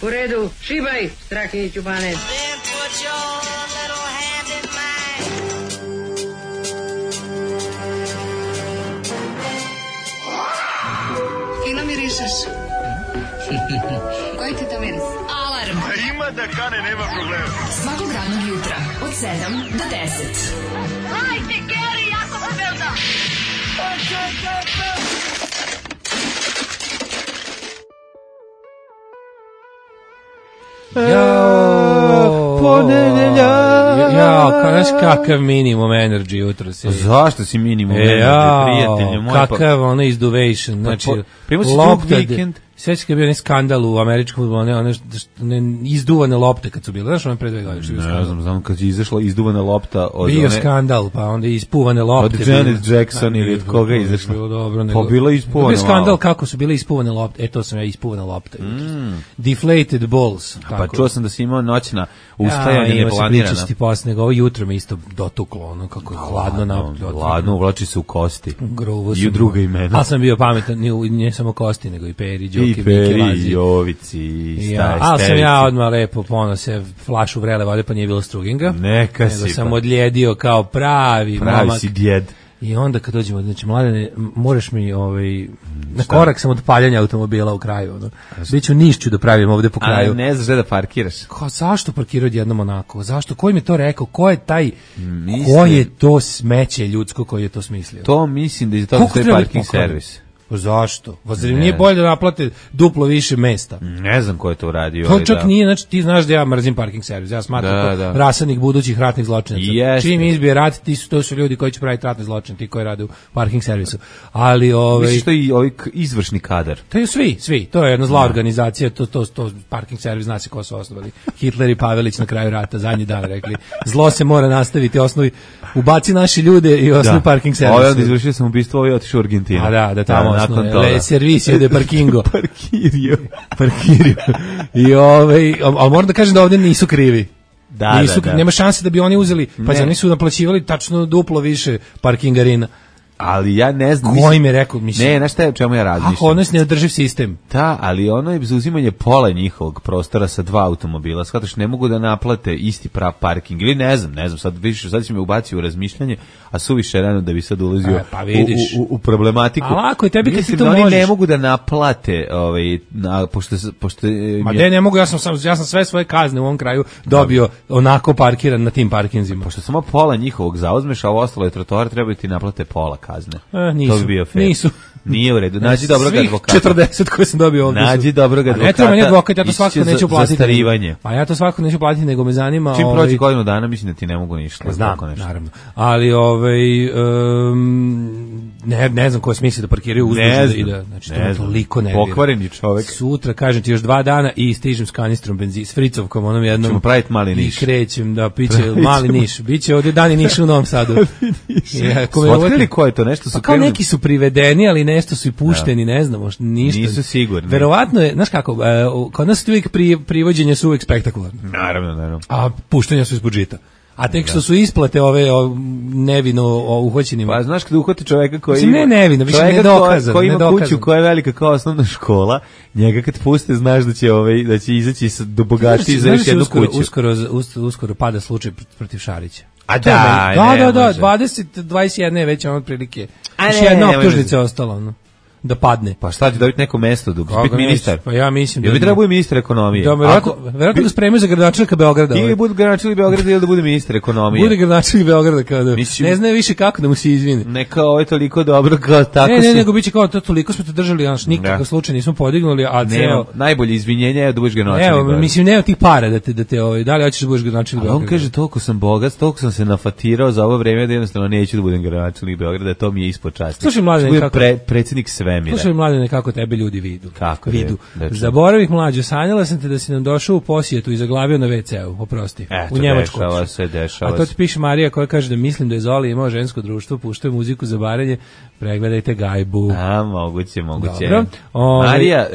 U redu, šibaj, Strahinji Ćubane. Fino mirišeš. Koji ti to miris? Alarm. Ima da kane, nema problema. Svakog radnog jutra, od 7 do 10. Hajde, Geri, jako se velda. Znaš kakav minimum energy jutro si. Zašto si minimum energy, prijatelju moj? Kakav ono izduvation, znači lopta. Sveći kad je bio onaj skandal u američkom fudbalu, one izduvane lopte kad su bile, znaš ono pre 2 godine? Ne znam kad je izašla izduvana lopta od bio skandal, pa onda ispuvane lopte. Od Janet Jackson ili od koga je izašla? Pa bila ispuvana. Bio skandal kako su bile ispuvane lopte, to sam ja ispuvana lopta. Deflated balls. Pa čuo sam da si imao noćna ustajanja neplanirana. Priča ti posle, nego ovo jutro mi isto dotuklo, ono kako je hladno. Hladno, uvlači se u kosti. I u druga imena. Ali sam bio pametan, ne samo kosti, nego i Peri, i Peri, i Jovici, i ali sam ja odmah lepo pono se flašu vrele vode, pa nije bilo struginga. Neka si. Nego sam odljedio kao pravi momak. Si djed. I onda kad dođemo, znači, Mladene, moraš mi, na korak sam od paljanja automobila u kraju, ono. Biću Nišću da pravim ovde po kraju. Ali ne znaš da parkiraš. Zašto parkirao odjednom onako? Zašto? Ko im je to rekao? Ko je taj, ko je to smeće ljudsko koji je to smislio? To mislim da je to parking servis. Zašto? Zar nije bolje da naplate duplo više mesta? Ne znam ko je to uradio. To čak nije, znači ti znaš da ja mrzim parking servis. Ja smatram to rasadnik budućih ratnih zločinaca. Čim izbije rat, to su ljudi koji će praviti ratne zločine, ti koji rade u parking servisu. Ali misliš što i ovaj izvršni kadar? To je svi. To je jedna zla organizacija, to parking servis, zna se ko su osnovali. Hitler i Pavelić na kraju rata, zadnji dan rekli. Zlo se mora nastaviti, osnovi ubaci naši ljude i osnovi parking servis. Ovaj onda izvršio sam ubistvo, ovaj otišao u Argentinu. Da, tamo le servicio de parkingo. Parkirio. I ali moram da kažem da ovdje nisu krivi. Da. Nema šanse da bi oni uzeli, pa oni su naplaćivali tačno duplo više parkingarina. Ali ja ne znam. Ko im je rekao? Ne, znaš šta je o čemu ja razmišljam? Ako ono je neodrživ sistem. Da, ali ono je zauzimanje pola njihovog prostora sa 2 automobila. Shvataš, ne mogu da naplate isti prav parking. Ili ne znam, sad će me ubaciti u razmišljanje, a suviše rano da bi sad ulazio u problematiku. Ali ako je tebi kad ti to možeš. Oni ne mogu da naplate, pošto Ma ne mogu, ja sam sve svoje kazne u ovom kraju dobio onako parkiran na tim parkinzima. Pošto samo pola njihovog zauzmeš, a ovo ostalo je trotoar, treba ti naplate pola kazne. Nisu. Nije u redu. Nađi dobrog advokata. 40 koje sam dobio ovdje. Nađi dobrog advokata. Ne treba meni advokat, ja to svakako neću platiti. Zastarivanje. Pa ja to svakako neću platiti, nego me zanima. Čim prođe godinu dana, mislim da ti ne mogu ništa. Znam, naravno. Ali ne znam ko smisli da parkiraju uzduž i da, znači to me toliko nervira. Pokvareni čovek. Sutra, kažem ti, još 2 dana i stižem s kanistrom benzina, s fricovkom, onom jednom. Ćemo praviti mali Niš. I krećem da piće mali Niš. Biće ovdje dani Niš u Novom Sadu. Otkrili ko je to? Nešto su kao neki su privedeni, ali nešto su i pušteni, ne znamo, ništa. Nisu sigurni. Verovatno je, znaš kako, kod nas uvijek privođenje su uvijek spektakularne. Naravno. A puštanja su ispod žita. A tek što su isplate ove nevino uhvaćenima. Pa znaš kada uhvati čoveka koji ima... nevino, više nedokazan. Koji ima kuću koja je velika kao osnovna škola, njega kad puste znaš da će izaći do bogatiji za još jednu kuću. Uskoro pada slučaj protiv Šarića. A da, 21 je već otprilike. Još jedna optužnica je ostala, da padne. Pa šta će dobiti neko mesto da biti ministar? Pa ja mislim da bi trebao ministar ekonomije. Verovatno ga spremaju za gradonačelnika Beograda. Ili bude gradonačelnik Beograda ili da bude ministar ekonomije. Bude gradonačelnik Beograda kada ne zna više kako da mu se izvini. Neka ovo je toliko dobro kao tako. Ne, nego biće kao to toliko smo te držali, znači nikakav slučaj nismo podignuli, a ceo najbolje izvinjenje je da budeš gradonačelnik Beograda. Evo, mislim nema tih para da te da li hoćeš da budeš gradonačelnik Beograda. On kaže toliko sam bogat, toliko sam se nafatirao za ovo vreme da jednostavno neću da budem gradonačelnik Beograda, to mi je ispod časti. Slušaj mladen, kako predsjednik svemira. Slušaj mladen, kako tebe ljudi vidu. Kako vidu. Zaboravih mlađo, sanjala sam te da si nam došao u posjetu i zaglavio na WC-u, oprosti. U Njemačku. Dešava se. A to ti piše Marija koja kaže da mislim da je Zoli imao žensko društvo, puštuje muziku za barenje, pregledajte Gajbu. A, moguće. Dobro. Marija,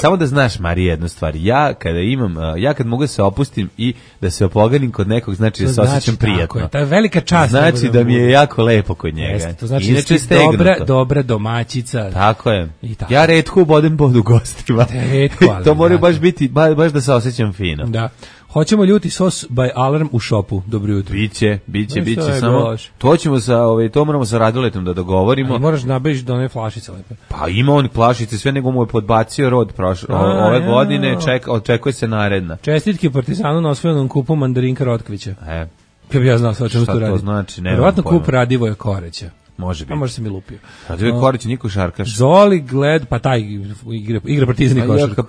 samo da znaš, Marija, jednu stvar. Ja kad mogu da se opustim i da se opoganim kod nekog, znači da se osjećam prijatno. To je velika čast. Znači da mi je jako lepo kod njega. To znači da si dobra domaćica. Tako je. Ja retko bodem bodu gostima. Retko, ali to moraju baš biti, baš da se osjećam fino. Da. Hoćemo ljuti sos by Alarm u šopu. Dobro jutro. Biće samo. To ćemo to moramo sa Radoletom da dogovorimo. A moraš nabeći do one flašice lepe. Pa ima on flašice, sve nego mu je podbacio rod ove godine, očekuje se naredna. Čestitke Partizanu na osvojenom kupu Mandarinka Rotkvića. Kako bi ja znao o čemu to radi. Šta to znači? Verovatno kup Radivoja Koreća. Može biti. A može se mi lupio. Radivoj Koreć, niko šarkaš. Zoli pa taj igra Partizan i košarku.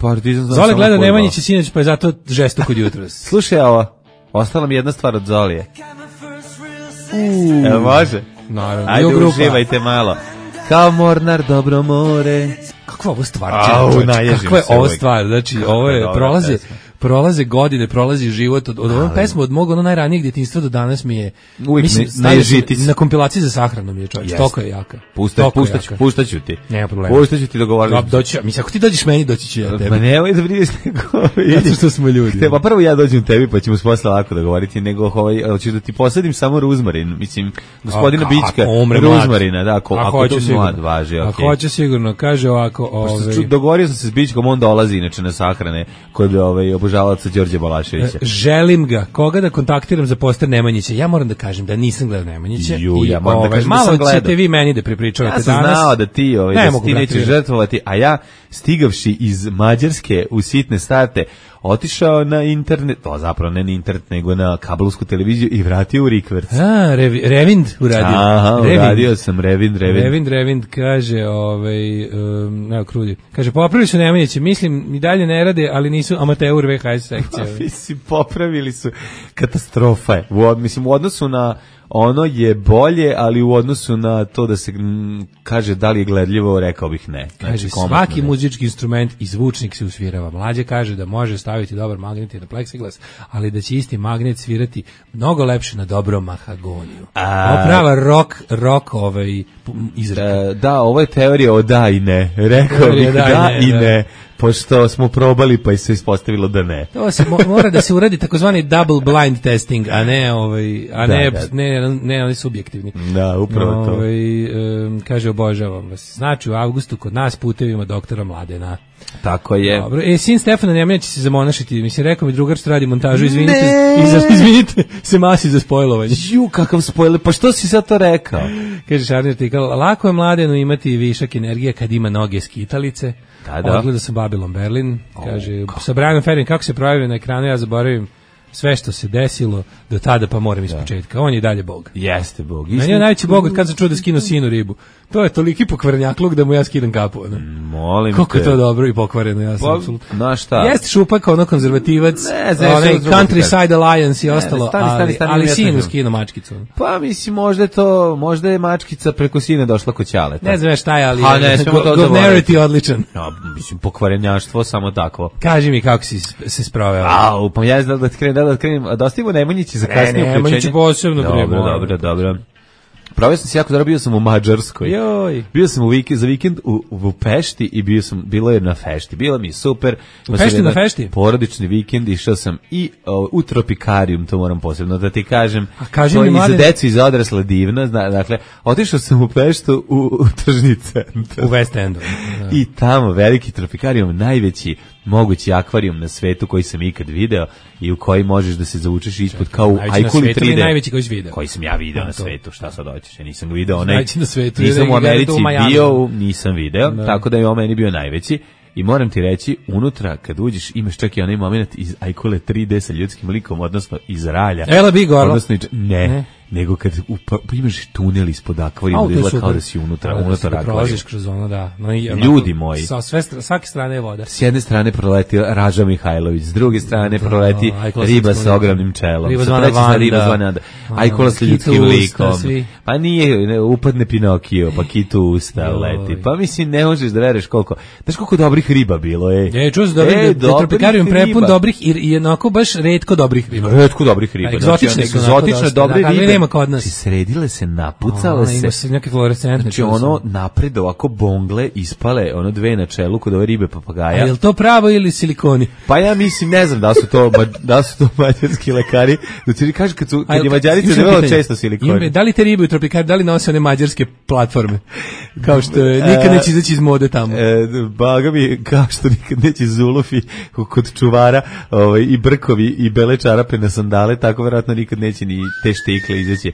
Zoli gleda Nemanjića sinoć, pa je zato žesto kod jutros. Slušaj ovo, ostala mi jedna stvar od Zolije. Evo može? Naravno. Ajde, uživajte malo. Kao Mornar, dobro more. Kakva ovo stvar? Kakva je ovo stvar? Znači, ovo je, prolaze godine, prolazi život od ovom pesmu, od mog najranijeg djetinjstva do danas mi je uvijek na kompilaciji za sahranu mi je čovječ, toliko je jaka. Puštaću ti. Nema problema. Puštaću ti dogovoriti. Mislim, ako ti dođeš meni, doći ću ja tebi. Pa nemoj da brineš nego. Zato što smo ljudi. Pa prvo ja dođem tebi, pa ćemo posle lako dogovoriti, nego hoću da ti posadim samo ruzmarin, mislim, gospodina Bićka, ruzmarina, da, ako to mlad važi, okej. Ako hoće sigurno, kaže ovako, dogovorio sam se s Bićkom, on dolazi inače na sahrane kod obožavaoca Đorđe Balaševića. Želim ga, koga da kontaktiram za poster Nemanjića. Ja moram da kažem da nisam gledao Nemanjića. Ja moram da kažem da sam gledao. Malo ćete vi meni da prepričavate danas. Ja sam znao da ti, da ti nećeš žrtvovati, a ja stigavši iz Mađarske u sitne starte, otišao na internet, zapravo ne na internet, nego na kablovsku televiziju i vratio u Rikverc. Revind uradio. Aha, uradio sam Revind, kaže, evo krudi. Kaže, popravili su Nemanjiće, mislim, i dalje ne rade, ali nisu amateur VHS sekcija. Mislim, popravili su, katastrofa je. Mislim, u odnosu na ono je bolje, ali u odnosu na to da se kaže da li je gledljivo, rekao bih ne. Kaže, svaki muzički instrument i zvučnik se usvirava. Mlađe kaže da može staviti dobar magnet i na pleksiglas, ali da će isti magnet svirati mnogo lepše na dobrom mahagoniju. Ovo prava rock izreka. Da, ovo je teorija o da i ne. Rekao bih da i ne. Pošto smo probali, pa se ispostavilo da ne. To se mora da se uradi takozvani double blind testing, a ne ne oni subjektivni. Da, upravo to. Kaže, obožavam vas. Znači, u avgustu kod nas putevima doktora Mladena. Tako je. Dobro. Sin Stefana Nemanjić će se zamonašiti. Mislim, rekao mi drugar što radi montažu, izvinite se masi za spojlovanje. Kakav spojler, pa što si sad to rekao? Kaže Šarni artikal, lako je Mladenu imati višak energije kad ima noge skitalice. Odgledao sam Babylon Berlin, kaže, sa Brianom Ferrin, kako se projavio na ekranu, ja zaboravim sve što se desilo do tada, pa moram iz početka. On je dalje Bog. Jeste Bog. Meni je najveći Bog od kad sam čuo da skinu sinu ribu. To je toliki pokvarnjakluk da mu ja skidam kapu. Molim kako je to dobro i pokvareno, ja sam apsolutno. Na šta? Jeste Šupak, konzervativac, Countryside Alliance i ostalo, ali sinu skinu mačkicu. Pa mislim, možda je mačkica preko sina došla kod ćaleta. Ne znam šta je, ali governarity odličan. Mislim, pokvarenjaštvo samo takvo. Kaži mi kako si se sproveo. Pa ja znam da krenem, a dostavimo Nemanjići za kasnije uključenje. Nemanjići posebno. Dobro. Proveo sam se jako dobro, bio sam u Mađarskoj. Bio sam za vikend u Pešti i bilo je na fešti. Bilo mi je super. U Pešti na fešti? Porodični vikend, išao sam i u Tropikarium, to moram posebno da ti kažem. A kaži to mi, i za decu i za odrasle divno. Dakle, otišao sam u Peštu u tržni centar. U West Endu. I tamo veliki Tropikarium, najveći mogući akvarijum na svetu koji sam ikad video i u koji možeš da se zavučeš ispod kao u Ajkuli 3D. Najveći koji si video. Koji sam ja video na svetu, šta sad hoćeš? Ja nisam ga video. Na svetu. Nisam u Americi bio, nisam video, tako da je on meni bio najveći. I moram ti reći, unutra kad uđeš imaš čak i onaj moment iz Ajkule 3D sa ljudskim likom, odnosno iz ralja. Ela bi gorlo. Ne. Nego kad imaš tunel ispod akvarijuma, da izgleda kao da si unutra akvarijuma. Prolaziš kroz ono, da. Ljudi moji. Sa svake strane je voda. S jedne strane proleti Raža Mihajlović, s druge strane proleti riba sa ogromnim čelom. Riba zvana Vanda. Ajkula sa ljudskim likom. Pa nije, upadne Pinokio, pa kitu usta leti. Pa mislim, ne možeš da veruješ koliko. Znaš koliko dobrih riba bilo, ej. Čuo se da Tropikarium prepun dobrih i onako baš retko dobrih riba. Retko dobrih riba. Egzotične su. Egzotične, dobre ribe. nema kod nas. Sredile se, napucale se. Ima se neke fluorescentne. Znači ono napred ovako bongle ispale, ono dve na čelu kod ove ribe papagaja. A je li to pravo ili silikoni? Pa ja mislim, ne znam da su to mađarski lekari. Znači kaže kad je Mađarica debelo često silikoni. Da li te ribe u tropikari, da li nose one mađarske platforme? Kao što nikad neće izaći iz mode tamo. Baga mi, kao što nikad neće zulufi kod čuvara i brkovi i bele čarape na sandale, tako verovatno nikad neće ni te štikle izaći.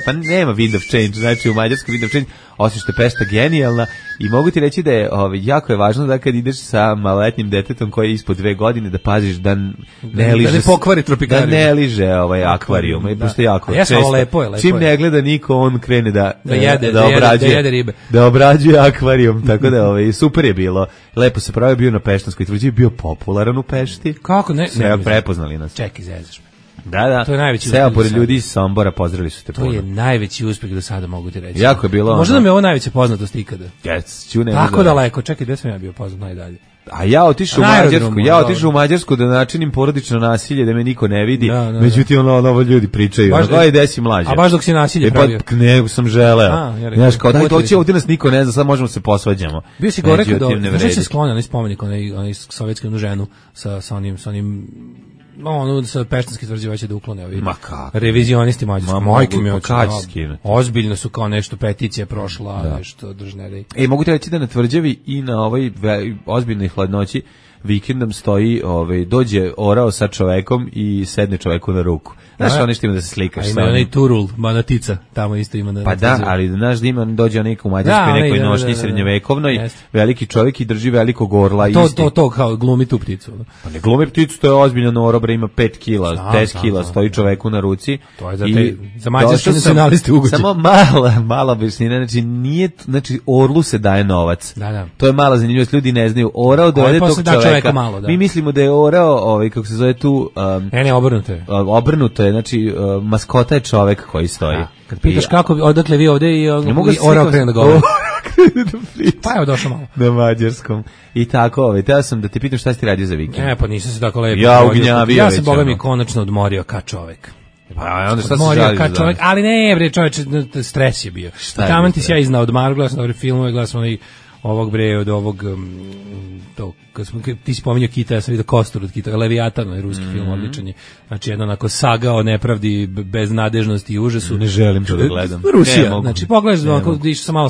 Pa nema wind of change, znači u Mađarskoj wind of change, osim što je pešta genijalna i mogu ti reći da je jako je važno da kad ideš sa maloletnim detetom koji je ispod 2 godine da paziš da ne liže, da ne pokvari tropikarijum, da ne liže akvarijum, i pošto jako često, lepo je, čim ne gleda niko, on krene da jede ribe, da obrađuje akvarijum, tako da super je bilo, lepo se pravio, bio na Peštanskoj tvrđavi, bio popularan u Pešti. Kako ne prepoznali nas. Čekaj, zezaš me. Da. To je najveći uspeh. Sve pored ljudi iz Sombora pozdravili su te. To je najveći uspeh do sada, mogu ti reći. Jako je bilo. Možda nam je ovo najveća poznatost ikada. Tako daleko. Čekaj, gde sam ja bio poznat najdalje? A ja otišao u Mađarsku da načinim porodično nasilje, da me niko ne vidi. Međutim ovo ljudi pričaju. Gde si mlađe? A baš dok si nasilje pravio? Ne, sam želeo. Znaš, kao daj doći, ovdje nas niko ne zna, sad možemo se posvađamo. Bio si gore kada se sklonio, onaj spomenik, onaj sovjetski ženu sa onim sa Peštanske tvrđe da uklone ovi revizionisti mađarski. Majke mi ozbiljno su kao nešto, peticija prošla, nešto držne. Mogu ti reći da na tvrđavi i na ovoj ozbiljnoj hladnoći vikendom stoji, dođe orao sa čovekom i sedne čoveku na ruku. Znaš, ono što ima da se slikaš. A ima onaj Turul, Banatica, tamo isto ima. Pa da, ali znaš da ima, dođe onaj u Mađarskoj nekoj nošnji srednjovekovnoj, veliki čovjek i drži velikog orla. To kao glumi tu pticu. Pa ne glumi pticu, to je ozbiljno orobra, ima 5 kila, 10 kila, stoji čoveku na ruci. To je za mađarske nacionaliste ugođe. Samo mala objašnjenja, znači orlu se daje novac. Da. To je mala zanimljivost, ljudi ne znaju. Orao dovede tog čoveka. Mi mislimo da je orao, kako se zove tu... Ne, obrnuto je, znači maskota je čovek koji stoji. Kad pitaš kako, odakle vi ovde i orao krenu da govori. Pa evo došao malo. Na mađarskom. I tako, teo sam da te pitam šta si ti radio za vikend. Pa nisam se tako lepo. Ja sam, boga mi, konačno odmorio ka čovek. Pa onda šta se žali za čovek, ali ne, bre, čoveče, stres je bio. Taman ti si ja iznao odmar, gledao sam dobre filmove, gledao sam od ovog ti si pominjao Kita, ja sam vidio Kostur od Kita, Leviatan, ruski film, odličan je. Znači, jedno onako saga o nepravdi, beznadežnosti i užasu. Ne želim to da gledam. Rusija, znači, pogledaš,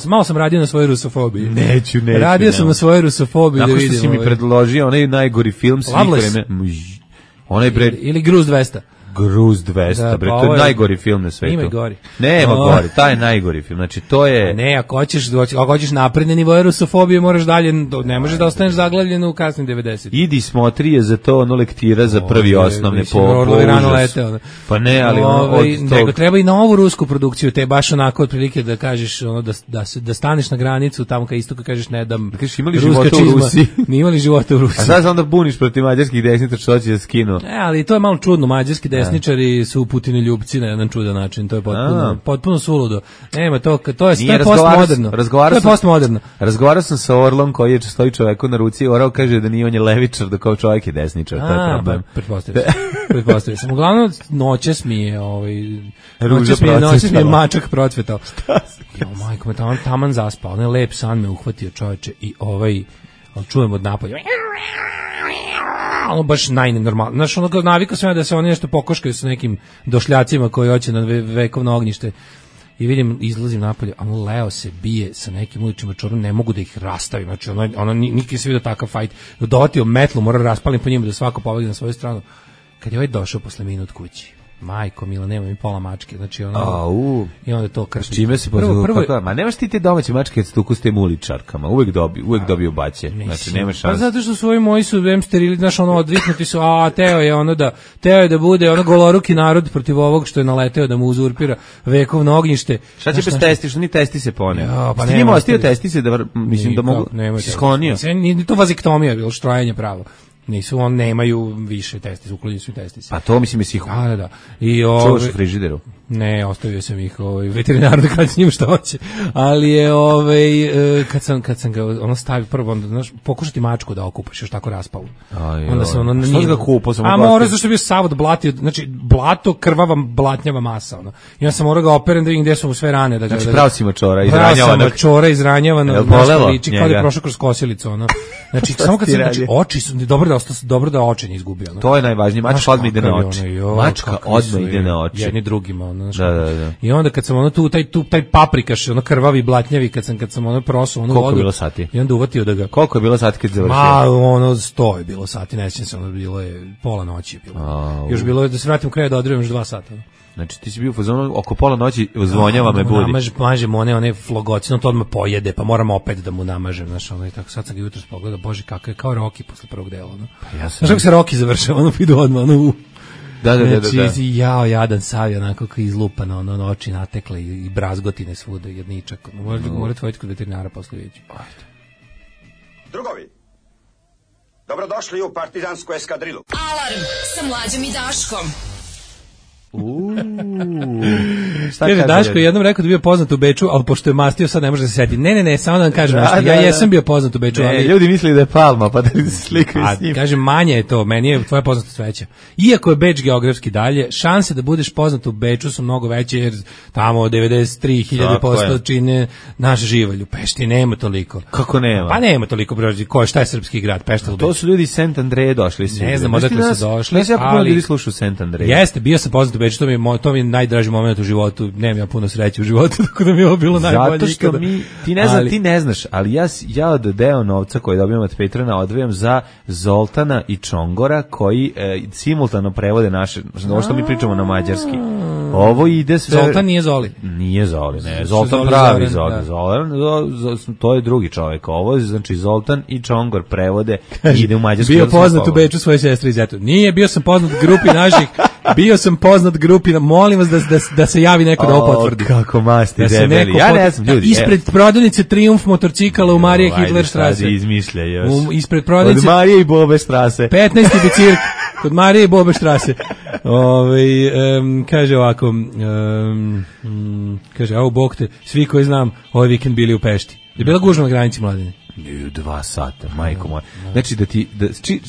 malo sam radio na svojoj rusofobiji. Neću. Radio sam na svojoj rusofobiji da vidim. Nakon što si mi predložio onaj najgori film svih vremena. Ili Gruz 200. Gruz 200, bre, to je najgori film na svetu. Ima i gori. Nema gori, taj je najgori film. Znači, to je... Ne, ako hoćeš napredne nivoje rusofobije, moraš dalje, ne možeš da ostaneš zaglavljen u kasnim 90. Idi smotri je za to lektira za prvi osnovne po užas. Pa ne, ali nego treba i na ovu rusku produkciju, te baš onako otprilike da kažeš, da staneš na granicu, tamo ka istoku kažeš ne dam. Da kažeš imali života u Rusiji. Nije imali života u Rusiji. A sad onda buniš protiv mađarskih desnica što će da skinu. Ne, ali to je malo čudno, mađarski desničari su Putini ljubci na jedan čudan način, to je potpuno suludo. Nema to je postmoderno. To je postmoderno. Razgovarao sam sa Orlom koji stoji čoveku na ruci, Orao kaže da nije on je levičar, da kao čovjek je desničar, to je problem. Pretpostavio sam. Uglavnom noćas mi je mačak procvetao. Majko me taman zaspao, onaj lep san me uhvatio, čoveče, i čujem od napolja baš najnenormalno. Znaš, navikao sam ja da se oni nešto pokoškaju sa nekim došljacima koji hoće na vekovno ognjište. I vidim, izlazim napolje, a Leo se bije sa nekim uličima čorom, ne mogu da ih rastavim. Znači, nikad se vidio takav fajt. Dovatio metlu, mora raspalim po njima da svako pobegne na svoju stranu. Kad je došao posle minut kući, majko mila, nema mi pola mačke, znači i onda to krši. Čime se prvo, ma nemaš ti te domaće mačke kad se tuku s tem uličarkama, uvek dobiju baće, znači nema šanse. Pa zato što su ovi moji su sterili, znaš, odviknuti su, teo je da bude goloruki narod protiv ovog što je naleteo da mu uzurpira vekovno ognjište. Šta će bez testi, što ni testi se pone? Pa ti njima ostio testi se da, mislim da mogu, si sklonio. Nije to vaziktomija, bilo štrajanje pravo. Nisu, nemaju više testise, uklonili su testise. Pa to mislim je siho. Da. Čuvaš u frižideru? Ne, ostavio sam ih veterinaru da kada s njim što hoće. Ali je kad sam ga stavio prvo, onda znaš, pokušati mačku da okupaš, još tako raspao. Onda se ono što ga kupao sam. A mora zašto je bio sav od blati, znači blato, krvava, blatnjava masa, ono. I ja sam morao ga operem da vidim gde su mu sve rane, da ga. Znači pravo si mačora, izranjavano, liči kao da je prošao kroz kosilicu, ono. Znači samo kad se oči su dobro da oči ne izgubio, ono. To je najvažnije, mačka odmah ide na oči. Mačka odmah ide na oči. Jedni drugima, ono. Da. I onda kad sam ono taj paprikaš, ono krvavi, blatnjavi, kad sam ono prosao, ono vodu. Koliko je bilo sati? I onda uvatio da ga. Koliko je bilo sati kad završio? Ono 100 je bilo sati, ne sjećam se, ono bilo je pola noći bilo. Još bilo je da se vratim u kraj da odredim još 2 sata. Znači ti si bio u fazonu oko pola noći zvonjava me budi. Namažem one flogocino, to odmah pojede, pa moram opet da mu namažem, znaš, ono i tako. Sad sam ga jutros pogledao, bože kako je, kao Rocky posle prvog dela, ono. Znaš kako se Rocky završava, ono idu odmah, ono Da. Znači, jadan sav je onako kao izlupan, ono oči natekle i brazgotine svuda, jedničak. Morate voditi kod veterinara posle vidjeti. Drugovi, dobrodošli u partizansku eskadrilu. Alarm sa Mlađom i Daškom. Kaže, Daško je jednom rekao da bio poznat u Beču, ali pošto je mastio sad ne može da se seti. Ne, samo da vam kažem nešto. Ja jesam bio poznat u Beču, ali ljudi misle da je Palma, pa da se slikaju s njim. Kažem, manje je to, meni je tvoja poznatost veća. Iako je Beč geografski dalje, šanse da budeš poznat u Beču su mnogo veće, jer tamo 93.000% čine naš Živalj. U Pešti nema toliko. Kako nema? Pa nema toliko, šta je srpski grad, Pešta ili Beč? To su ljudi iz Sent Andreje došli. Ne znam odakle su došli, ali ljudi slušaju Sent Andreje. Jeste, bio sam poznat u Beču, to mi je najdraži moment u životu. Nemam ja puno sreće u životu, tako da mi je ovo bilo najbolje. Zato što ti ne znaš, ali ja od deo novca koji dobijam od Petrona odvajam za Zoltana i Čongora koji simultano prevode naše, ovo što mi pričamo na mađarski. Ovo ide sve. Zoltan nije Zoli. Nije Zoli, ne. Zoltan pravi Zoltan. To je drugi čovjek. Ovo znači Zoltan i Čongor prevode i ide u mađarski. Bio poznat u Beču svoje sestre i zetu. Nije, bio sam poznat grupi naših. Bio sam poznat grupi, molim vas da se javi neko da ovo potvrdi. Kako masti debeli. Ja ne znam, ljudi. Ispred prodavnice Triumf motorcikala u Marije Hitlerstrasse. Izmišlja još. Ispred prodavnice. Od Marije i Bobe Strasse. 15. bicirk. Kod Marije i Bobe Strasse. Kaže ovako, kaže, evo Bog te, svi koji znam, ovaj vikend bili u Pešti. Je bila gužva na granici, Mladine? 2 sata, majko moja. Znači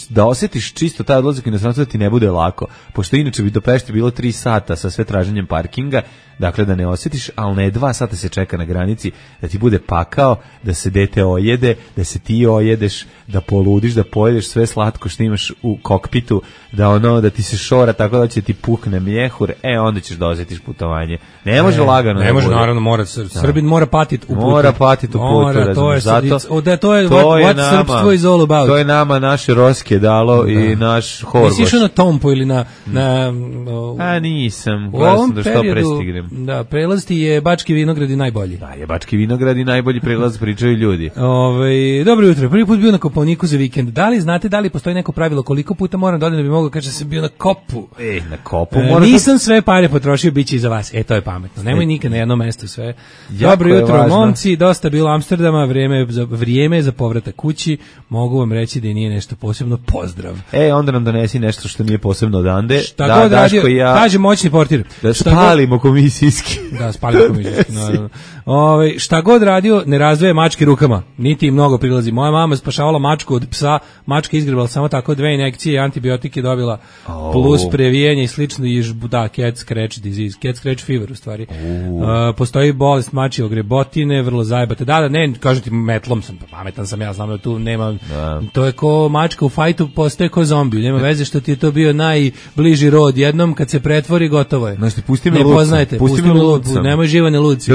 da osjetiš čisto taj odlazak inostranstvo da ti ne bude lako, pošto inače bi do Pešti bilo 3 sata sa sve traženjem parkinga, dakle da ne osjetiš, ali ne 2 sata se čeka na granici, da ti bude pakao, da se dete ojede, da se ti ojedeš, da poludiš, da pojedeš sve slatko što imaš u kokpitu, da ti se šora tako da će ti pukne mjehur, onda ćeš da osjetiš putovanje. Ne može lagano. Ne može, naravno, Srbin mora patiti u putu. Mora patiti u putu, to je what srpstvo is all about. To je nama naše Roske dalo i naš Horgoš. Nisi išao na Tompu ili na nisam, gledao sam da što prestignem. Da, prelaz ti je Bački Vinogradi najbolji. Da, je Bački Vinogradi najbolji prelaz, pričaju ljudi. Dobro jutro, prvi put bio na Kopaoniku za vikend. Da li postoji neko pravilo koliko puta moram da odem da bi mogao kaže da sam bio na Kopu? Na Kopu nisam sve pare potrošio, bit će i za vas. To je pametno. Nemoj nikad na jedno mesto sve. Dobro jutro, momci, dosta bilo Amsterdama, vrijeme za povratak kući. Mogu vam reći da nije nešto posebno. Pozdrav. Onda nam donesi nešto što nije posebno odande. Šta god radio, kaže moćni portir. Da spalimo komisijski. Da, spalimo komisijski, naravno. Šta god radio, ne razdvaja mačke rukama. Niti im mnogo prilazi. Moja mama spašavala mačku od psa. Mačka izgrebala samo tako 2 injekcije i antibiotike dobila. Plus previjenje i slično. Cat scratch disease. Cat scratch fever u stvari. Postoji bolest mačje ogrebotine, vrlo zajebate. Da, ne, kažem ti, metlom sam, pametan sam, ja znam da tu nema, to je ko mačka u fajtu, postoje ko zombi, nema veze što ti je to bio najbliži rod, jednom kad se pretvori, gotovo je. Znači, pusti mi ne poznajete, pusti mi lucu, nemoj živane luci.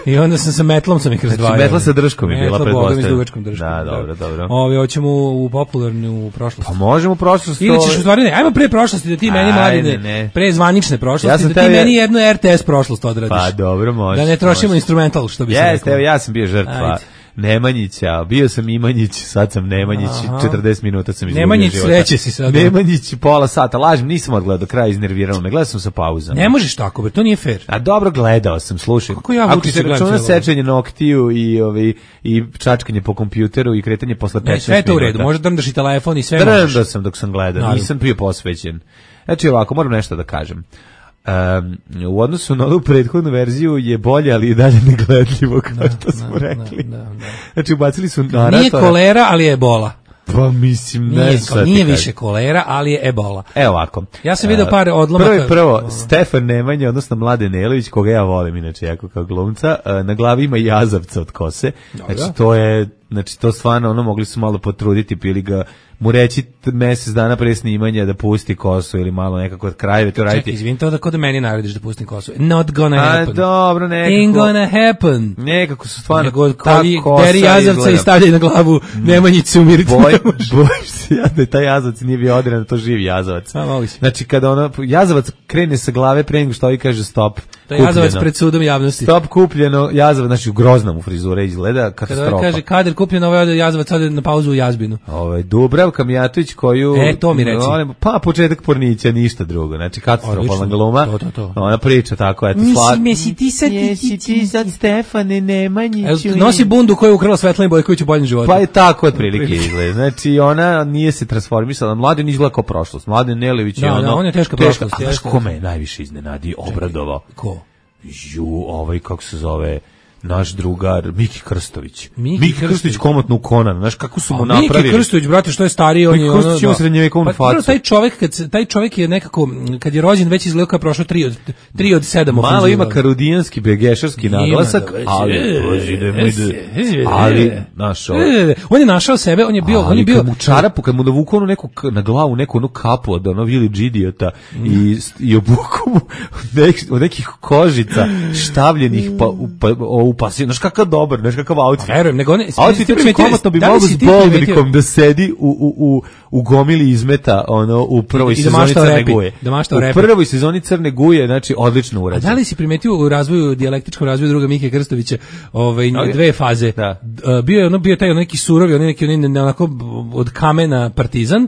I onda sam sa metlom sam ih razdvajao. Znači, metla sa drškom je bila pretpostavljena. Dugačkom drškom. Da, dobro. Hoćemo u popularnu prošlost. Pa možemo u prošlost. Ili ćeš u stvari ne, ajmo pre prošlosti da ti meni Mladine, pre zvanične prošlosti, da ti meni jednu RTS prošlost odradiš. Pa dobro, može. Da ne trošimo instrumental, što bi se rekao. Jeste, evo ja sam bio žrtva. Nemanjića, bio sam Imanjić, sad sam Nemanjić, 40 minuta sam izgubio Nemanjić, sreće si sad. Nemanjić, pola sata, lažem, nisam odgledao do kraja, iznerviralo me, gledao sam sa pauzama. Ne možeš tako, to nije fair. A dobro, gledao sam, slušaj. Kako ja ako se računa sečenje noktiju i čačkanje po kompjuteru i kretanje posle 15 minuta. Sve to u redu, možda drndaš i telefon i sve možeš. Drndao sam dok sam gledao, nisam bio posvećen. Znači ovako, moram nešto da kažem. u odnosu na ovu prethodnu verziju je bolje, ali i dalje negledljivo, kao što smo rekli. Znači, ubacili su naratora. Nije kolera, ali je ebola. Pa mislim, nije više kolera, ali je ebola. Evo ovako. Ja sam vidio par odlomaka. Prvo, Stefan Nemanja, odnosno Mladen Nelević, koga ja volim inače jako kao glumca, na glavi ima jazavca od kose. Znači to stvarno, mogli su malo potruditi, pili ga, mu reći mesec dana pre snimanja da pusti kosu ili malo nekako od krajeve to raditi. Čekaj, izvini, to da kod meni narediš da pustim kosu. Not gonna happen. Dobro, nekako. Ain't gonna happen. Nekako su stvarno nego deri jazavca i stavljaju na glavu Nemanjicu umiriti. Bojim se da taj jazavac nije bio odredan, to živi jazavac. Znači kada jazavac krene sa glave pre nego što ovi kaže stop. To je jazavac pred sudom javnosti. Stop, kupljeno, jazavac, znači u groznom u frizure izgleda katastrofa. Kada kaže Kadir kupljeno, ovaj jazavac ode na pauzu u Jazbinu. Dubravka Mijatović koju... to mi reci. Pa početak Pornića, ništa drugo. Znači katastrofalna gluma. To. Ona priča tako, eto. Jesi ti sad Stefane Nemanjiću. Nosi bundu koju je ukrala Svetlana Bojković u boljem životu. Pa je tako otprilike izgleda. Znači ona nije se transformisala. Mladen izgleda kao prošlost. Mladen Nelević je on je teška prošlost. A znaš kome je najviše iznenadio, obradovao? Ko? Kako se zove, naš drugar Miki Krstović. Miki Krstović komotno u Conan, znaš kako su mu napravili. Miki Krstović, brate, što je stariji, on je Krstović ima srednjevekovnu facu. Taj čovjek je nekako, kad je rođen već izgledao kao prošlo 3 od 7. Malo ima karudijanski, begešarski naglasak, ali našao. On je našao sebe, on je bio kad mu čarapu, kad mu navuku na glavu neku kapu od Village Idiota i obuku mu od nekih kožica štavljenih upasio, znaš kakav dobar, znaš kakav outfit. Verujem, nego on... Outfit je komotno bi mogo s Boldrikom da sedi u gomili izmeta u prvoj sezoni Crne Guje. U prvoj sezoni Crne Guje, znači odlično urađeno. A da li si primetio u razvoju, dijalektičkom razvoju druga Mike Krstovića, dve faze? Bio je taj neki surovi, onako od kamena partizan,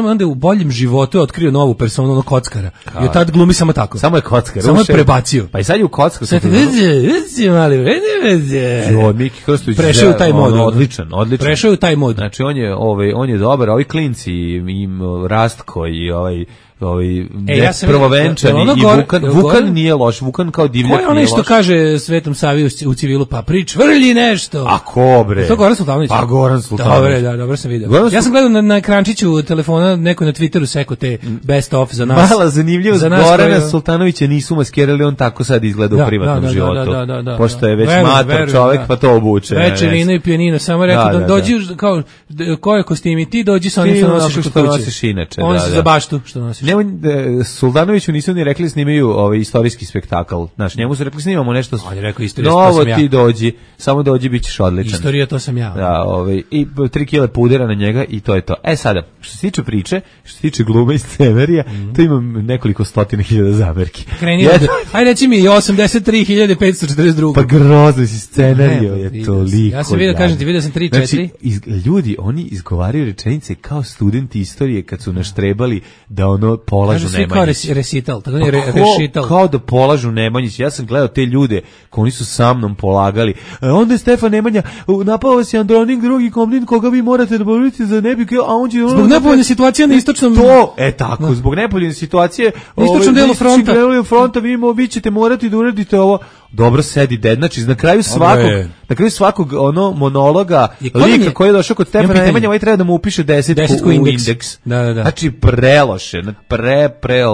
onda u boljem životu je otkrio novu personu, kockara. I od tad glumi samo tako. Samo je kockar. Samo je prebacio. Pa i sad je u kockaru. Miki Krstović prešao u taj mod, odličan. Prešao u taj mod. Znači on je dobar, ovi klinci i Rastko i prvovenčani i Vukan nije loš, Vukan kao divljak nije loš. Ko je onaj što kaže Svetom Savi u civilu, pa vrlji nešto? A ko bre? To Goran Sultanović. Pa Goran Sultanović. Dobro sam vidio. Ja sam gledao na ekrančiću telefona, neko na Twitteru seko te best of za nas. Mala zanimljivost, Gorana Sultanovića nisu maskirali, on tako sad izgleda u privatnom životu. Pošto je već mator čovek, pa to obuče. Veče vino i pijanino, samo rekao dođi kao koje kostimi ti dođi sa onim što nosiš kod kuće. On se za baštu što nosiš. Suldanoviću nisu ni rekli snimaju istorijski spektakl. Znaš, njemu su rekli snimamo nešto. On je rekao istorija, novo ti dođi, samo dođi, bit ćeš odličan. Istorija, to sam ja. Da, i 3 kile pudera na njega i to je to. Sada, što se tiče priče, što se tiče glume i scenarija, to imam nekoliko stotina hiljada zamerki. Ajde reći mi 83.542. Pa grozno si scenario je toliko. Ja sam vidio, kažem ti, vidio sam 3-4. Znači, ljudi, oni izgovaraju rečenice kao studenti istorije kad su naštrebali da polažu Nemanjić. Kažu svi kao recital, tako je rešital. Kao da polažu Nemanjić. Ja sam gledao te ljude koji oni su sa mnom polagali. Onda je Stefan Nemanja, napao se Andronik, drugi Komnin, koga vi morate da borite za nebike, a on će... Zbog nepovoljne situacije na istočnom... Tako, zbog nepovoljne situacije... Na istočnom delu fronta. Vi ćete morati da uradite ovo. Dobro sedi ded, znači na kraju svakog monologa lika koji je došao kod Stefana Nemanja, ovaj treba da mu upiše 10 u indeks. Da. Znači preloše,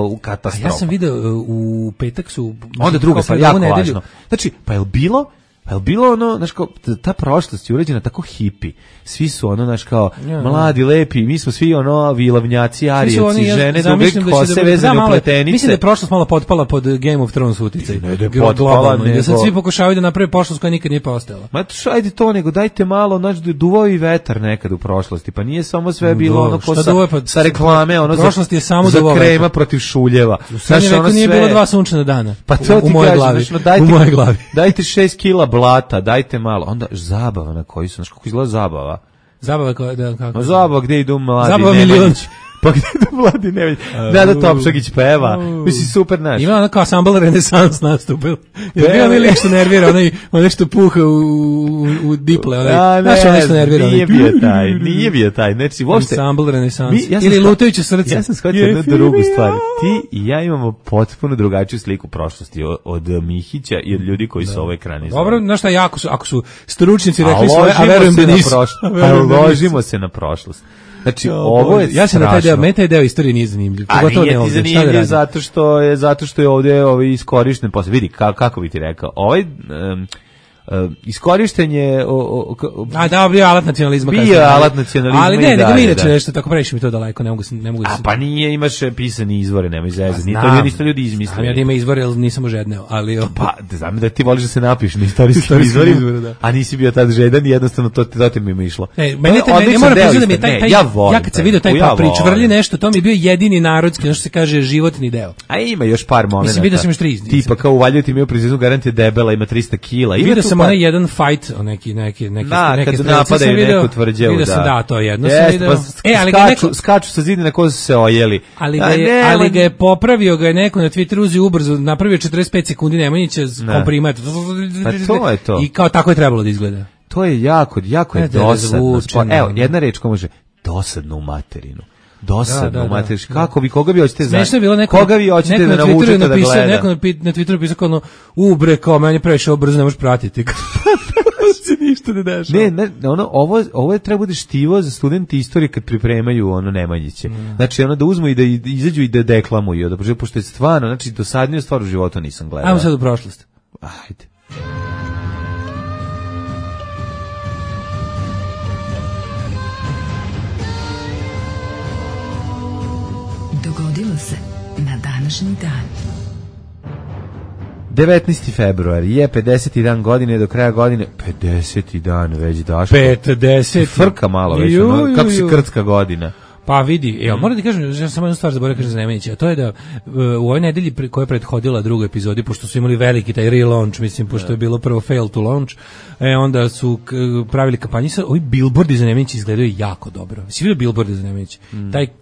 u katastrofu. Ja sam video u petak su... Onda druga stvar, jako važno. Znači, pa je li bilo znaš kao, ta prošlost je urađena tako hipi, svi su znaš kao, mladi, lepi, mi smo svi vilavnjaci, arijaci, žene, duge kose, vezane u pletenice. Mislim da je prošlost malo potpala pod Game of Thrones uticaj. Ne da je potpala, nego... Da sad svi pokušavaju da naprave prošlost koja nikad nije postojala. Ma ajde to, nego dajte malo, znači, duvao i vetar nekad u prošlosti, pa nije samo sve bilo sa reklame, prošlost je samo za krema protiv šuljeva. U srednje veku nije bilo 2 sunčana dana. Pa to ti kažem, u mojoj glavi. Dajte 6 kila blata, dajte malo. Onda zabava na koji su, znaš kako izgleda zabava? Zabava koja, da, kako? Zabava gde idu mladi Zabava Nemanjić. Pa gde da Mladi Nemanjić? Nada Topšagić peva. Mislim, super naš. Ima ono kao Assemble Renesans nastupil. Je bio onaj lik što nervira, onaj što puha u diple. Znaš onaj što nervira. Nije bio taj. Znači, uopšte... Assemble Renesans. Ili Lutajuće srce. Ja sam shvatio jednu drugu stvar. Ti i ja imamo potpuno drugačiju sliku prošlosti od Mihića i od ljudi koji su ovo ekranizovali. Dobro, znaš šta, ako su stručnjaci rekli svoje, a verujem da nisu. Ložimo se na prošlost. Znači, ovo je ja sam na taj deo, meni taj deo istorije nije zanimljiv. A nije ti zanimljiv zato što je ovdje iskorišten posle. Vidi, kako bi ti rekao, iskorišten je bio alat nacionalizma, ali ne, nego mi inače nešto tako previše mi to daleko, ne mogu a pa nije, imaš pisani izvore, nemoj zezati, to nisu ljudi izmislili. Ja da ima izvore, ali nisam ožedneo, ali pa znam da ti voliš da se napiš na istorijskim izvorima, a nisi bio tad žedan i jednostavno to ti mi išlo. Meni ne moram priznati da mi je taj ja kad sam vidio taj Paprić vrli nešto, to mi je bio jedini narodski, ono što se kaže životni deo. A ima još par momenata. Mislim vidio sam još 3. Tipa kao u Valjevu ti imao prizivnu garantije debela, ima 300 kila. Vidio sam onaj jedan fight, neki kad napadaju neku tvrđavu, vidio sam to jedno sam video. Skaču sa zidina ko su se ojeli. Ali ga je popravio, ga je neko na Twitteru uzeo ubrzo, napravio 45 sekundi Nemanjića komprimat. Pa to je to. I kao tako je trebalo da izgleda. To je jako je dosadno. Evo, jedna reč ko može, dosadno u materinu. Dosadno, materiš. Koga vi hoćete koga vi hoćete da navučete da gleda? Neko na Twitteru pisao kao ubre, kao meni previše brzo ne možeš pratiti. Se ništa ne dešava. Ne, ovo je treba bude štivo za studenti istorije kad pripremaju Nemanjiće. Znači da uzmu i da izađu i da deklamuju, pošto je stvarno, znači dosadniju stvar u životu nisam gledao. Ajmo sad u prošlost. Ajde. Dogodilo se na današnji dan. 19. februar je 50. dan godine, do kraja godine 50. dan već Daško. 50. Frka malo već, kako si krcka godina. Pa vidi, moram ti kažem, ja samo jednu stvar zaboravio kažem za Nemanjića, a to je da u ovoj nedelji koja je prethodila drugoj epizodi, pošto su imali veliki taj relaunch, mislim, pošto je bilo prvo fail to launch, onda su pravili kampanju, ovi billboardi za Nemanjića izgledaju jako dobro. Si vidio billboardi za Nemanjića?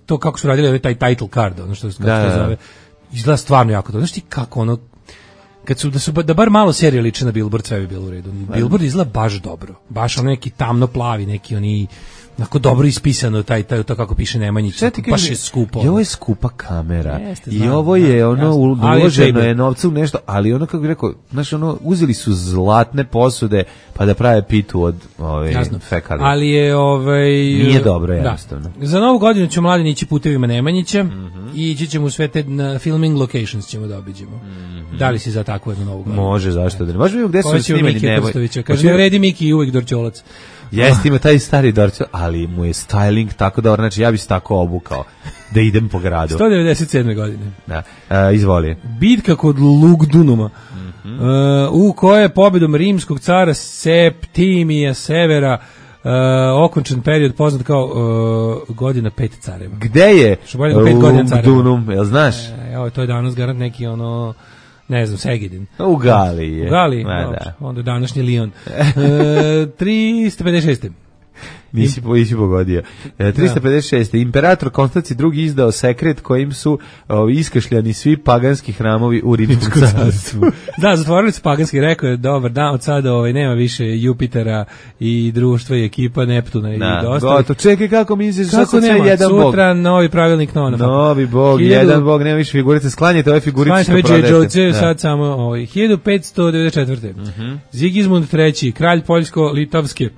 To kako su radili, taj title card, ono što se zove, izgleda stvarno jako dobro. Znaš ti kako da bar malo serije liče na billboard, sve bi bilo u redu. Billboard izgleda baš dobro. Baš neki tamno plavi, neki oni onako dobro ispisano to kako piše Nemanjić. Baš je skupo. I ovo je skupa kamera. I ovo je uloženo je novca u nešto, ali kako bih rekao, znaš, uzeli su zlatne posude pa da prave pitu od fekalija. Ali je nije dobro, jednostavno. Za Novu godinu ćemo mladi ići putevima Nemanjića i ići ćemo u sve te filming locations ćemo da obiđemo. Da li si za takvu jednu Novu godinu? Može, zašto da ne. Može vidjeti gde su snimeni Nemanjića. Kaže, ne vredi Miki i uvijek Dorćolac. Jeste, ima taj stari Dorćol, ali mu je styling tako dobro, znači ja bih se tako obukao da idem po gradu. 197. godine. Da, izvoli. Bitka kod Lugdunuma, u kojoj je pobjedom rimskog cara Septimija Severa okončan period poznat kao godina 5 careva. Gde je Lugdunum, jel znaš? To je danas garant neki ne znam, Segedin. U Galiji je. U Galiji, onda današnji Lion. 356. Nisi pogodio. 356. Imperator Konstancije II izdao sekret kojim su iskašljani svi paganski hramovi u Rimskom carstvu. Da, zatvorili su paganski, rekao je, dobar dan, od sada nema više Jupitera i društva i ekipa Neptuna i dosta. Gotovo, čekaj kako misliš, sad sve jedan bog. Sutra novi pravilnik Novi bog, jedan bog, nema više figurice, sklanjajte ove figurice što prodajete. Sad samo 1594. Zigizmund III, kralj Poljsko-Litovske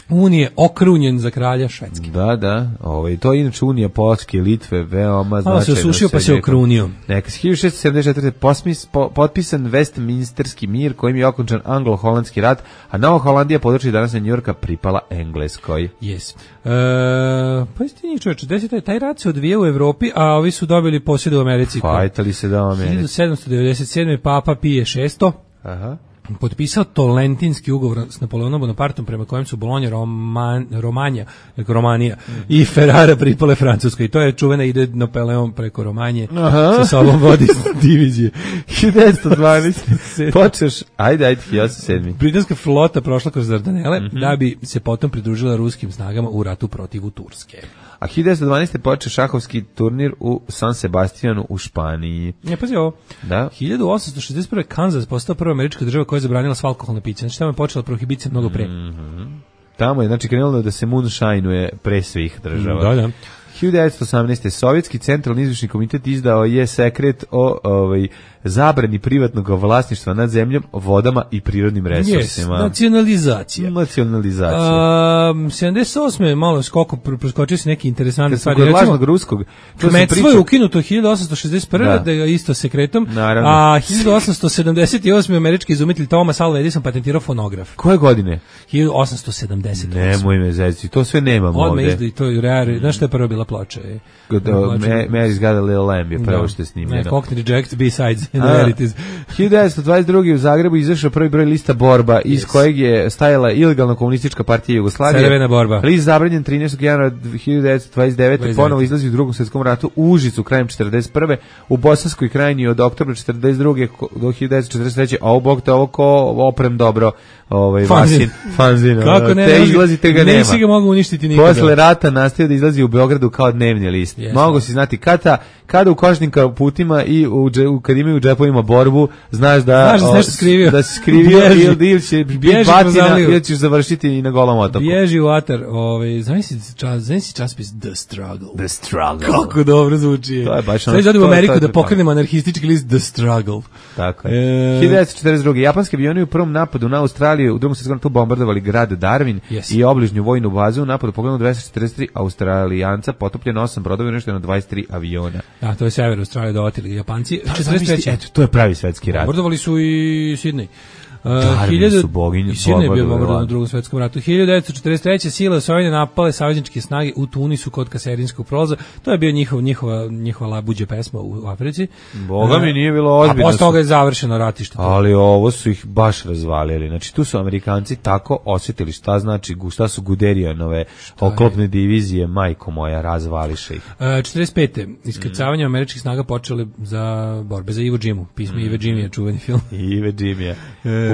Unije, okrunjen za kralja Švedske. Da, to je inače Unija Poljske, Litve, veoma značajno. Se osušio pa se okrunio. Neka 1674. Potpisan Westminsterski mir kojim je okončan anglo-holandski rat, a Nova Holandija, područje današnje Njujorka, pripala Engleskoj. Yes. Pa isti njih čovječe, taj rat se odvija u Evropi, a ovi su dobili posjede u Americi. Fajtali se da u Americi. 1797. Papa Pije VI. Aha. potpisao Tolentinski ugovor s Napoleonom Bonapartom prema kojem su Bolonja, Romanija i Ferrara pripale Francuskoj. I to je čuvena ide Napoleon preko Romanje. Sa sobom vodi divizije. 1912. Počeš, ajde, 1907. Britanska flota prošla kroz Dardanele da bi se potom pridružila ruskim snagama u ratu protiv Turske. A 1912. počeo šahovski turnir u San Sebastianu u Španiji. Pazi ovo. Da. 1861. Kansas postao prva američka država koja je zabranila sva alkoholna pića. Znači tamo je počela prohibicija mnogo pre. Tamo je, znači, krenulo da se moonshineuje pre svih država. Da. 1918. Sovjetski centralni izvršni komitet izdao je sekret o zabrani privatnog vlasništva nad zemljom, vodama i prirodnim resursima. Nacionalizacija. 78. malo skoko, preskočio se neki interesantni stvari. Kod lažnog ruskog. Kmetstvo je ukinuto 1861. Da je isto sekretom. Naravno. A 1878. američki izumitelj Thomas Alva Edison patentirao fonograf. Koje godine? 1878. Nemoj me zezati, to sve nemamo ovde. Odmah izda i to je rare. Znaš što je prvo bila ploča? Mary's Got a Little Lamb je prvo što je snimljeno. Cockney Reject B-Sides in realities. 1922. u Zagrebu izašao prvi broj lista Borba, iz kojeg je stajala ilegalna komunistička partija Jugoslavije. Crvena borba. List zabranjen 13. januara 1929. Ponovo izlazi u Drugom svjetskom ratu u Užicu krajem 41. U Bosanskoj krajini od oktobra 42. do 1943. A ovog te ovo ko oprem dobro fanzin. Kako ne? Te izlazi, te ga nema. Nisi ga mogu uništiti nikada. Posle rata nastavio da izlazi u Beogradu kao dnevni list. Mogu si znati kada u kožnim kaputima i kad imaju u džepovima Borbu, znaš da si nešto skrivio. Da si skrivio ili će biti batina ili ćeš završiti i na Golom otoku. Bježi u atar. Zamisli časopis The Struggle. Kako dobro zvuči. To je baš ono. Sad u Ameriku da pokrenemo anarhistički list The Struggle. Tako je. 1942. Japanski avioni u prvom napadu na Australiju u Drugom svjetskom ratu bombardovali grad Darwin i obližnju vojnu bazu. U napadu poginulo 243 Australijanca, potopljeno 8 brodova i uništeno 23 aviona. Da, to je sever Australije dovatili Japanci. 43. Eto, to je pravi svetski rat. Bombardovali su i Sidney. Darwin su boginje. I Sidney je bio bombardovan u Drugom svetskom ratu. 1943. sile osvojene napale savezničke snage u Tunisu kod Kaserinskog prolaza. To je bio njihova labuđa pesma u Africi. Boga mi nije bilo ozbiljno. A posle toga je završeno ratište. Ali ovo su ih baš razvalili. Znači tu su Amerikanci tako osjetili šta su Guderianove oklopne divizije, majko moja, razvališe ih. 45. Iskrcavanje američkih snaga počele za borbe za Iwo Jimu. Pismo Iwo Jimmy je čuveni film. Iwo Jimmy.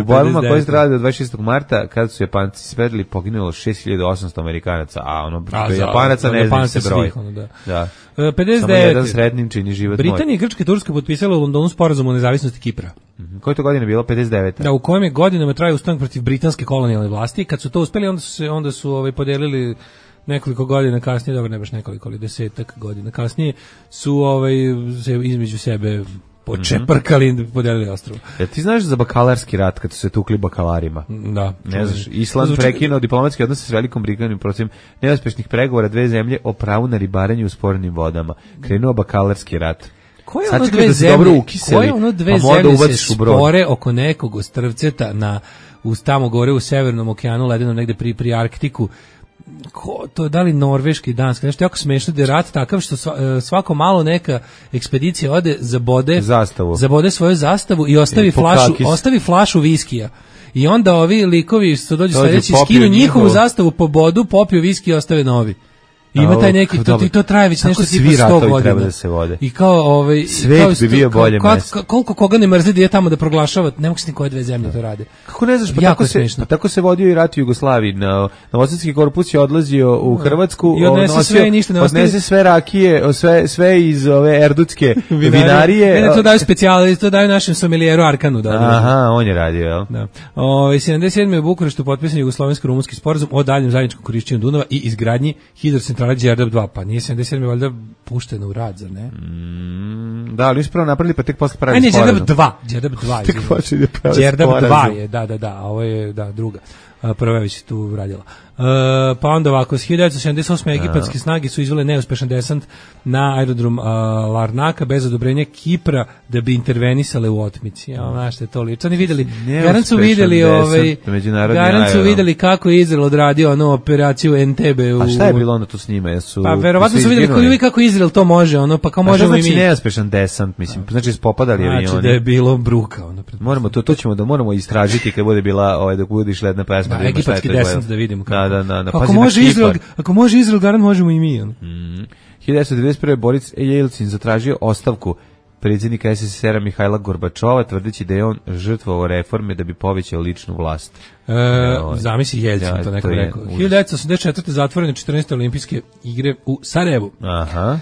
U borbama koje se radili od 26. marta, kada su Japanci svedili, poginulo 6800 Amerikanaca, a Japanaca ne znam se broj. Da. 59. Samo jedan sretnim čini život moj. Britanija i Grčka i Turska potpisala u Londonu sporazum o nezavisnosti Kipra. Koje to godine bilo? 59. Da, u kojem je godinama trajao ustanak protiv britanske kolonijalne vlasti. Kad su to uspeli, onda su podelili nekoliko godina kasnije, dobro ne baš nekoliko, ali 10 godina kasnije su se između sebe počeprkali, podelili ostrvo. Ti znaš za bakalarski rat kad su se tukli bakalarima? Da. Ne znaš, Island prekinuo diplomatski odnose s Velikom Britanijom protiv neuspešnih pregovora dve zemlje o pravu na ribarenje u spornim vodama. Krenuo bakalarski rat. Koje ono dve zemlje se spore oko nekog ostrvceta tamo gore u Severnom okeanu, ledenom negde pri Arktiku? To da li Norveška i Danska, nešto jako smešno da je rat takav što svako malo neka ekspedicija ode zabode svoju zastavu i ostavi flašu viskija. I onda ovi likovi što dođu sledeći skinu njihovu zastavu po bodu, popiju viski i ostave novi. Ima taj neki, to traje već nešto tipa 100 godina. Da se vode. I kao svet bi bio bolje mesto. Koliko koga ne mrzi da je tamo da proglašava, ne mogu se ni koje dve zemlje to rade. Kako ne znaš, tako se vodio i rat u Jugoslaviji. Novosadski korpus je odlazio u Hrvatsku, i odnese sve rakije, sve iz ove erdutske vinarije. Ne, to daju specijali, to daju našem somelijeru Arkanu. Aha, on je radio, jel? Da. 77. u Bukureštu potpisan jugoslovensko-rumunski sporazum o daljem zajedničkom korišćenju Dunava i izgradnji hidrocentrale Đerdap 2, pa nije 77. valjda pušteno u rad, zar ne? Da, ali ispravo napravili, pa tek posle pravi sporazum. Đerdap 2. Tek počeli da pravi Đerdap 2 je, da, a ovo je, druga. Prva je već tu radila. Pa onda ovako, s 1978. egipatske snage su izvele neuspešan desant na aerodrom Larnaka bez odobrenja Kipra da bi intervenisale u otmici. Ja, znaš što je to lično. Oni videli, garant su videli kako je Izrael odradio onu operaciju Entebbe. A šta je bilo onda tu s njima? Pa verovatno su videli kako Izrael to može, pa kao možemo i mi. Znači neuspešan desant, mislim, znači spopadali avioni. Znači da je bilo bruka. Moramo istražiti kad bude bila, dok bude išla jedna pesma. Da, egipatski desant da vidimo kako. Da. Ako može Izrael, garant možemo i mi. 1991. Boris Jelcin zatražio ostavku predsjednika SSSR-a Mihajla Gorbačova, tvrdeći da je on žrtvovao reforme da bi povećao ličnu vlast. Zamisli Jelcin, to neko rekao. 1984. zatvorene 14. olimpijske igre u Sarajevu. Aha.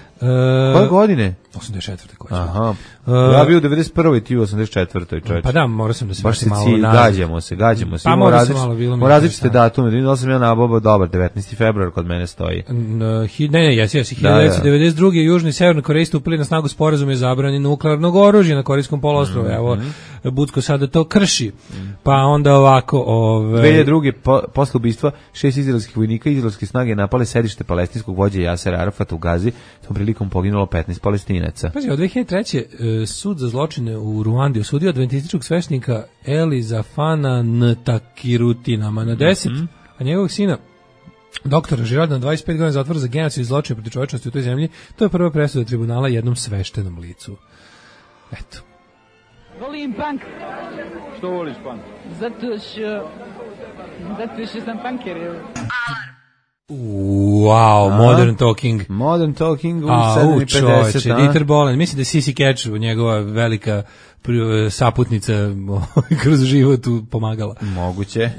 Koje godine? 84. Aha. Ja bio u 91. ti u 84. čovječ. Pa da, morao sam da se baš malo gađamo se. Pa morao sam malo bilo. Različite datume. Vidim da sam ja nabavao dobar, 19. februar kod mene stoji. Jesi. 1992. Južni i Severna Koreja stupili na snagu sporazum je zabrani nuklearnog oružja na Korejskom poluostrvu. Evo, Budko sada to krši. Pa onda ovako... 2002. posle ubistva 6 izraelskih vojnika izraelske snage napale sedište palestinskog vođe Jasera Arafata u Gazi. Tom prilikom poginulo 15 Palestinaca. Pazi, od 2003. sud za zločine u Ruandi osudio adventističkog sveštenika Elizafana Ntakirutinama na 10, a njegovog sina doktora Žirada na 25 godina zatvora za genocid i zločine protiv čovečnosti u toj zemlji. To je prva presuda tribunala jednom sveštenom licu. Eto. Volim punk. Što voliš punk? Zato što sam punker. Wow, Modern Talking. Modern Talking u 7.50. Dieter Bohlen, mislim da je Sissy Catch, njegova velika saputnica kroz život pomagala. Moguće.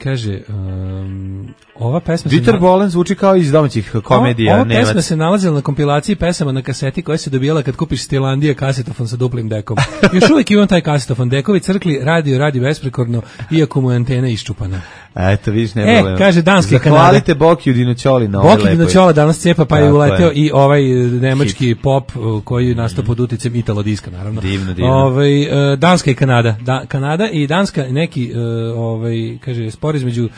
Kaže, ova pesma... Dieter Bohlen zvuči kao iz domaćih komedija. Ova pesma se nalazila na kompilaciji pesama na kaseti koja se dobijala kad kupiš Stilandija kasetofon sa duplim dekom. Još uvijek imam taj kasetofon. Dekovi crkli, radi besprekorno, iako mu je antena iščupana. Eto, vidiš, ne problem. Kaže Danska i Kanada. Zahvalite Bokiju Dinoćoli na ovoj lepoj. Boki Dinoćola danas cepa, pa je uleteo i ovaj nemački pop koji je nastao pod uticajem Italo-diska, naravno. Divno. Danska i Kanada. Kanada i Danska neki, kaže, spor između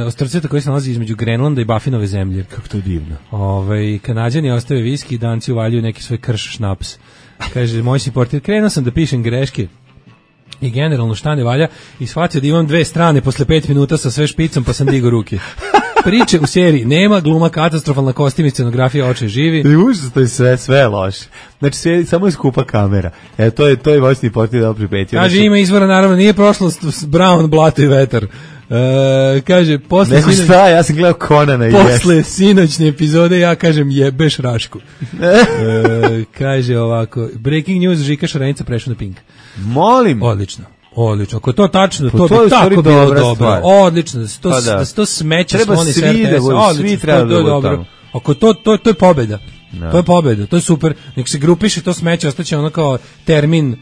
ostrvceta koji se nalazi između Grenlanda i Baffinove zemlje. Kako to divno. Kanadjani ostave viski, Danci uvaljuju neki svoj krš šnaps. Kaže, moj si portir, krenuo sam da pišem greške i generalno šta ne valja i shvatio da imam dve strane posle 5 minuta sa sve špicom, pa sam digao ruke. Priče u seriji nema, gluma katastrofalna, kostim i scenografija, oče živi. I užasno, to je sve loše. Znači, sve, samo je skupa kamera. To je voćni portir da pripetio. Kaže, ima izvora, naravno, nije prošlost Brown, blato i vetar. Kaže, ja sam gledao Conana i posle sinoćne epizode ja kažem jebeš Rašku. Kaže ovako, breaking news, Žika Šarenica prešao na Pink. Molim. Odlično. Ako to tačno, to bi tako bilo dobro. Odlično, da se to smeće sloni s RTS-a. Svi treba da dobro. Ako to je pobjeda. To je pobjeda, to je super. Nek se grupiše to smeće, ostaće ono kao termin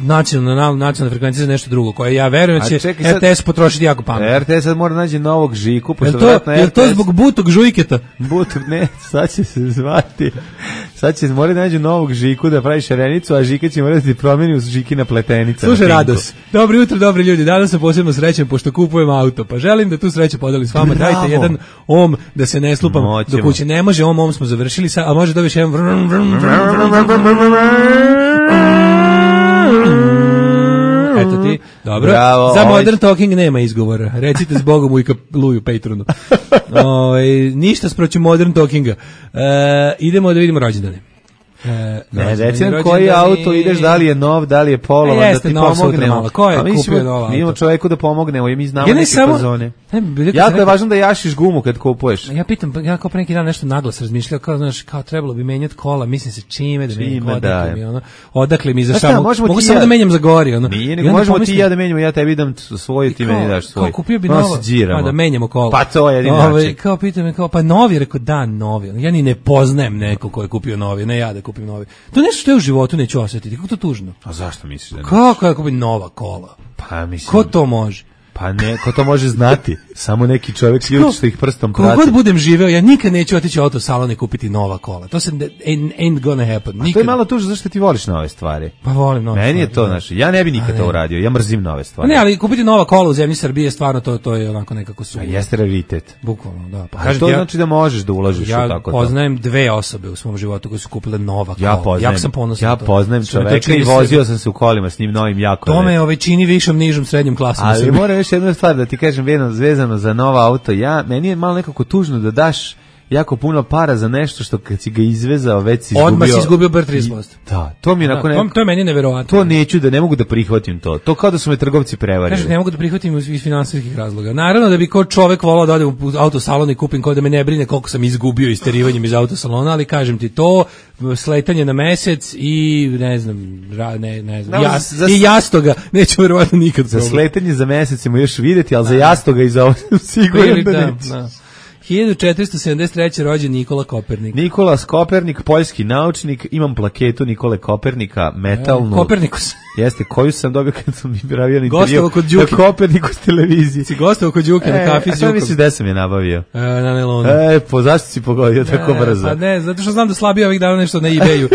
nacionalna frekvencija za nešto drugo, koje ja verujem da će RTS potrošiti jako pametno. RTS sad mora naći novog Žiku, je to zbog butog žujketa? Butog, ne, sad će se zvati. Sad će morati naći novog Žiku da pravi šarenicu, a Žika će morati promeni u Žikina pletenica. Slušaj, Rados, dobro jutro, dobri ljudi, danas sam posebno srećan pošto kupujem auto, pa želim da tu sreću podelim s vama. Bravo. Dajte jedan om da se ne slupam do kuće. Ne može om smo završili, a može dobiješ jedan eto ti, dobro. Bravo, za Modern Talking nema izgovora. Recite zbogom ujka Luju Patronu. Ništa sproći Modern Talkinga. Idemo da vidimo rođendane. Reci nam koji auto ideš, da li je nov, da li je polovan, da ti pomognemo. Ko je kupio nov auto? Mi imamo čovjeku da pomognemo i mi znamo neke fazone. Jako je važno da jašiš gumu kad kupuješ. Ja pitam, ja kao pre neki dan nešto naglas razmišljao, kao trebalo bi menjati kola, mislim se čime da menjam, odakle mi za šta, mogu samo da menjam za gori. Nije, nego možemo ti i ja da menjamo, ja tebi dam svoj, ti meni daš svoj. Kao kupio bi novo, pa da menjamo kola. Pa to je jedin način. Kao pitam me, pa novi, rekao da, novi. Ja ni ne poznajem neko ko je kupio novi, ne ja da kupim novi. To je nešto što je u životu neću osjetiti. Kako to tužno? A zašto misliš da ne? Kako ja kupim nova kola? Pa mislim. Ko to može? Pa ne, ko to može znati? Samo neki čovjek ljudi što ih prstom prati. Kogod budem živeo, ja nikad neću otići u autosalon i kupiti nova kola. To se ain't gonna happen. Nikad. To je malo tužno zašto ti voliš nove stvari. Pa volim nove stvari. Meni je to, ja ne bi nikad to uradio. Ja mrzim nove stvari. Ne, ali kupiti nova kola u zemlji Srbije, stvarno to je onako nekako sumnjivo. A jeste raritet. Bukvalno, da. Pa kažem, to znači da možeš da uložiš u tako to. Ja poznajem 2 osobe u svom životu koje su kupile nova kola. Ja sam ponosan. Ja poznajem čoveka i vozio sam se u kolima s njim novim jako. To me čini višom, nižom, srednjom klasom. Ali moram još jednu stvar da ti kažem vezano za nova auto. Meni je malo nekako tužno da daš jako puno para za nešto što kad si ga izvezao već si izgubio. Odmah si izgubio bar 30%. Da, to mi je to je meni neverovatno. To neću ne mogu da prihvatim to. To kao da su me trgovci prevarili. Kažeš, ne mogu da prihvatim iz finansijskih razloga. Naravno da bi ko čovek volao da odem u autosalon i kupim kao da me ne brine koliko sam izgubio isterivanjem iz autosalona, ali kažem ti to, sletanje na mesec i ne znam, i jastoga neću verovatno nikad za sletanje za mesec ćemo još vidjeti, ali za jastoga i za ovo sigurno da neću. 1473. rođen Nikola Kopernik. Nikola Kopernik, poljski naučnik, imam plaketu Nikole Kopernika, metalnu. Kopernikus. Jeste, koju sam dobio kad sam pravio intervju. Gostovao kod Đuke. Na Kopernikus televiziji. Si gostovao kod Đuke na kafi s Đukom. A misliš da sam je nabavio? Na nelonu. Zašto si pogodio tako brzo? Pa ne, zato što znam da slabije ovih dana nešto na eBayu.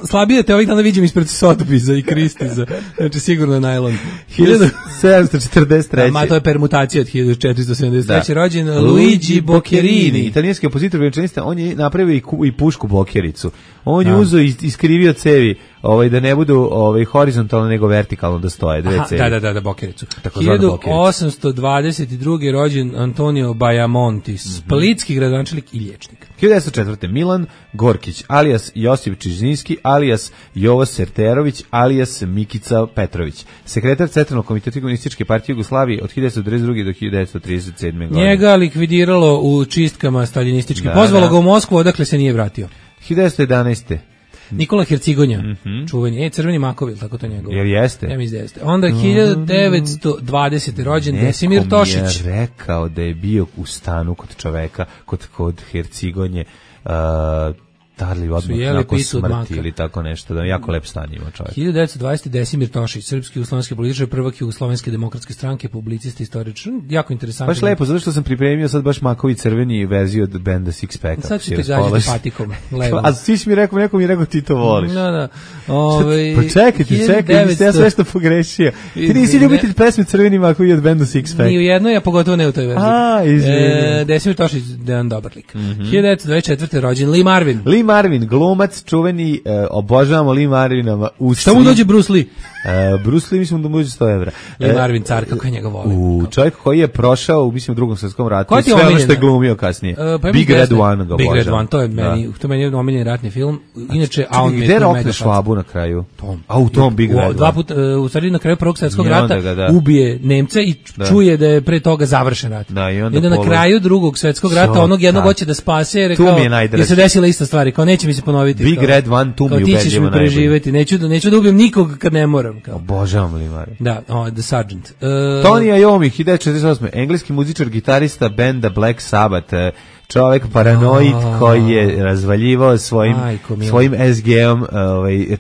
Slabije te ovih dana vidim ispred Sotheby'sa i Christie'sa. Znači sigurno je najlon. 1743. Ma to je permutacija od 1473. Rođen Luigi Boccherini. Italijanski kompozitor violinista, on je napravio i pušku Bockericu. On je uzeo i iskrivio cevi, da ne budu horizontalno nego vertikalno da stoje dve cevi. Da, Bockericu. 1822. rođen Antonio Bajamonti, splitski gradonačelnik i liječnik. 1904. Milan Gorkić, alias Josip Čižinski, alias Jovo Serterović, alias Mikica Petrović. Sekretar Centralnog komiteta Komunističke partije Jugoslavije od 1922. do 1937. godine. Njega likvidiralo u čistkama staljinističke. Pozvalo ga u Moskvu, odakle se nije vratio. 1911. Nikola Hercigonja, čuveni, crveni makovi, tako to njegovo. Jer jeste. Ja mislim da jeste. Onda 1920. rođen Desimir Tošić. Neko mi je rekao da je bio u stanu kod čoveka, kod Hercigonje, da li odmah nakon smrti ili tako nešto, da je jako lep stan ima čovjek. 1920. Desimir Tošić, srpski jugoslovenski političar, prvak Jugoslovenske demokratske stranke, publicist, istoričar, jako interesantno. Baš lepo, zato što sam pripremio sad baš makovi crveni verziju od benda Six Packa. Sad ću te gađati patikom, levo. A svi si mi rekao, neko mi je rekao ti to voliš. Da. Pa čekaj, ja sve što pogrešio. Ti nisi ljubitelj pesme crveni makovi od benda Six Packa. Ni u jednoj, a pogotovo ne u toj verziji. Desimir Tošić, jedan dobar lik. 1924. rođen Lee Marvin. Marvin, glumac, čuveni, obožavamo Lee Marvina. Šta mu dođe Bruce Lee? Bruce Lee, mislim da mu dođe 100 evra. Lee Marvin, car, kako je njega volim. Čovjek koji je prošao, mislim, u Drugom svjetskom ratu. Sve ono što je glumio kasnije. Big Red One ga obožavam. Big Red One, to je meni omiljeni ratni film. Inače, a on mi je gde rokne Švabu na kraju? Tom. A u tom Big Red One. Dva puta, u stvari na kraju Prvog svjetskog rata ubije Nemce i čuje da je pre toga završen rat. I onda na kraju Drugog svjetskog rata onog jednog hoće da spase, jer se desila ista stvar, kao neće mi se ponoviti. Big Red One, tu mi ubedljivo ti ćeš mi preživeti, neću da ubijem nikog kad ne moram. Obožavam Lee Marvin. Da, The Sergeant. Tony Iommi, 1948. Engleski muzičar, gitarista benda Black Sabbath, čovjek paranoid koji je razvaljivao svojim SG-om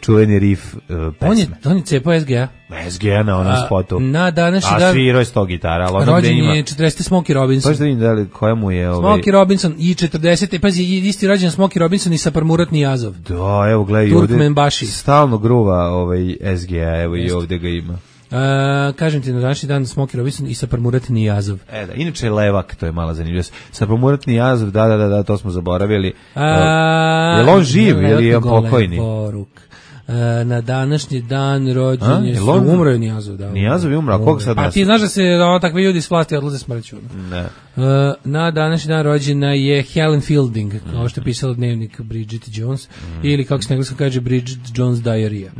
čuveni riff pesme. On je cepao SG-a? SG-a na onom spotu. Na današnji dan. A svirao je 100 gitara. Rođen je 40. Smokey Robinson. Paš da vidim da li koja mu je... Smokey Robinson i 40. Pazi, isti rođen Smokey Robinson i Saparmurat Nijazov. Da, evo gledaj Turkmen Baši. Stalno gruva SG-a, evo i ovdje ga ima. Kažem ti, na današnji dan Smokey Robinson i Saparmurat Nijazov. Da, inače Levak, to je mala zanimljivost. Saparmurat Nijazov, da, to smo zaboravili. Je li on živ ili je on pokojni? Na današnji dan rođen je umro je Nijazov. Nijazov je umro, a koga sad nas? A ti znaš da se takvi ljudi s vlasti odlaze smrću? Ne. Na današnji dan rođena je Helen Fielding, kao što je pisala dnevnik Bridget Jones, ili kako se engleskom kaže Bridget Jones Diarrhea.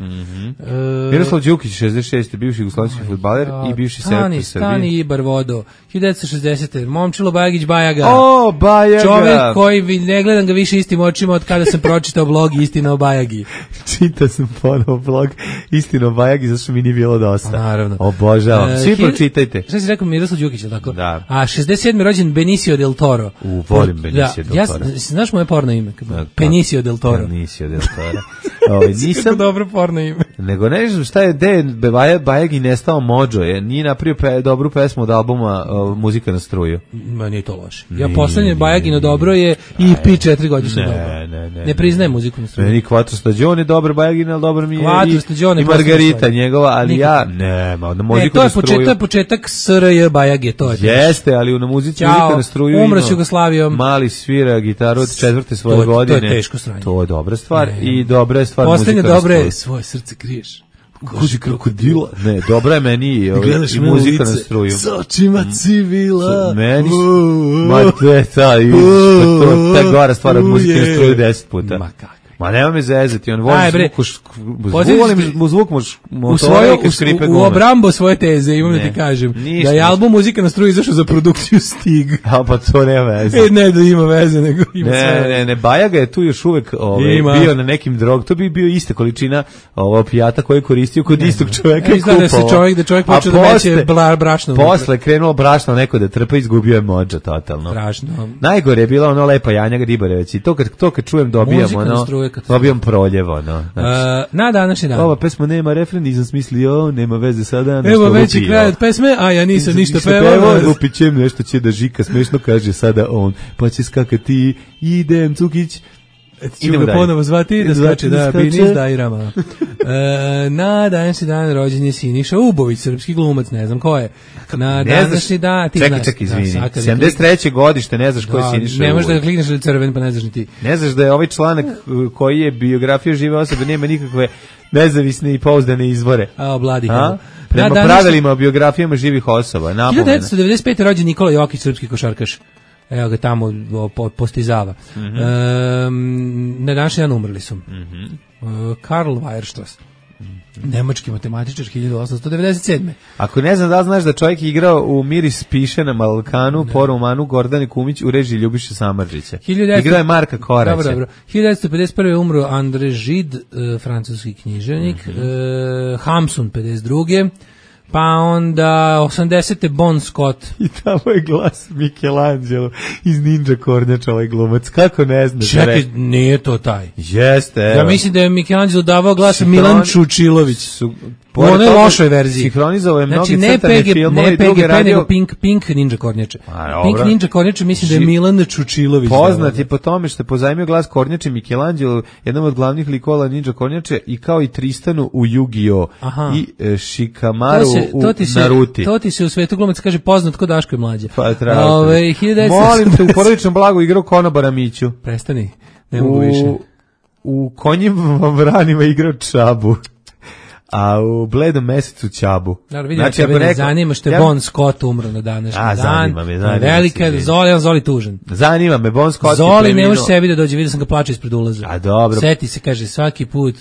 Miroslav Đukić, 66. bivši jugoslovenski fudbaler i bivši selektor Srbije. Stani Ibar Vodo, 1960. Momčilo Bajagić Bajaga. O, Bajaga! Čovjek koji ne gledam ga više istim očima od kada sam pročitao blog Istina o Bajagi. Čita sam ponovo blog Istino Bajagi, zašto mi nije bilo dosta. Naravno. Obožavam. Svi pročitajte. Šta si rekao, Miroslav Đukić, je tako? Da. A 67. rođen Benicio del Toro. Volim Benicio del Toro. Znaš moje porno ime? Benicio del Toro. Benicio del Toro. Nisam dobro porno ime. Nego ne znam šta je, gde je Bajagi nestao Mođo, nije napravio dobru pesmu od albuma Muzika na struju. Ma nije to loše. Ja poslednje Bajagino dobro je EP 4 godišnje dobro. Ne priznajem muziku na struju. Meni Quattro Stagione dobro, Bajagina, ali dobro mi je i Margarita njegova, ali ja nema, na muziku na struju. To je početak SRJ Bajage, to je. Jeste, ali na muzici Muzika na struju umro s Jugoslavijom. Mali svira gitaru od 4. svoje godine. To je teško sranje. To je dobra stvar i dobra je stvar muzika na struju. Poslednje dobre, svoje srce kriješ. Koži krokodila. Ne, dobra je meni i muzika na struju. S očima civila. Meni ma te ta gora stvar od muzike na struju 10 puta. Ma kako? Ma nema me zezati, on voli zvuk u obrambo svoje teze, imam da ti kažem, da je album Muzika na struju izašao za produkciju Stig. A pa to nema veze. Ne da ima veze, nego ima sve. Ne, Bajaga je tu još uvek bio na nekim drog, to bi bio ista količina opijata koje je koristio kod istog čoveka i kupao. Da čovjek počeo da meće brašno. Posle krenulo brašno neko da trpa, izgubio je Mođa totalno. Brašno. Najgore je bila ono Lepa Janja Ribareveć i to kad čujem dobijamo ono. Dobijam proljevo, no. Na današnji dan. Ova pesma nema refren, nisam smislio, nema veze sada. Evo veći kraj od pesme, a ja nisam ništa pevao. Lupićem, nešto će da žika, smešno kaže sada on, pa će skakati, idem Cukić. Ću ga ponovo zvati, da skače, da, Binis Dajrama. Na današnji dan rođen je Siniša Ubović, srpski glumac, ne znam ko je. Na današnji dan, ti znaš. Čekaj, izvini, 73. godište, ne znaš ko je Siniša Ubović. Ne možeš da klikneš da je crven, pa ne znaš ni ti. Ne znaš da je ovaj članak koji je biografija žive osobe, nema nikakve nezavisne i pouzdane izvore. A, bladi. Prema pravilima o biografijama živih osoba. 1995. rođen Nikola Jokić, srpski košarkaš. Evo ga tamo postizava. Na današnji dan umrli su. Karl Weierstrass, nemački matematičar, 1897. Ako ne znam da znaš da čovjek igrao u Miris piše na Balkanu, po romanu Gordane Kumić u režiji Ljubiše Samardžića. Igrao je Marka Koraća. Dobro. 1951. umro André Gide, francuski književnik. Hamsun, 52. Pa onda 80. Bon Scott. I tamo je glas Michelangelo iz Ninja Kornjača, ovaj glumac. Kako ne znaš? Čekaj, nije to taj. Jeste, evo. Ja mislim da je Michelangelo davao glas Milan Čučilović. U onoj lošoj verziji. Sinhronizovao je mnogi crtane filmove i druge radio. Nego Pink Ninja Kornjače. Pink Ninja Kornjače mislim da je Milan Čučilović. Poznat je po tome što je pozajmio glas Kornjače Michelangelo, jednom od glavnih likova Ninja Kornjače, i kao i Tristanu u Yu-Gi-Oh! I Shikamaru u Naruti. To ti se u svetu glumac kaže poznat kod Daško je mlađe. Pa molim te, u Porodičnom blagu igrao konobara Miću. Prestani, ne mogu više. U Konjim vranima igrao Čabu. A u Bledom mesecu Čabu. Znači, ako neko zanima što je Bon Scott umro na današnji dan. Zanima me. Velika Zoli tužan. Zanima me, Bon Scott. Zoli ne može sebi da dođe, vidio sam ga plače ispred ulaza. A dobro. Seti se, kaže, svaki put.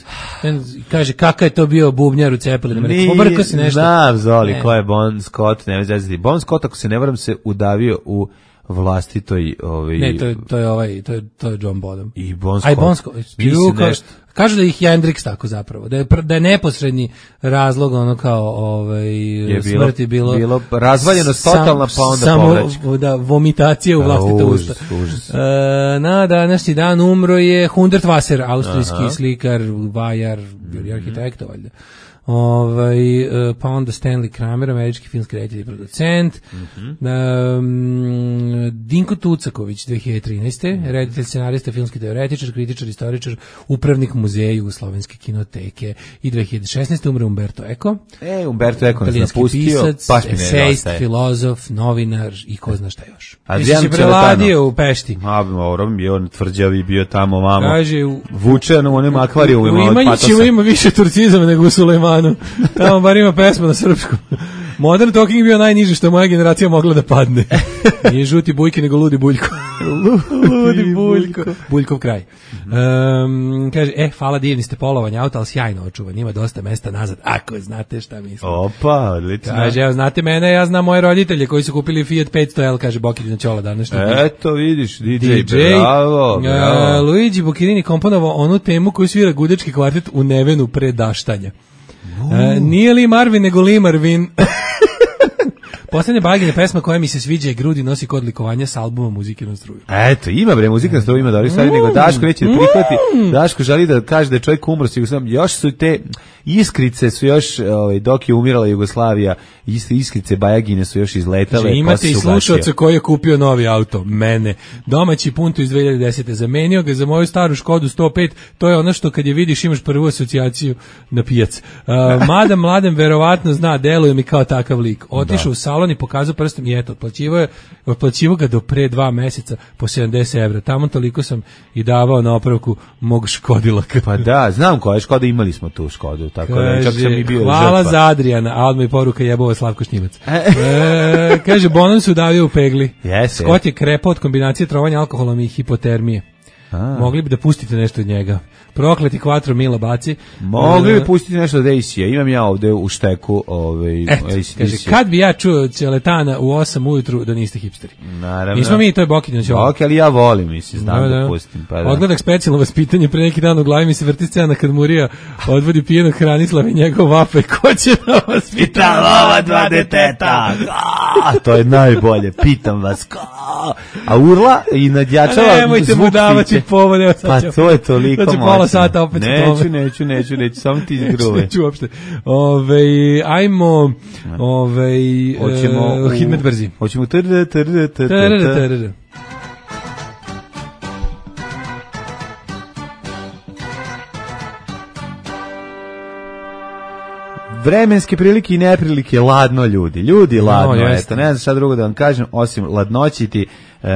Kaže, kakav je to bio bubnjar u Cepelinu. Pobrko si nešto. Znam, Zoli, ko je Bon Scott, ne vezi. Bon Scott, ako se ne varam, se udavio u vlastitoj Ne, to je John Bonham. I Bon Scott. Aj Bon Scott. Kažu da ih Hendrix tako zapravo, da je neposredni razlog ono kao smrti bilo razvaljenost totalna, pa onda povraćaj. Da, vomitacija u vlastita usta. Na današnji dan umro je Hundert Wasser, austrijski slikar, vajar, arhitekta valjda. Pa onda Stanley Kramer, američki filmski reditelj i producent. Dinko Tucaković, 2013. reditelj, scenarista, filmski teoretičar, kritičar, istoričar, upravnik muzeja Jugoslovenske kinoteke. I 2016. umre Umberto Eco. Umberto Eco nas napustio, pisac, baš mi ne esejist, filozof, novinar i ko zna šta još. Adrian se preladio u Pešti. On tvrđavi bio tamo, mamo. Kaže, vučen u onim akvarijumima od patosa. Ima više turcizama nego u Sulejmanu. Tamo bar ima pesma na srpskom. Modern Talking bio najniži što moja generacija mogla da padne. Nije žuti bujke nego ludi Buljko. Ludi Buljko. Buljkov kraj. Kaže, hvala, divni ste polovanje auta, ali sjajno očuvan, ima dosta mesta nazad, ako znate šta mislim. Opa, odlično. Kaže, evo, znate mene, ja znam moje roditelje koji su kupili Fiat 500L, kaže Bokić Ćola današnji. Eto, vidiš, DJ, bravo. Luigi Boccherini komponovao onu temu koju svira Gudečki kvartet u Nevenu pre daštanja. Nije li Marvin, nego li Marvin. Poslednja Bagina pesma koja mi se sviđa je Grudi nosi kod likovanja s albuma Muzike na struju. Eto, ima bre, Muzika na struju ima dobri stvari, nego Daško neće da prihvati. Daško želi da kaže da je čovjek umro, još su te iskrice su još, dok je umirala Jugoslavija, iskrice Bajagine su još izletale. Znači, imate i slušalca koji je kupio novi auto, mene. Domaći Punto iz 2010. Zamenio ga za moju staru Škodu 105, to je ono što kad je vidiš imaš prvu asocijaciju na pijac. Mada mladen verovatno zna, deluje mi kao takav lik. Otišao u salon i pokazao prstom i eto, otplaćivao ga do pre 2 meseca po 70 evra. Tamo toliko sam i davao na opravku mog Škodilaka. Pa da, znam koja je Škoda, imali smo tu Škodu. Tako kaže, da, čak sam i bio hvala žrtva. za Adrijana, a odmah i poruka jebova Slavko Šnjivac. Kaže, Bonan se udavio u pegli. Scott je krepao od kombinacije trovanja alkoholom i hipotermije. Mogli bi da pustite nešto od njega. Prokleti Quattro Mila baci. Mogli bi pustiti nešto od AC-a. Imam ja ovde u šteku AC. Kaže, kad bi ja čuo Ćeletana u 8 ujutru da niste hipsteri. Naravno. Nismo mi, to je Bokić Ćola. Ok, ali ja volim, mislim, znam da pustim. Pa da. Odgledak specijalno vaspitanje, pre neki dan u glavi mi se vrti scena kad Murija odvodi pijenog Hranislava i njegov vape. Ko će da vas pita ova 2 deteta? To je najbolje, pitam vas. A urla i nadjačava nemojte mu davati povod. Pa to je toliko moćno. Znači pola sata opet Neću, samo ti izgruje. Neću uopšte. Ajmo Hidmet brzi. Hoćemo vremenske prilike i neprilike, ladno ljudi ladno, eto, ne znam šta drugo da vam kažem, osim ladnoćiti.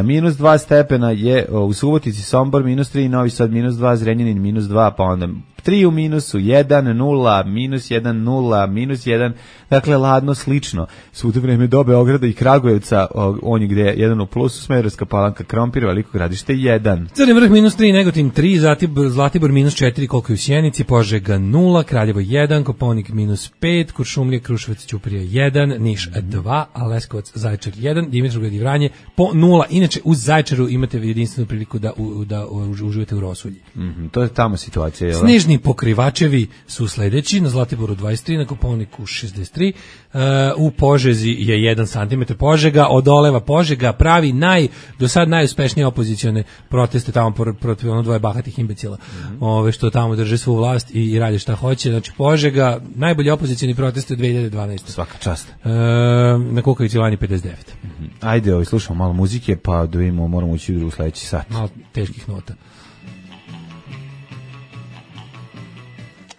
Minus 2 stepena je u Subotici, Sombor minus 3, Novi Sad minus 2, Zrenjanin minus 2, pa onda 3 u minusu, 1, 0, minus 1, 0, minus 1, dakle ladno slično. Svuda vreme do Beograda i Kragujevca, on je gde je 1 u plusu, Smederevska Palanka, Krompir, Veliko Gradište 1. Crni vrh minus 3, Negotin 3, Zlatibor minus 4, koliko je u Sjenici, Požega 0, Kraljevo 1, Koponik minus 5, Kuršumlija, Kruševac, Ćuprija 1, Niš 2, a Leskovac, Zaječar 1, Dimitrovgrad i Vranje po 0. Inače, uz Zaječaru imate jedinstvenu priliku da uživate u rosulji. To je tamo situacija. Snežni pokrivačevi su sledeći, na Zlatiboru 23, na Koponiku 63, u Požezi je 1 cm Požega, odoleva Požega, pravi do sad najuspešnije opozicione proteste tamo protiv ono 2 bahatih imbecila, što tamo drže svu vlast i rade šta hoće. Znači Požega, najbolji opozicioni proteste u 2012. Svaka čast. Na Kukavici Lani 59. Ajde, slušamo malo muzike, pa da vidimo, moramo ući u sledeći sat. Malo teških nota.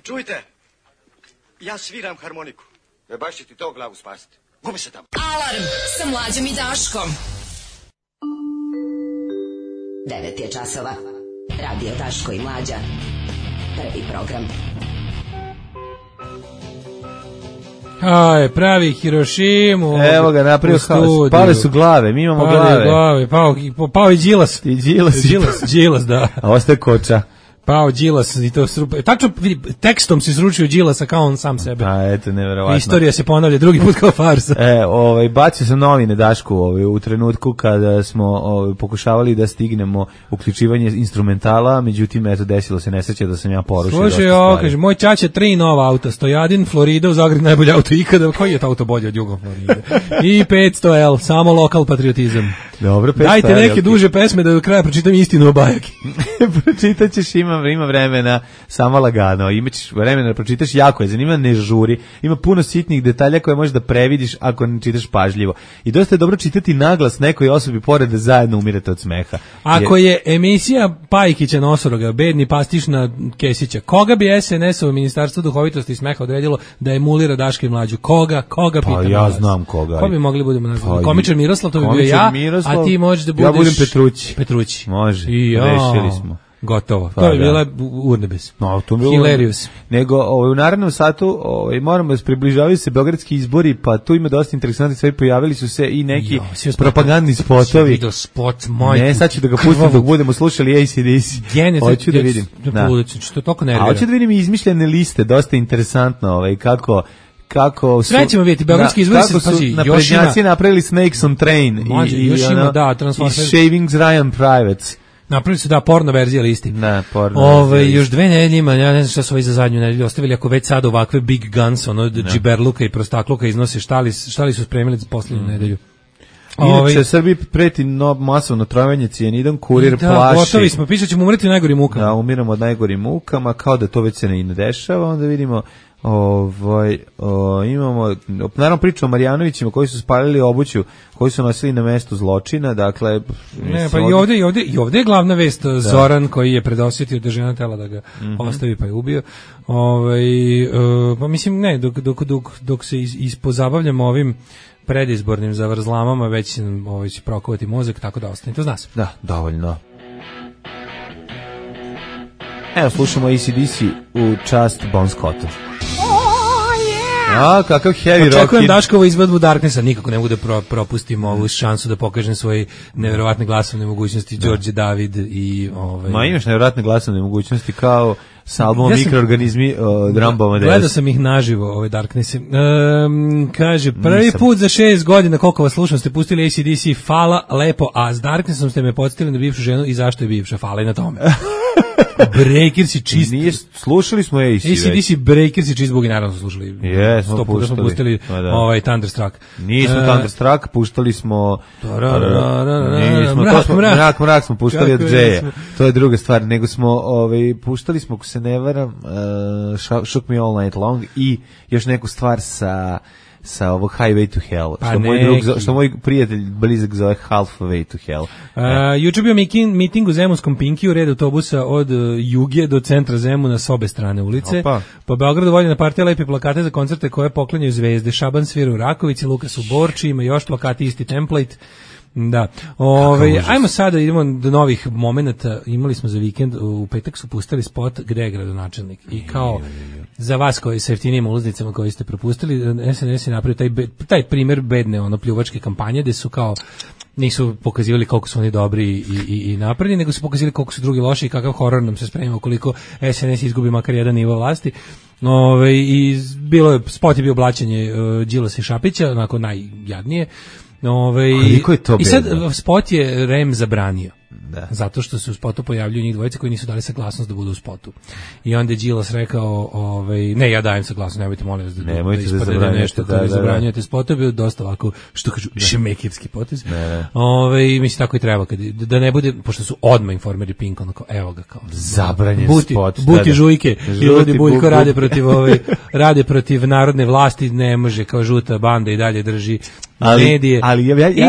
Čujte, ja sviram harmoniku. Baš će ti to glavu spasiti. Gubi se tamo. Alarm sa Mlađom i Daškom. 9 je časova. Radio Daško i Mlađa. Prvi program. Pravi Hirošimu. Evo ga, napravio haos. Pale su glave, mi imamo glave. Pao i Đilas. Đilas, da. A ostaje Koča. Pao Đilas i to tačno tekstom se sručio Đilasa kao on sam sebe. Eto, neverovatno. Istorija se ponavlja drugi put kao farsa. Bacio sam novine Dašku u trenutku kada smo pokušavali da stignemo uključivanje instrumentala, međutim eto desilo se nesreća da sam ja porušio. Slušaj, kaže moj ćaća 3 nova auta, Stojadin, Florida, u Zagrebu najbolji auto ikada. Koji je to auto bolje od Jugom Floride? I 500L, samo lokal patriotizam. Dobro, 500L. Dajte neke duže pesme da do kraja pročitam istinu o Bajaki. Pročitaćeš, ima vremena, samo lagano, imaćeš vremena da pročitaš, jako je zanimljivo, ne žuri, ima puno sitnih detalja koje možeš da previdiš ako ne čitaš pažljivo. I dosta je dobro čitati naglas nekoj osobi pored da zajedno umirate od smeha. Ako je emisija Pajkića Nosoroga, bedni pastiš na Kesića, koga bi SNS-ovo Ministarstvo duhovitosti i smeha odredilo da emulira Daška i Mlađu? Koga pa pitam ja vas? znam koga. Ko bi mogli budemo nazvati? Komičar Miroslav, to bi bio ja, naslov. A ti možeš da budeš... Ja budem Petrući. Petrući. Može, I, rešili smo. Gotovo. Pa, to je bila urnebes. No, to je bilo Hilarious. Nego u narednom satu moramo da približavaju se beogradski izbori, pa tu ima dosta interesantnih stvari, pojavili su se i neki propagandni spotovi. Video spot, majku. Ne, sad ću da ga pustim dok budemo slušali AC/DC. Hoću da vidim. To toliko nervira. A hoću da vidim izmišljene liste, dosta interesantno, kako su... Sve ćemo vidjeti, beogradski izbori se... Kako su naprednjaci napravili Snakes on Train i Shavings Ryan Privates. Napravili su porno verzija listi. Ne, porno verzija. Još 2 nedelje ima, ja ne znam šta su ovi za zadnju nedelju ostavili, ako već sad ovakve big guns, džiberluka i prostakluka iznose, šta li su spremili za posljednju nedelju. Inače, Srbiji preti masovno trovanje cijanidom, kurir plaši. Da, gotovi smo, pisat ćemo umreti najgorim mukama. Da, umiramo od najgorim mukama, kao da to već se ne dešava, onda vidimo... imamo, naravno pričamo o Marjanovićima koji su spalili obuću koji su nosili na mestu zločina, dakle i ovdje je glavna vest Zoran koji je predosjetio da žena tela da ga ostavi pa je ubio. Pa mislim ne, dok se ispozabavljamo ovim predizbornim zavrzlamama već će prokovati mozak, tako da ostanite uz nas. Da, dovoljno. Evo, slušamo AC/DC u čast Bon Scottu. A, kakav heavy rock. Očekujem Daškovu izvedbu Darknessa, nikako ne mogu da propustim ovu šansu da pokažem svoje neverovatne glasovne mogućnosti, Đorđe David i... Ma imaš neverovatne glasovne mogućnosti kao sa albumom Mikroorganizmi Dramboma 10. Gledao sam ih naživo, Darknesse. Kaže, prvi put za 6 godina, koliko vas slušam, ste pustili AC/DC, hvala, lepo, a s Darknessom ste me podsjetili na bivšu ženu i zašto je bivša, hvala i na tome. Breakers i čist. Slušali smo AC/DC, Breakers i čist, bogi naravno su slušali. Smo pustili Thunderstruck. Nismo Thunderstruck, puštali smo... Mrak smo puštali od Džeja. To je druga stvar, nego smo puštali smo, ako se ne varam, Shook Me All Night Long i još neku stvar sa ovog Highway to Hell, što moj prijatelj blizak zove Halfway to Hell. Juče bio miting u Zemunskom Pinkiju, red autobusa od Juge do centra Zemuna s obe strane ulice. Po Beogradu voljena partija lepi plakate za koncerte koje poklanjaju zvezde. Šaban svira u Rakovici, Lukas u Borči, ima još plakati, isti template. Da. Ajmo sada, idemo do novih momenata. Imali smo za vikend, u petak su pustili spot gde je gradonačelnik. I kao za vas koji sa jeftinijim ulaznicama koji ste propustili, SNS je napravio taj primjer bedne pljuvačke kampanje gde su kao nisu pokazivali koliko su oni dobri i napredni, nego su pokazivali koliko su drugi loši i kakav horor nam se sprema ukoliko SNS izgubi makar jedan nivo vlasti. I spot je bio blaćenje Đilasa i Šapića, onako najjadnije. Koliko je to bedno? I sad spot je REM zabranio. Da. Zato što se u spotu pojavljuju njih dvojice koji nisu dali saglasnost da budu u spotu. I onda je Đilas rekao, ne, ja dajem saglasnost, nemojte molim vas da ispadne nešto kada zabranjujete spot, je bio dosta ovako, što kažu, šemekirski potez. Mislim, tako i treba, da ne bude, pošto su odmah Informeri Pink, onako, evo ga kao. Zabranjen spot. Buti žujke, i ljudi Buljko rade protiv narodne vlasti, ne može, kao žuta banda i dalje drži medije.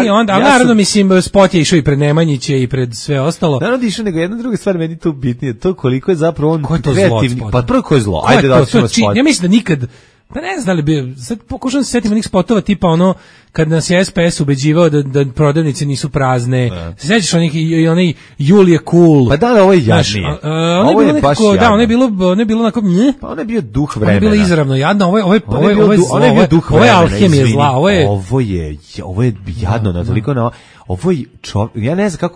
I onda, naravno, mislim, spot je išao i pred Nemanjića i pred sve ostalo. Naravno išao, nego jedna druga stvar meni tu bitnije, to koliko je zapravo on kreativni. Pa prvo ko je zlo, ajde da ćemo spot. Ja mislim da nikad, pa ne znam da li bi, sad pokušam se setiti onih spotova tipa kad nas je SPS ubeđivao da prodavnice nisu prazne. Se sećaš onaj Julije Cool. Pa da, ovo je jadnije. Ovo je baš jadno. Da, ono je bilo onako pa ono je bio duh vremena. Ono je bilo izravno jadno, ovo je alhemija zla, ovo je jadno, na toliko na ovo je ja ne znam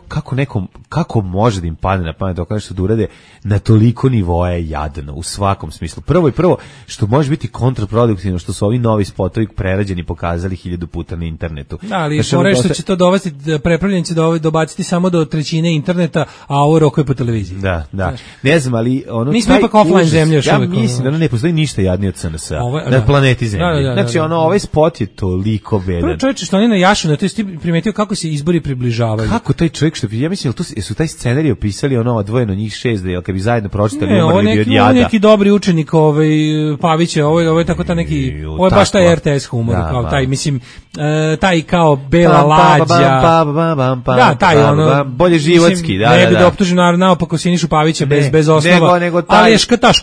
kako može da im padne na pamet dok nešto da urade na toliko nivoa je jadno u svakom smislu. Prvo što može biti kontraproduktivno što su ovi novi spotovi prerađeni pokazali 1000 puta na internetu. Da, ali što će to dovesti, prepravljanje će dobaciti samo do trećine interneta, a ovo rokuje po televiziji. Da. Ne znam, ali mi smo ipak offline zemlja još uvijek. Ja mislim da ne postoji ništa jadnije od SNS-a na planeti Zemlji. Znači, ovaj spot je toliko bedan. Prvo čovječe što oni na jašu, na to je primetio kako se izbori približavaju. Kako taj čovjek što ja mislim su taj scenarij opisali odvojeno njih 6 da kad bi zajedno pročitali umrli bi od jada. Neki dobri učenik Pavića, ovo je tako ta neki, ovo je baš taj RTS humor, kao taj, mislim, taj kao Bela Lađa. Da, taj bolje životski, da. Ne bi da optužim naopako Sinišu Pavića bez osnova, ali je ta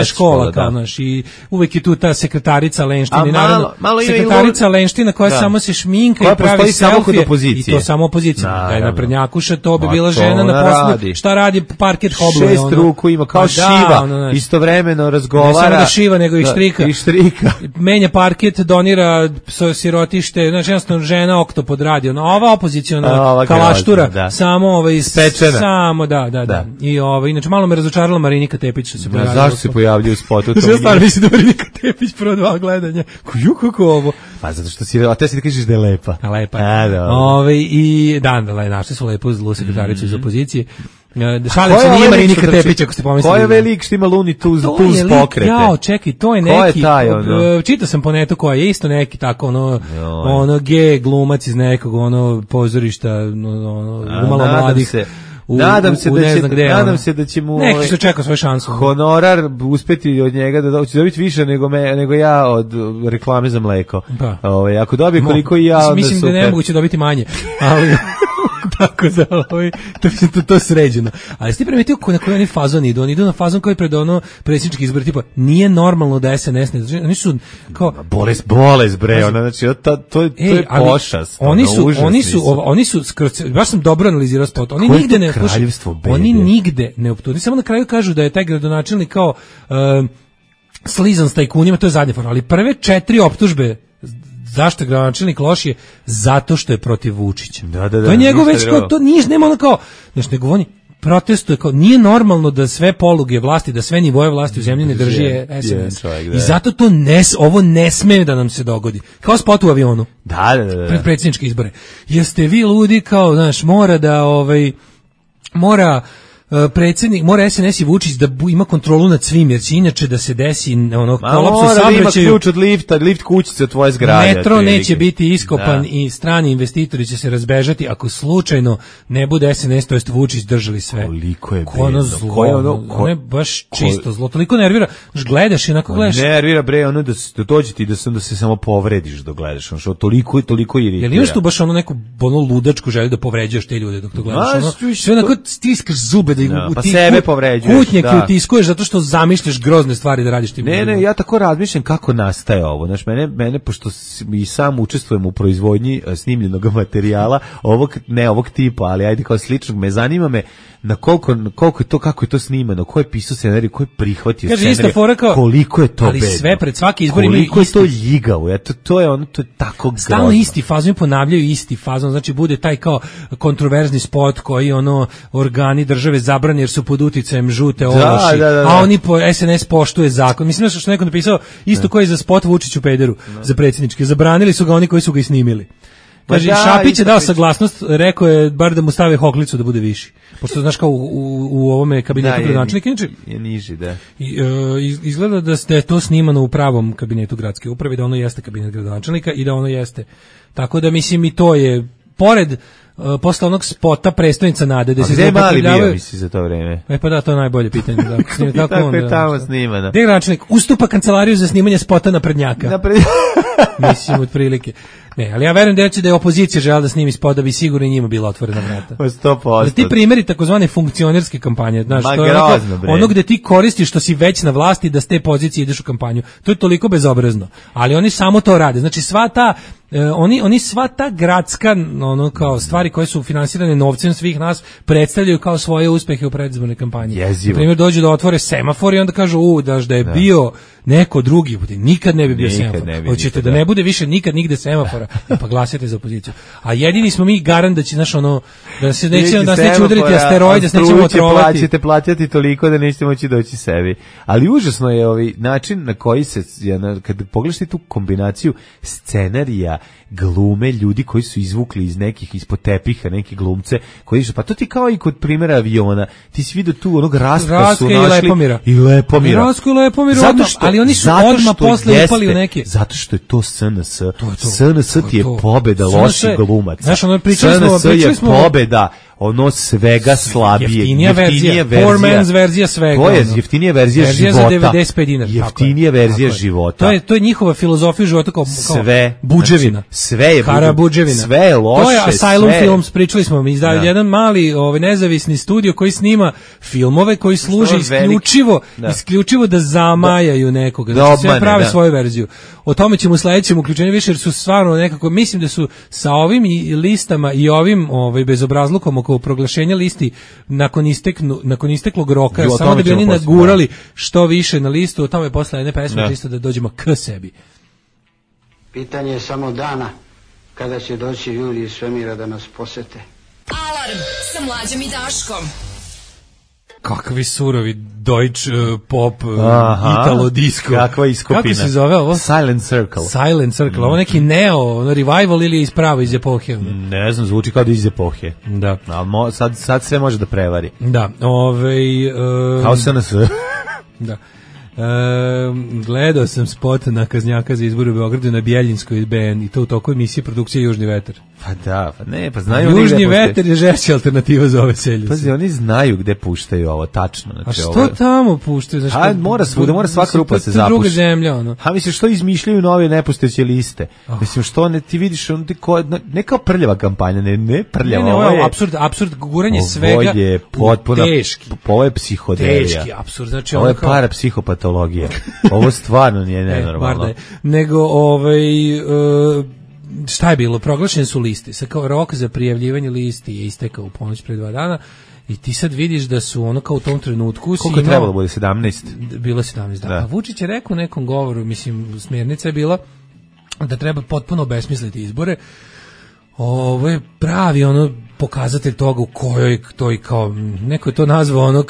škola, kao naš, i uvek je tu ta sekretarica Lenština, naravno, sekretarica Lenština koja samo se šminka i pravi selfije. I to samo opozicija. Da je naprednjakuša, to bi bila to žena na poslu. Šta radi parket hobluje? 6 ruku ima, kao šiva, istovremeno razgovara. Ne samo da šiva, nego i štrika. Menja parket, donira sirotište, znači jednostavno žena oktopod radi. Ova opoziciona kalaštura, samo spečena. Samo, da. I inače malo me razočarala Marinika Tepić što se pojavila. Zašto se pojavljuje u spotu? Ja stvarno mislim da Marinika Tepić prvo 2 gledanja. Kako ovo? Pa zato što si, a te si da kažeš da je lepa. Lepa. I našli su lepo zlu sekretaricu iz opozicije. Šalim se, nije Marinika Tepić, ako ste pomislili. Ko je velik što ima Looney Tunes pokrete? Jao, čekaj, to je neki... Ko je taj, čitao sam po netu ko je isto neki tako, ono G glumac iz nekog, pozorišta, umalo mladih. Nadam se da će mu neki što čeka svoju šansu. Honorar uspeti od njega da će dobiti više nego ja od reklame za mleko. Ako dobije koliko i ja, mislim da je nemoguće dobiti manje. Ali tako da to sređeno. Ali ste primetili na koji oni fazon idu? Oni idu na fazon koji pred predsjednički izbor, tipa nije normalno da SNS ne, oni su kao bolest bre, ona znači to je pošast. Oni su baš sam dobro analizirao spot. Oni nigde ne optuže. Samo na kraju kažu da je taj gradonačelnik kao slizan s tajkunima, to je zadnja forma, ali prve 4 optužbe zašto je gradonačelnik loš je zato što je protiv Vučića. To je njegov već kao, to nije, nema ono kao, nego oni protestuje kao, nije normalno da sve poluge vlasti, da sve nivoje vlasti u zemlji ne drži SNS. I zato to ovo ne sme da nam se dogodi. Kao spot u avionu. Pred predsjedničke izbore. Jeste vi ludi kao, znaš, mora predsjednik, mora SNS i Vučić da ima kontrolu nad svim, jer će inače da se desi kolaps u saobraćaju. Ima ključ od lifta, lift kućice od tvoje zgrade. Metro neće biti iskopan i strani investitori će se razbežati ako slučajno ne bude SNS, to jest Vučić držali sve. Koliko je ono je baš čisto zlo. Toliko nervira, gledaš i onako gledaš. Nervira bre, ono da dođe ti da se samo povrediš dok gledaš, ono toliko iritira. Jel imaš tu baš neku ludačku želju da povređuješ te ljude dok to gledaš? Sve onako stiskaš zube pa sebe povređuješ. Kutnjake utiskuješ zato što zamišljaš grozne stvari da radiš tim. Ne, ja tako razmišljam kako nastaje ovo. Znaš, mene pošto i sam učestvujem u proizvodnji snimljenog materijala, ovog tipa, ali ajde kao sličnog, me zanima na koliko je to, kako je to snimano, ko je pisao scenarij, ko je prihvatio scenarij, koliko je to bedno. Ali sve pred svaki izbor imaju koliko je to ljigavo, to je tako grozno. Stalno isti fazon, ponavljaju isti fazon, znači bude taj kao kontroverzni spot koji organi države zabrani jer su pod uticajem žute ološi, a oni SNS poštuje zakon. Mislim što neko napisao, isto koji za spot Vučiću pederu, za predsjedničke, zabranili su ga oni koji su ga i snimili. Kaže, Šapić je dao saglasnost, rekao je bar da mu stave hoklicu da bude viši. Pošto znaš kao u ovome kabinetu gradonačelnika je niži, da. Izgleda da je to snimano u pravom kabinetu gradske uprave, da ono jeste kabinet gradonačelnika i da ono jeste. Tako da mislim i to je pored posle onog spota Prestolnica nade da se gde mali bio misli za to vreme. Pa da, to je najbolje pitanje, da. Kako je tamo snimano? Gde gradonačelnik ustupa kancelariju za snimanje spota naprednjaka. Mislim otprilike. Ne, ali ja verujem da je opozicija želela da snimi spot da bi sigurno njima bila otvorena vrata. 100%. Ti primjeri takozvane funkcionerske kampanje, znaš, to je ono gde ti koristiš što si već na vlasti da s te pozicije ideš u kampanju. To je toliko bezobrazno. Ali oni samo to rade. Znači sva ta gradska kao stvari koje su finansirane novcem svih nas predstavljaju kao svoje uspehe u predizbornoj kampanji. Jezivo. Na primjer dođu da otvore semafor i onda kažu da je bio neko drugi, nikad ne bi bio semafor. Hoćete da ne bude više nikad nigde semafora, pa glasite za opoziciju. A jedini smo mi garant da će da se neće udariti asteroid, da se nećemo otrovati. Ćete plaćati toliko da nećete moći doći sebi. Ali užasno je način na koji se, kad pogledaš tu kombinaciju scenarija, glume, ljudi koji su izvukli ispod tepiha neke glumce, koji su, pa to ti kao i kod primjera aviona, ti si vidio tu onog Rastka su našli i Lepomira. Rastka i Lepomira, ali oni su odmah posle upali u neke. Zato što je to SNS. SNS ti je pobeda loših glumaca. Znaš, SNS je pobeda ono svega slabije. Jeftinija verzija. Poor man's verzija svega. To je jeftinija verzija života. Za 95 dinara. Jeftinija verzija života. To je njihova filozofija života kao sve. Buđevina. Znači, sve je buđevina. Sve je loše. To je Asylum Films, pričali smo, mi izdaju jedan mali nezavisni studio koji snima filmove koji služe isključivo da zamajaju nekoga. Znači sve prave svoju verziju. O tome ćemo u sledećem uključenju više, jer su stvarno nekako, mislim da su sa ovim listama i ovim bezobrazlukom oko proglašenja listi nakon isteklog roka, samo da bi oni nagurali što više na listu. O tome posle jedne pesme čisto da dođemo k sebi. Pitanje je samo dana kada će doći ljudi iz svemira da nas posete. Alarm sa Mlađom i Daškom. Kakvi surovi Deutsch pop, Italo disco. Kakva iskopina. Kako se zove ovo? Silent Circle. Silent Circle. Ovo neki revival ili ispravo iz epohe? Ne znam, zvuči kao da iz epohe. Da. Ali sad sve može da prevari. Da. Kao SNS. Da. Gledao sam spot na Kaznjaka za izbor u Beogradu na Bjeljinskoj BN i to u toku emisije produkcije Južni vetar. Pa znaju Južni vetar je žešća alternativa za ove selje. Pazi, oni znaju gde puštaju ovo, tačno. Znači, a što tamo puštaju? Znači, mora svaka rupa se zapuši. Druga zemlja, ono. Mislim, što izmišljaju nove nepostojeće liste? Mislim, što ti vidiš, ne kao prljava kampanja, ne prljava. Ne, ovo je apsurd, guranje svega. Ovo je potpuno, ovo je psihodelija. Teški apsurd, znači ovo je parapsihopatologija. Ovo stvarno nije nenormalno. Nego, šta je bilo? Proglašene su liste. Sad kao rok za prijavljivanje listi je istekao u ponoć pre 2 dana i ti sad vidiš da su ono kao u tom trenutku... Koliko je trebalo bude? 17? Bilo 17, da. A Vučić je rekao u nekom govoru, mislim, smjernica je bila da treba potpuno obesmisliti izbore. Ovo je pravi pokazatelj toga u kojoj to i kao, neko je to nazvao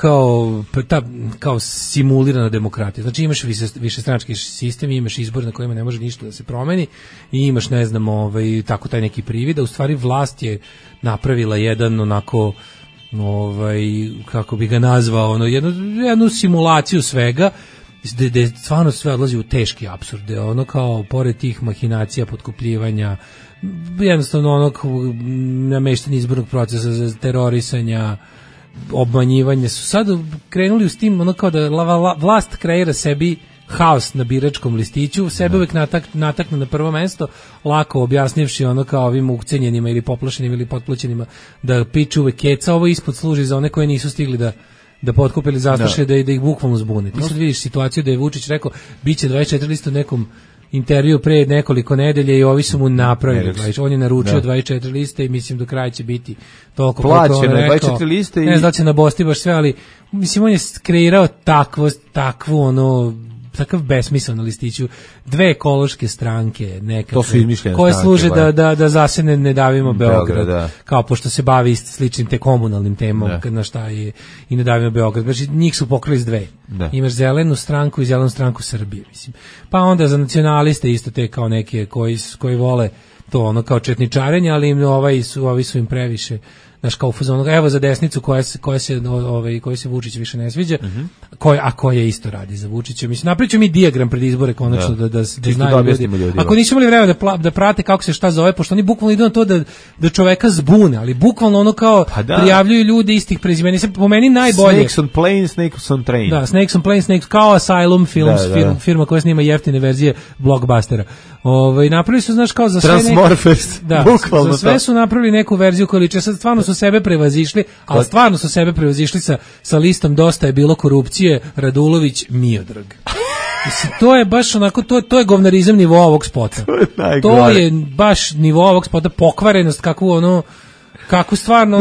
kao simulirana demokratija. Znači imaš višestranački sistem, imaš izbor na kojima ne može ništa da se promeni i imaš, ne znam, tako taj neki privid, a u stvari vlast je napravila jedan onako, kako bi ga nazvao, jednu simulaciju svega, gde stvarno sve odlazi u teški apsurde, kao pored tih mahinacija, potkupljivanja, jednostavno nameštanje izbornog procesa za terorisanja, obmanjivanje, su sad krenuli s tim kao da vlast kreira sebi haos na biračkom listiću, sebe uvek natakne na prvo mesto, lako objasnivši kao ovim ukcenjenima ili poplašenim ili potplaćenima da piču uvek keca, ovo ispod služi za one koje nisu stigli da potkupe ili zastraše, da ih bukvalno zbune. Ti sad vidiš situaciju da je Vučić rekao biće 24 lista u nekom intervju pre nekoliko nedelje i ovi su mu napravili. On je naručio 24 liste i mislim do kraja će biti toliko plaćeno je 24 liste i... Ne znam da će nabosti baš sve, ali mislim on je kreirao takav besmisao na listiću, 2 ekološke stranke nekakve, to su izmišljene koje stranke, služe da zasene ne davimo Beograd, kao pošto se bavi sličnim te komunalnim temom, na šta je i ne davimo Beograd. Znači njih su pokrali s 2. Imaš zelenu stranku i zelenu stranku Srbije, mislim. Pa onda za nacionaliste isto te kao neke koji vole to kao četničarenje, ali im ovi su im previše. Znaš, kao u fazonu, evo za desnicu koja se Vučić više ne sviđa, koja isto radi za Vučića. Mislim, napričamo mi dijagram pred izbore konačno da znaju ljudi. Ako nisu imali vremena da prate kako se šta zove, pošto oni bukvalno idu na to da čoveka zbune, ali bukvalno kao prijavljuju ljudi istih prezimena. Po meni najbolje. Snakes on plane, Snakes on train. Da, Snakes on plane, Snakes kao Asylum Films, firma koja snima jeftine verzije blockbustera. Napravili su, znaš, kao za sve Transmorphers, bukvalno za sve su napravili neku verziju koja liče. Sad stvarno su sebe prevazišli, ali stvarno su sebe prevazišli sa listom Dosta je bilo korupcije, Radulović, Miodrag. Mislim, to je baš onako, to je govnarizam nivoa ovog spota. To je baš nivo ovog spota, pokvarenost, kako stvarno...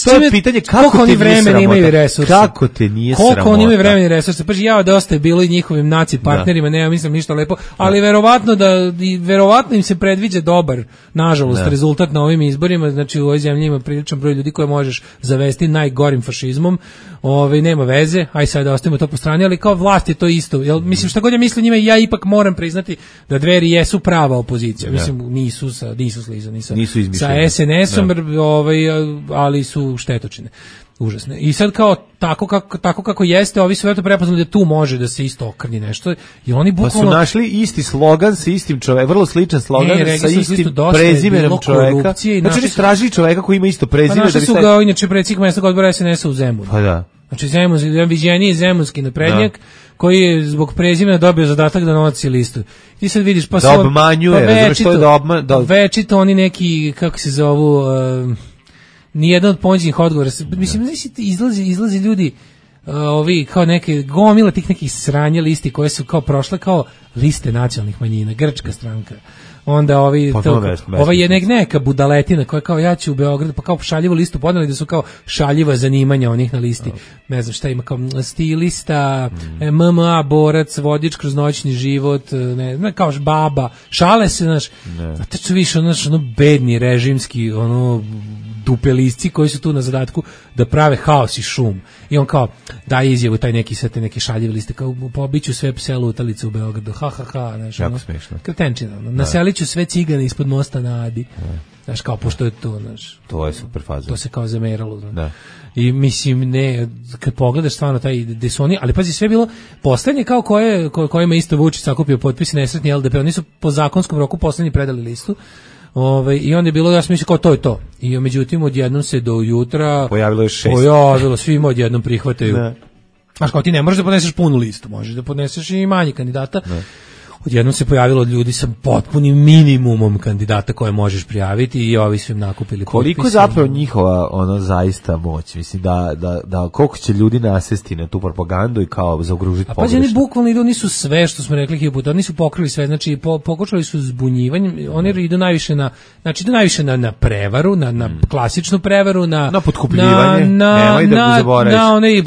to je pitanje kako oni vremena imaju resurse. Kako te nije sramota. Koliko oni imaju vremena i resurse. Pa Dosta je bilo i njihovim naci partnerima, nema mislim ništa lepo, ali verovatno im se predviđa dobar, nažalost, rezultat na ovim izborima. Znači u ovoj zemlji ima priličan broj ljudi koje možeš zavesti najgorim fašizmom. Nema veze, aj sad da ostavimo to po strani, ali kao vlast je to isto. Mislim, šta god ja mislim njima, ja ipak moram priznati da Dveri jesu prava opozicija. Mislim, nisu sliza, nisu izmišljeni. Sa meso, ali su štetočine. Užasne. I sad kao tako kako jeste, ovi su eto prepoznali da tu može da se isto okrnji nešto. I oni bukvalno pa su našli isti slogan sa istim čovekom, vrlo sličan slogan sa istim prezimenom čoveka. Znači oni traži čoveka koji ima isto prezime. Pa našli su ga inače predsjednik mesnog odbora SNS-a u Zemunu. Pa da. Znači viđeniji zemunski naprednjak koji je zbog prezimena dobio zadatak da nosi listu. Ti sad vidiš pa da obmanjuje, što je da večito oni neki, kako se zovu, nijedan od ponuđenih odgovora. Mislim, izlazi ljudi ovi kao neke gomila tih nekih sranja listi koje su kao prošle kao liste nacionalnih manjina, grčka stranka. Onda ova je neka budaletina koja kao ja ću u Beogradu, pa kao šaljivu listu podneli da su kao šaljiva zanimanja onih na listi. Ne znam šta ima, kao stilista, MMA, borac, vodič kroz noćni život, ne kao baba, šale se, znaš, a te su više ono bedni režimski, dupelisci koji su tu na zadatku da prave haos i šum. I on kao daje izjavu taj neki sve te neke šaljive liste kao pobiću sve pse lutalice u Beogradu. Znaš, jako smešno. Kretenčina. Naseliću sve cigane ispod mosta na Adi. Znaš, kao pošto je to, znaš. To je super faza. To se kao zameralo. Da. I mislim, kad pogledaš stvarno taj gde su oni, ali pazi, sve bilo poslednje kao kojima isto Vučić sakupio potpise nesretni LDP, oni su po zakonskom roku poslednji predali listu. I onda je bilo, ja sam mislio kao to je to. I međutim, odjednom se do jutra pojavilo je 6. Svima odjednom prihvataju. Znaš, kao ti ne možeš da podneseš punu listu, možeš da podneseš i manje kandidata. Odjednom se pojavilo ljudi sa potpunim minimumom kandidata koje možeš prijaviti i ovi su im nakupili potpise. Koliko zapravo njihova zaista moć, mislim da koliko će ljudi nasesti na tu propagandu i kao zaokružiti pogrešno. A pa oni bukvalno idu, nisu sve što smo rekli hiljadu puta, oni su pokrili sve, znači pokušali su zbunjivanjem, oni idu najviše na prevaru, na klasičnu prevaru, na potkupljivanje, nemoj da zaboraviš. Na onaj,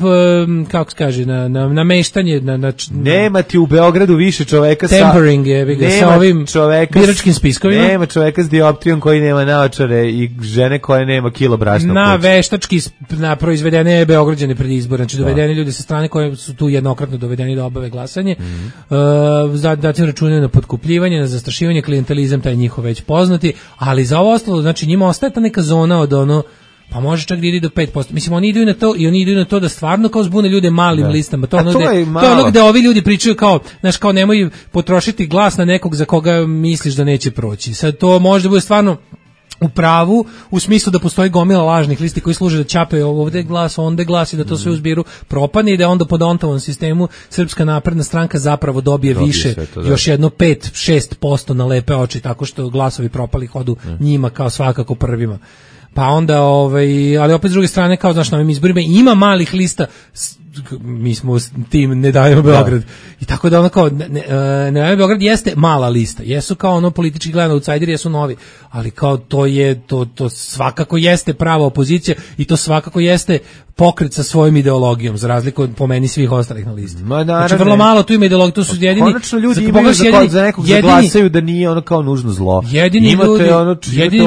kako se kaže, na meštanje, nema ti u Beogradu više čoveka tempering sa ovim biračkim spiskovima. Nema čoveka s dioptrijom koji nema naočare i žene koja nema kilo brašna. Na veštački proizvedene Beograđane pred izbor, znači dovedeni ljudi sa strane koje su tu jednokratno dovedeni da obave glasanje. Zatim računaju na potkupljivanje, na zastrašivanje, klijentelizam, taj njihov već poznati, ali za ovo ostalo, znači njima ostaje ta neka zona od pa može čak da ide do 5%. Mislim, oni idu na to i oni idu na to da stvarno kao zbune ljude malim listama. To je ono gde ovi ljudi pričaju kao, znaš, kao nemoj potrošiti glas na nekog za koga misliš da neće proći. Sad to može da bude stvarno u pravu, u smislu da postoji gomila lažnih listi koji služe da ćape ovde glas, onde glas i da to sve uzbiru propane i da onda po Dontovom sistemu Srpska napredna stranka zapravo dobije više, još jedno 5-6% na lepe oči, tako što glasovi propali hodu njima kao svakako prvima. Pa onda, ali opet s druge strane, kao znaš, na ovim izborima ima malih lista, mi smo tim Ne dajemo Beograd. I tako da ono kao, Ne dajemo Beograd jeste mala lista, jesu kao politički gledano outsideri, jesu novi, ali kao to svakako jeste prava opozicija i to svakako jeste pokret sa svojom ideologijom, za razliku od po meni svih ostalih na listi. Znači vrlo malo tu ima ideologije, to su jedini. Konačno ljudi imaju za nekog zaglasaju da nije ono kao nužno zlo. Jedini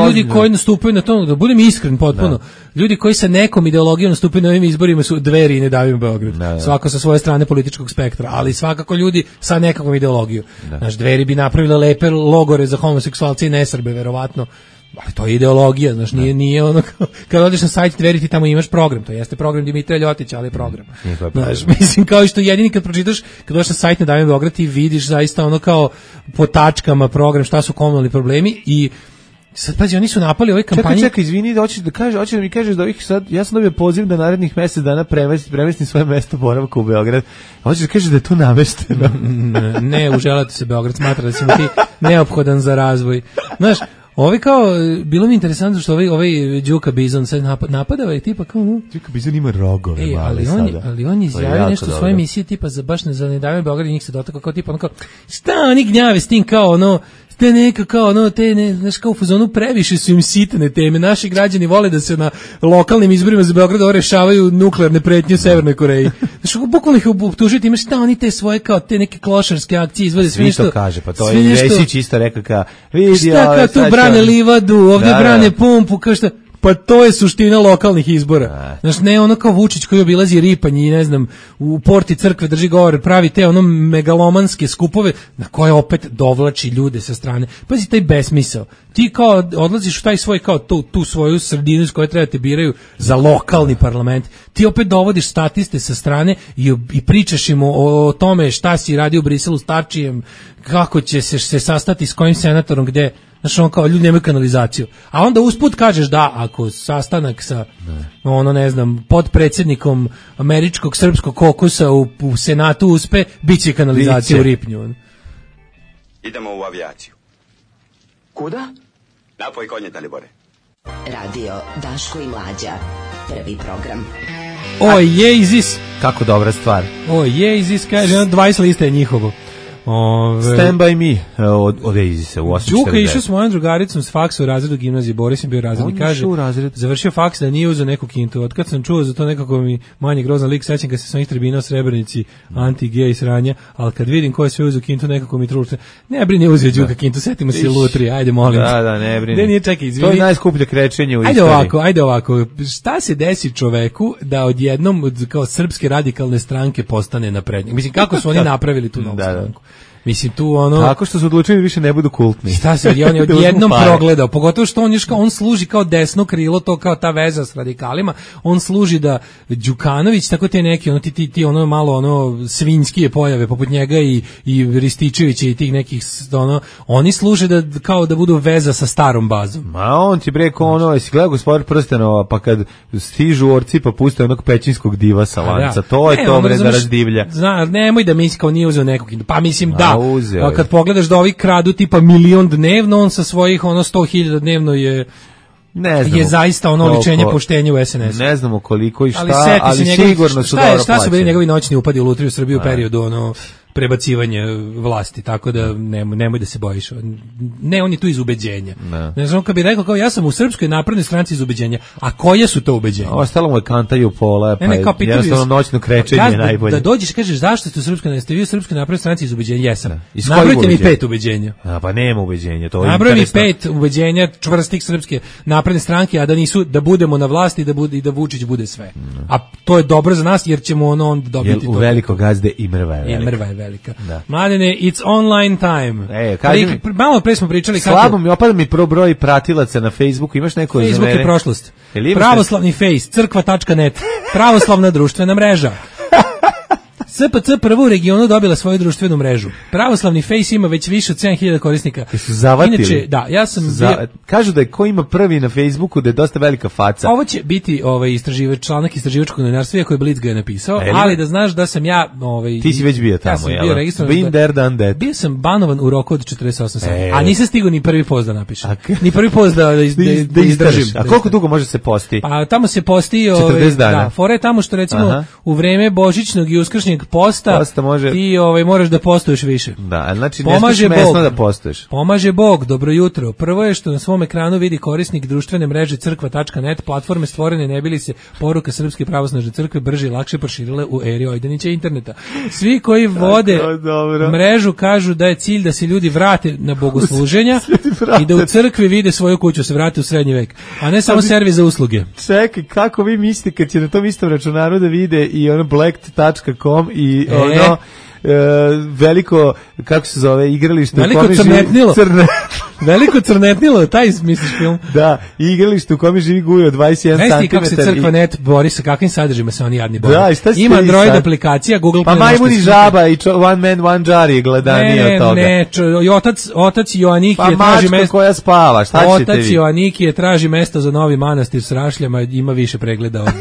ljudi koji nastupaju na to, da budem iskren potpuno, ljudi koji sa nekom ideologijom nastupaju na ovim izborima su Dveri i Ne davimo Beograd. Svako sa svoje strane političkog spektra, ali svakako ljudi sa nekakvom ideologijom. Naš Dveri bi napravile lepe logore za homoseksualce i nesrbe, verovatno. Ali to je ideologija, znaš, nije ono kad odeš na sajt Dveri ti tamo imaš program, to jeste program Dimitrija Ljotića, ali je program. Znaš, mislim kao što jedini kad pročitaš, kad dođeš na sajt Ne davimo Beograd ti vidiš zaista ono kao po tačkama program, šta su komunalni problemi i sad pazi, oni su napali u ovoj kampanji. Čekaj, izvini, hoćeš da mi kažeš da ovih sad, ja sam dobio poziv da narednih mjesec dana premestim svoje mesto boravka u Beograd. Hoćeš da kažeš da je to namešteno? Ne, uželati se Beograd, smatra da si mu ti neophodan za razvoj. Znaš, ovi kao, bilo mi interesantno što ovaj Đuka Bizon sad napada ovaj tipa kao... Đuka Bizon ima rogove male sada. Ali on izjavio nešto u svojoj emisiji tipa za baš za Ne davimo Beograd i njih se dotakao kao tipa ono kao, šta oni gnjave s tim kao ono, te neka kao znaš kao u fazonu previše su im sitne teme, naši građani vole da se na lokalnim izborima za Beograd rešavaju nuklearne pretnje u Severnoj Koreji. Znaš, bukvalno ih optužiti, ima šta oni te svoje kao te neke klošarske akcije izvode sve nešto. Svi to kaže, pa to je Vesić isto rekao kao, vidi šta kao tu brane livadu, ovdje brane pumpu, kao šta. Pa to je suština lokalnih izbora. Znaš, ne ono kao Vučić koji obilazi Ripanj i ne znam, u porti crkve drži govor, pravi te ono megalomanske skupove na koje opet dovlači ljude sa strane. Pazi taj besmisao. Ti kao odlaziš u taj svoj kao tu svoju sredinu iz koje treba te biraju za lokalni parlament. Ti opet dovodiš statiste sa strane i pričaš im o tome šta si radio u Briselu s Tačijem, kako će se sastati s kojim senatorom, gde. Znaš, on kao ljudi nemaju kanalizaciju. A onda usput kažeš da, ako sastanak sa, ne znam, podpredsjednikom američkog srpskog kokusa u Senatu uspe, bit će kanalizacija u Ripnju. Idemo u avijaciju. Kuda? Napoj konje, Dalibore. Radio Daško i Mlađa. Prvi program. Oasis. Kako dobra stvar. Oasis, kaže, 20 lista je njihovo. Stand by me od Oasisa u 8:49. Đuka išao s mojom drugaricom s faksa u razredu gimnazije, Boris je bio razrednik, kaže, završio faks da nije uzeo neku kintu. Od kad sam čuo za to nekako mi manje grozan lik, sećam kad se s onih tribina u Srebrenici, anti-gej sranja, ali kad vidim ko je sve uzeo kintu, nekako mi truče. Ne brini, uzeo Đuka kintu, setimo se Lutri, ajde molim. Da, ne brini. Ne, nije, čekaj, izvini. To je najskuplje krečenje u istoriji. Ajde ovako, šta se desi čoveku da odjednom kao srpske radikalne stranke postane naprednjak? Mislim, kako su oni napravili tu novu stranku? Mislim tu ono tako što su odlučili više ne budu kultni. Šta se on je odjednom progledao, pogotovo što on služi kao desno krilo, to kao ta veza s radikalima, on služi da Đukanović, tako te neki ti ono malo ono svinjskije pojave poput njega i Rističevića i tih nekih oni služe da kao da budu veza sa starom bazom. Ma on ti breko jesi gledao Gospodar prstenova, pa kad stižu orci pa puste onog pećinskog diva sa lanca, to je to bre da razdivlja. Zna, nemoj da misli kao nije uzeo nekog, pa mislim da. Kad pogledaš da ovi kradu tipa 1.000.000 dnevno, on sa svojih 100.000 dnevno je zaista oličenje poštenja u SNS. Ne znamo koliko i šta, ali sigurno su dobro plaćeni. Šta su bili njegovi noćni upadi u Lutriju Srbiju u periodu prebacivanje vlasti, tako da nemoj da se bojiš. Ne, on je tu iz ubeđenja. Ne znam, kad bi rekao kao ja sam u Srpskoj naprednoj stranci iz ubeđenja, a koje su to ubeđenja? Ostalo mu je kantaju pola, pa jednostavno noćno krečenje je najbolje. Da dođeš i kažeš zašto ste vi u Srpskoj naprednoj stranci iz ubeđenja? Jesam. Nabrojite mi 5 ubeđenja. Pa nema ubeđenja, to je nabroj mi 5 ubeđenja čvrstih Srpske napredne stranke, a da nisu da budemo na vlasti i da Vučić bude sve. A to je dobro za nas jer ćemo on dobiti to. U veliko gazde i mrva je velika. Mladene, it's online time. Malo pre smo pričali slabo mi opada mi broj pratilaca na Facebooku, imaš neko za mene? Facebook je prošlost. Pravoslavni face, crkva.net, pravoslavna društvena mreža. SPC prvo u regionu dobila svoju društvenu mrežu. Pravoslavni Face ima već više od 7.000 korisnika. Su zavatili? Inače, da, ja sam kažu da je ko ima prvi na Facebooku da je dosta velika faca. Ovo će biti članak istraživačkog novinarstva, iako je Blitz ga je napisao, ali da znaš da sam ja ti si već bio tamo, ja sam bio registrovan. Been there, done that. Bio sam banovan u roku od 48 sati. A nisam stigao ni prvi post da napišem. Ni prvi post da izdržim. A koliko dugo može se posti? Pa tamo se posti 40 dana. Da, fore tamo što recimo u vreme božićnog i uskršnjeg posta ti moraš da postuješ više. Da, znači ne smiješ mesno da postuješ. Pomaže Bog, dobro jutro. Prvo je što na svom ekranu vidi korisnik društvene mreže crkva.net, platforme stvorene ne bili se poruka Srpske pravoslavne crkve brže i lakše proširile u eri Ojdanića interneta. Svi koji vode mrežu kažu da je cilj da se ljudi vrate na bogosluženja i da u crkvi vide svoju kuću, se vrate u srednji vek, a ne samo servis za usluge. Čekaj, kako vi mislite kad će na tom istom računaru da vide i blacked.com i veliko, kako se zove, igralište veliko crnetnilo. Veliko crnetnilo, taj misliš film? Da, igralište u kome živi Gujo 21 cm. Znaš ti kako se crkva.net bori sa kakvim sadržima se oni jadni bori? Ima Android aplikacija, Google pa majmuni žaba i one man one jar je gledanije od toga. Otac Joaniki je traži mesto koja spava, šta ćete vi? Otac Joaniki traži mesto za novi manastir s rašljama, ima više pregleda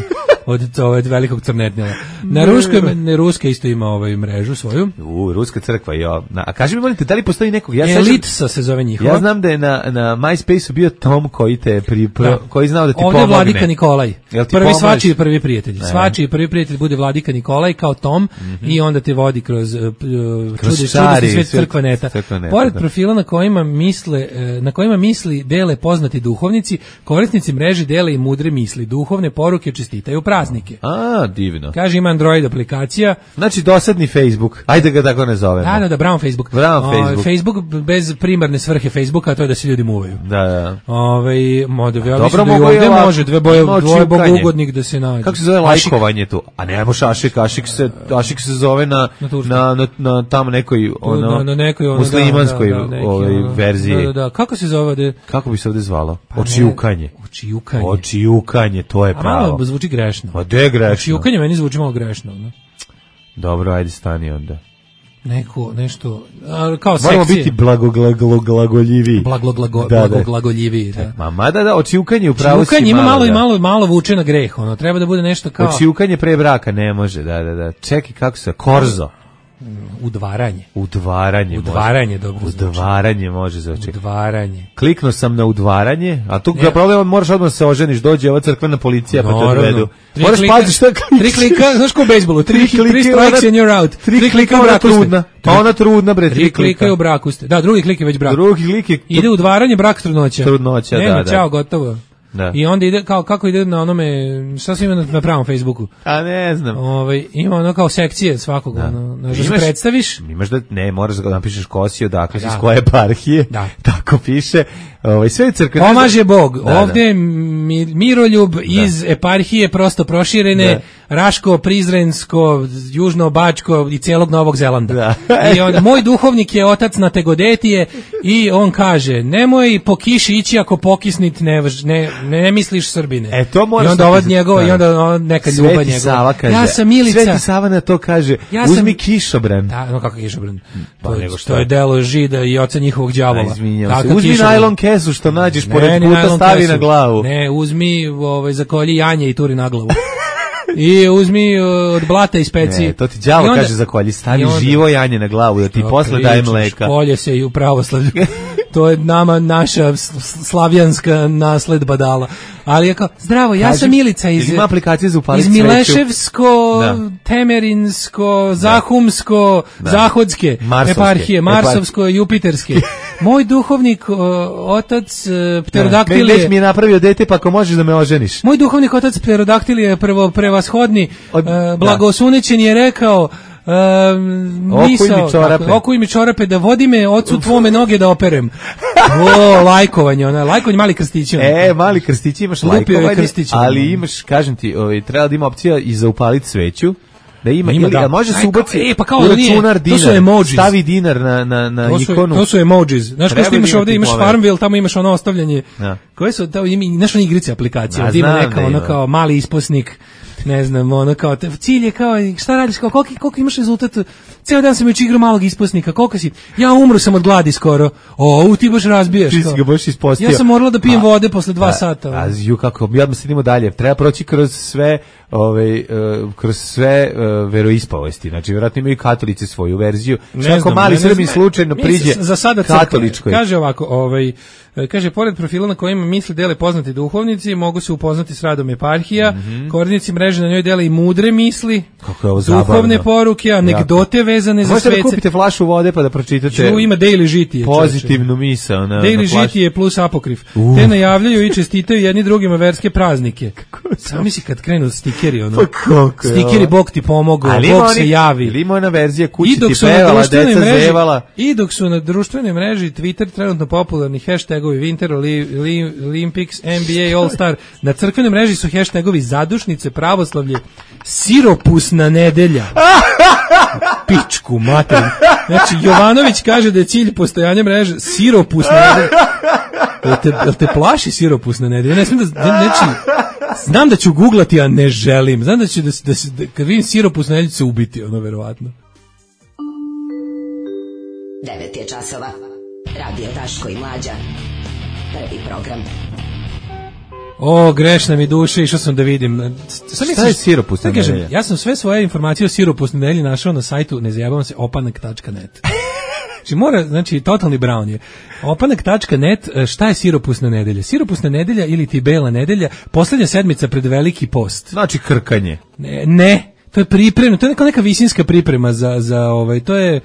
od velikog crnetnila. Na ruska isto ima mrežu svoju. Ruska crkva, jo. A kaži mi, molite, da li postoji nekog? Elitsa se zove njihova. Ja znam da je na MySpace-u bio Tom koji te koji znao da ti pomogne. Ovdje je Vladika Nikolaj. Prvi svačiji prvi prijatelj. Svačiji prvi prijatelj bude Vladika Nikolaj kao Tom i onda te vodi kroz čudesni svijet crkvaneta. Pored profila na kojima misli dele poznati duhovnici, korisnici mreže dele i mudre misli, duhovne poruke, čestitaju praznike. A, divno. Kaže ima Android aplikacija. Znači dosadni Facebook. Ajde ga tako ne zovemo. Da, Brown Facebook. Facebook bez primarne svrhe Facebooka, a to je da se ljudi muvaju. Da. Dobro mogu da može dvoje bogougodnik da se nađe. Kako se zove lajkovanje tu? A ne možeš Ašik se zove na tamo nekoj muslimanskoj verziji. Da. Kako se zove? Kako bi se ovde zvalo? Očijukanje, to je pravo. A malo zvuči grešno. A gde je grešno? Očijukanje meni zvuči malo grešno. Ne? Dobro, ajde stani onda. Nešto, kao sekcije. Moramo biti blagoglagoljiviji. Blagoglagoljiviji, da. Da, očijukanje u pravu si malo. Ima malo vuče na greh, treba da bude nešto kao... Očijukanje pre braka ne može, da. Čekaj, kako se, korzo. Udvaranje. Udvaranje dobro zvuči. Udvaranje može znači. Udvaranje. Kliknuo sam na udvaranje, a tu problem moraš odmah se oženiš, dođe ova crkvena policija pa te odvedu. Moraš paziti šta klikneš. 3 klika, znaš ko u bejsbolu, 3 strikes and you're out. 3 klika u braku ste. Pa ona trudna bre, 3 klika u braku ste. Da, drugi klik je već brak. Ide udvaranje, brak, trudnoća. Da. Čao, gotovo. Da. I onda ide kako ide na onome, šta se ima na pravom Facebooku? A ne znam. Ima ono kao sekcije svakog, da se predstaviš. Imaš moraš da napišeš kosi odakle si, iz koje eparhije. Da. Tako piše. Sve crkve. Pomaže Bog. Ovde je Miroljub iz eparhije prosto proširene, Raško, Prizrensko, Južno Bačko i celog Novog Zelanda. I onda moj duhovnik je otac Nategodetije i on kaže: "Nemoj po kiši ići ako pokisnit ne misliš Srbine." To moraš. I onda ovo njegova i onda neka ljubav njegova. Ja sam Milica. Sveti Sava na to kaže: "Uzmi kišobran." Da, kako kišobran? To je delo Žida i oca njihovog đavola. Uzmi najlon kesu što nađeš pored puta, stavi na glavu. Ne, uzmi zakolji janje i turi na glavu. I uzmi od blata i specije. Ne, to ti đavo kaže zakolji, stavi živo janje na glavu da ti posle daje mleka. Kolje se i u pravoslavlju. To je naša slavjanska nasledba dala. Ali je kao, zdravo, ja sam Milica iz Mileševsko, Temerinsko, Zahumsko, Zahodske, eparhije, Marsovsko, Jupiterske. Moj duhovnik, otac Pterodaktilije... Već mi je napravio dete, pa ako možeš da me oženiš. Moj duhovnik, otac Pterodaktilije, prevashodni, blagosunećen je rekao... Okuj mi čorape da vodi me ocu tvome noge da operem. Lajkovanje, mali krstići. Mali krstići, imaš lajkovanje, ali imaš, kažem ti, treba da ima opcija i za upaliti sveću. Da ima, može se ubaci u računar dinar, to su emoji. Stavi dinar na ikonu. To su emojis. Znaš kako imaš ovdje, imaš Farmville, tamo imaš ono ostavljanje. Koje su, znaš ono igrice aplikacije, ovdje ima neka ono kao mali isposnik, ne znam, ono kao, cilj je kao, šta radiš, kao, koliko imaš rezultat, ceo dan sam još igrao malog isposnika, koliko si, ja umru sam od gladi skoro, ti baš razbijaš. Ti si ga baš ispostio. Ja sam morala da pijem vode posle 2 sata. Kako, ja odmah sedimo dalje, treba proći kroz sve veroispovesti, znači vjerojatno imaju i katolici svoju verziju, kako mali Srbin slučajno priđe katoličkoj. Kaže ovako, kaže, pored profila na kojima misli dele poznati duhovnici, mogu se upoznati s radom eparhija, korisnici mreže na njoj dele i mudre misli, duhovne poruke, anegdote vezane za svece. Možete da kupite flašu vode pa da pročitate ima Daily žitije. Pozitivnu misao. Daily žitije plus apokrif. Te najavljaju i čestitaju jedni drugima verske praznike. Samo misli kad krenu stikeri, stikeri Bog ti pomogao, Bog se javi. Ili ima ona verzija kući ti pevala, deca zevala. I dok su na društvenoj mreži Twitter trenutno popularni hashtagovi Winter Olympics, NBA All Star, na crkvenoj mreži su hashtagovi zadušnice, pravoslavlje, siropusna nedelja. Pičku mater. Znači, Jovanović kaže da je cilj postojanja mreže siropusna nedelja. Jel te plaši siropusna nedelja? Ne smijem znam da ću googlati, a ne želim. Znam da ću kad vidim siropusna nedelja se ubiti, verovatno. 9 je časova. Radio Daško i Mlađa. Prvi program. Grešna mi duše, išao sam da vidim. Šta je siropusna nedelja? Ja sam sve svoje informacije o siropusnoj nedelji našao na sajtu, ne zajebavam se, opanak.net. Znači, totalni brown je. Opanak.net, šta je siropusna nedelja? Siropusna nedelja ili ti bela nedelja, posljednja sedmica pred veliki post. Znači krkanje. Ne, to je priprema, to je neka visinska priprema za to je...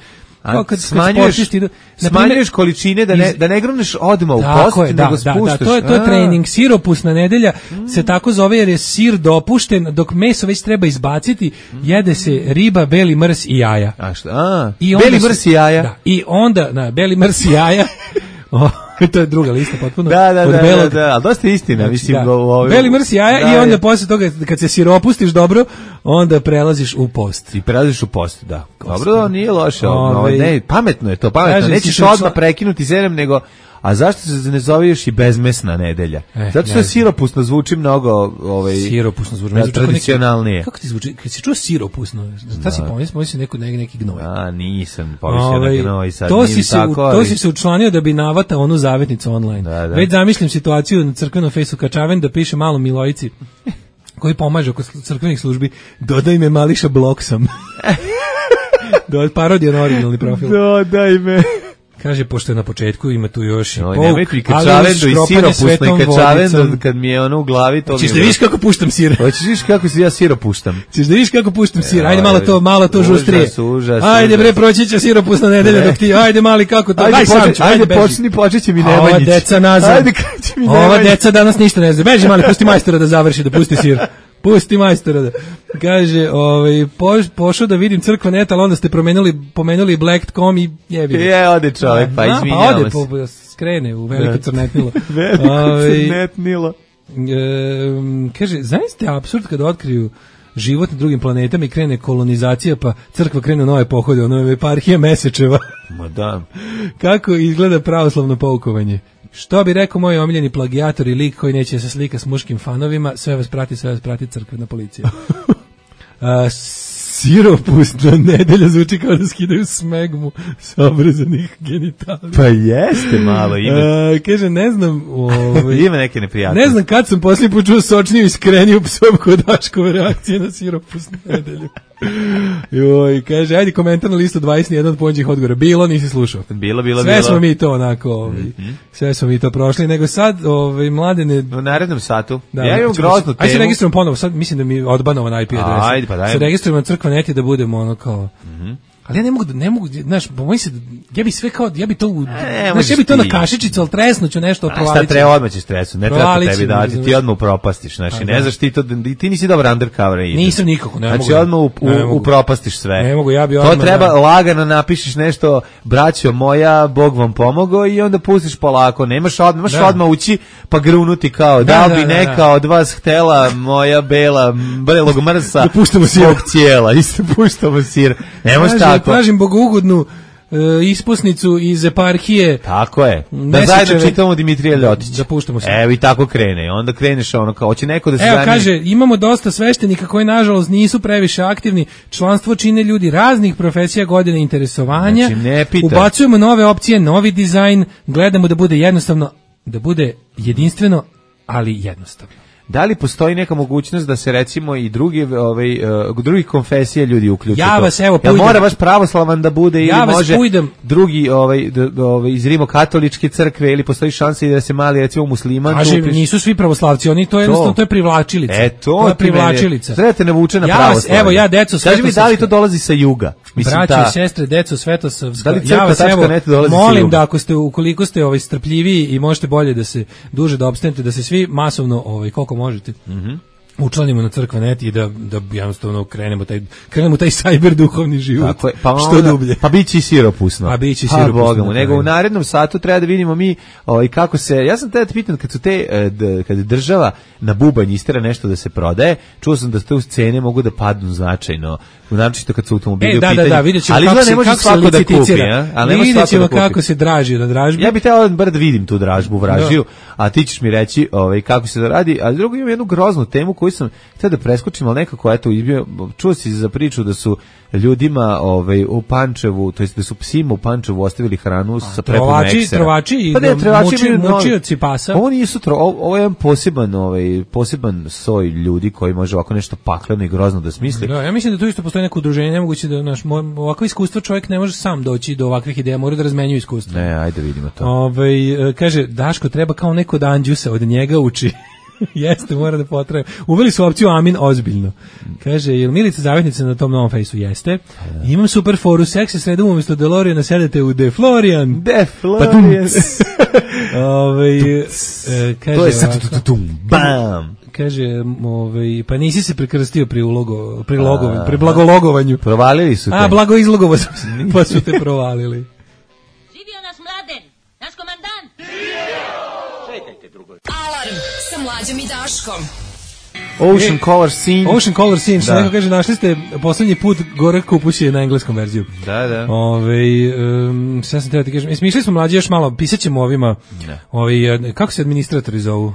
Smanjuješ količine da ne gruneš odmah u post, nego spuštaš. To je trening. Siropusna nedelja se tako zove jer je sir dopušten, dok meso već treba izbaciti, jede se riba, beli mrs i jaja. A šta? Beli mrs i jaja? Da, i onda, beli mrs i jaja... to je druga lista potpuno. Da, ali dosta istina, znači, mislim. Beli mrs jaja i onda posle toga, kad se sir opustiš dobro, onda prelaziš u post. I prelaziš u post, da. Dobro, nije loše. Ne, pametno je to, pametno. Nećeš odmah prekinuti sedem, nego... A zašto se ne zove još i bezmesna nedelja? Zato što siropusno zvuči mnogo siropusno zvuči tradicionalnije. Kako ti zvuči? Kad si čuo siropusno, šta si pomislio neki gnoj? Nisam pomislio na gnoj, sad to si se učlanio da bi navatao onu zavetnicu online. Već zamišljam situaciju na crkvenom fejsu Kačaven da piše malom Milojici koji pomaže oko crkvenih službi, dodaj me Mališa Bloksom. Parodija na originalni profil. Dodaj me. Kaže, pošto je na početku, ima tu još i pouk, ali uz škropanje svetom vodicom. Kad mi je ono u glavi, to mi je... Ćeš da vidiš kako puštam sir? Hoćeš da vidiš kako ja siro puštam? Ćeš da vidiš kako puštam sir? Ajde malo to žustrije. Užas. Ajde bre, proći će siropusna nedelja dok ti... Ajde mali, kako to... Ajde počet će mi Nemanjić. Ova deca nazad. Ova deca danas ništa ne zna. Beži mali, pusti majstora da završi, da pusti sir. Pusti majstora da. Kaže, pošao da vidim crkva net, ali onda ste pomenuli Black.com i jebi. Ode čovjek, pa izvinjamo se. Ode, skrene u veliko crnetnilo. Veliko crnetnilo. Kaže, zaista je apsurd kada otkriju život na drugim planetama i krene kolonizacija, pa crkva krene u nove pohode, ono je eparhija Mesečeva. Ma da. Kako izgleda pravoslavno poukovanje? Što bi rekao moj omiljeni plagijator i lik koji neće se slika s muškim fanovima, sve vas prati crkvena policija. Siropusna nedelja zvuči kao da skidaju smegmu sa obrezanih genitalija. Pa jeste malo ime. Kaže, ne znam... Ima neke neprijatnosti. Ne znam kad sam posljednji put čuo sočniju i skreniju psovku od Daškove reakcije na siropusnu nedelju. Joj, kaže, ajde komentar na listu 21 od pođih odgovora. Bilo, nisi slušao. Bilo. Sve smo mi to onako, sve smo mi to prošli, nego sad, Mladene... U narednom satu. Da, ja imam groznu temu. Ajde se registrujem ponovo, sad mislim da mi je odbanovan IP adresa. Ajde, pa daj. Se registrujem na crkva neti da budemo ono kao... Ali ja ne mogu, znaš, bojim se, ja bi to na kašičicu, ali tresnuću nešto provalit. Šta treba, odmah ćeš tresnuti, ne treba to tebi dati, ti odmah upropastiš, znači, ne znaš ti nisi dobar undercover. Nisam nikako, ne mogu. Znači, odmah upropastiš sve. Ne mogu, ja bi odmah... To treba lagano napišeš nešto, braćo moja, Bog vam pomogao i onda pustiš polako, nemaš odmah ući pa grunuti kao, da bi neka od vas htela moja belog mrsa zbog cijela, isto puštamo sir, nemaš tako. Tražim bogougodnu ispusnicu iz eparhije. Tako je. Da zajedno čitamo Dimitrija Ljotića. Da puštamo se. Evo i tako krene. Onda kreneš ono kao, hoće neko da se zanima. Evo kaže, imamo dosta sveštenika koji nažalost nisu previše aktivni. Članstvo čine ljudi raznih profesija, godine interesovanja. Znači, ne pita. Ubacujemo nove opcije, novi dizajn, gledamo da bude jednostavno, da bude jedinstveno, ali jednostavno. Da li postoji neka mogućnost da se recimo i drugih konfesija ljudi uključe? Ja vas evo pujdem. Mora baš pravoslavan da bude ili može drugi iz rimokatoličke crkve ili postoji šansa i da se mali recimo musliman upiše? Nisu svi pravoslavci, oni to jednostavno to je privlačilica. To je privlačilica. Trebate navuče na pravoslavlje. Evo ja deco Kaži mi da li to dolazi sa juga? Braćo i sestre, deco Svetosavska. Ja vas evo molim da ukoliko ste strpljiviji i možete bolje da se duže da opstanete, da se svi masovno koliko možete. Učlanimo na crkva net i da jednostavno krenemo taj cyber duhovni život. Tako je, što dublje. Pa biće i siropusno. Nego u narednom satu treba da vidimo mi kako se, ja sam tada pitan kad država na bubanj istera nešto da se prodaje, čuo sam da te cene mogu da padnu značajno, naročito kad su automobili u pitanju. Da, vidjet ćemo kako se liciticira. Vidjet ćemo kako se draži na dražbi. Ja bih teo da vidim tu dražbu, vražiju, a ti ćeš mi reći kako se to radi, a drugo imam jednu groznu temu koju sam htio da preskočim, ali nekako čuo si za priču da su ljudima u Pančevu, to jest da su psima u Pančevu ostavili hranu sa prepunom eksera. Trovači i mučioci pasa. Ovo je jedan poseban soj ljudi koji može ovako nešto pakleno i grozno da smisli. Da, ja mislim da tu isto postoji neko udruženje, nemoguće da ovako iskustvo čovjek ne može sam doći do ovakvih ideja, mora da razmenjuje iskustvo. Ne, ajde vidimo to. Kaže, Daško treba kao neko da Anđusa od njega uči. Jeste, mora da potraje. Uveli su opciju Amin ozbiljno. Kaže, jel Milica zavetnica na tom novom fejsu? Jeste. Imam super foru, seksi sredom umjesto DeLoreana sedete u DeFlorian. DeFlorian. Kaže, to je sad bam. Kaže, pa nisi se prekrstio pri blagologovanju. Provalili su te. A, blago izlogovo pa su te provalili. Živio nas Mladen, naš komandant. Čekajte drugo. Alarm sa Mlađom i Daškom. Ocean Color Scene. Ocean Color Scene, što neko kaže, našli ste poslednji put Gorak kupus je na engleskom verziju. Da. Sve sam treba ti kažem. Smišljali smo Mlađe još malo, pisat ćemo ovima, kako se administratori zovu?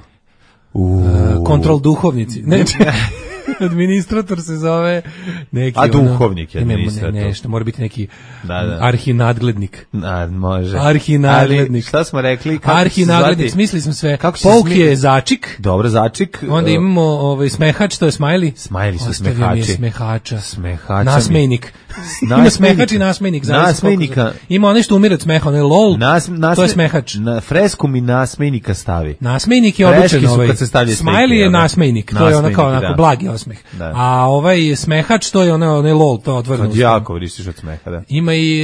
Kontrol duhovnici. Ne, administrator se zove neki... A duhovnik je administrator. Nešto, mora biti neki arhinadglednik. Može. Arhinadglednik. Ali šta smo rekli? Arhinadglednik, smislili smo sve. Pouk je začik. Dobro, začik. Onda imamo smehač, to je smajli. Smajli su smehači. Ostavio mi je smehača. Nasmejnik. Ima smehač i nasmejnik. Nasmejnika. Ima onaj što umire od smeha, onaj lol, to je smehač. Na fresku mi nasmejnika stavi. Nasmejnik je običan smajli je nasmejnik, to je onako blagi osmeh. A ovaj smehač, to je onaj lol, to otvoreno. Kad jako vrištiš od smeha, da. Ima i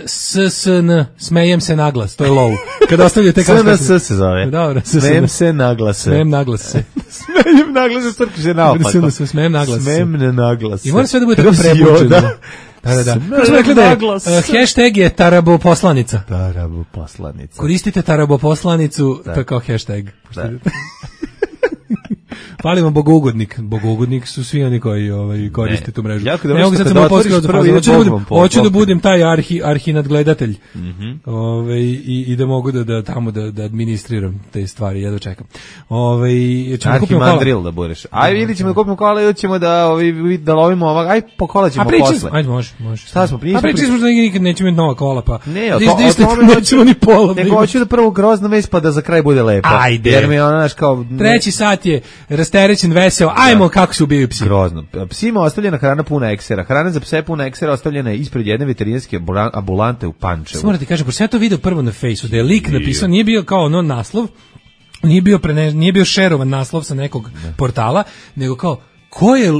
SSN, smejem se naglas, to je lol. Kada ostavljaju te kao SNS se zove. Dobro, smejem se naglase. Smejem naglase. Smejem naglase, crkvi se naopako. Smejem naglase. Smejem ne naglase. I mora sve da bude tako prebučeno. Da. Kako smo rekli da je hashtag je taraboposlanica. Taraboposlanica. Koristite taraboposlanicu, to je kao hashtag. Pali vam bogougodnik. Bogougodnik su svi oni koji koriste tu mrežu. Ne mogu sad samo hoću da budem taj arhinadgledatelj. I da mogu da tamo da administriram te stvari, ja da čekam. Arhimandril da budeš. Ili ćemo da kupimo kola ili ćemo da lovimo ovak. Aj, po kola ćemo posle. Ajde, može. Šta smo pričali? Pričali smo da nikad nećemo imati nova kola, pa. Ne, o tome nećemo ni pola. Nego hoću da prvo grozna vest pa da za kraj bude lepo. Ajde. Jer mi je ona kao... Treći sat je rasterećen, veseo, ajmo kako se ubijaju psi. Grozno. Psima ostavljena hrana puna eksera. Hrana za pse puna eksera ostavljena je ispred jedne veterinarske ambulante u Pančevu. Morate kažem, pošto ja to video prvo na Fejsu, da je lik napisao, nije bio kao ono naslov, nije bio šerovan naslov sa nekog portala, nego kao, ko je,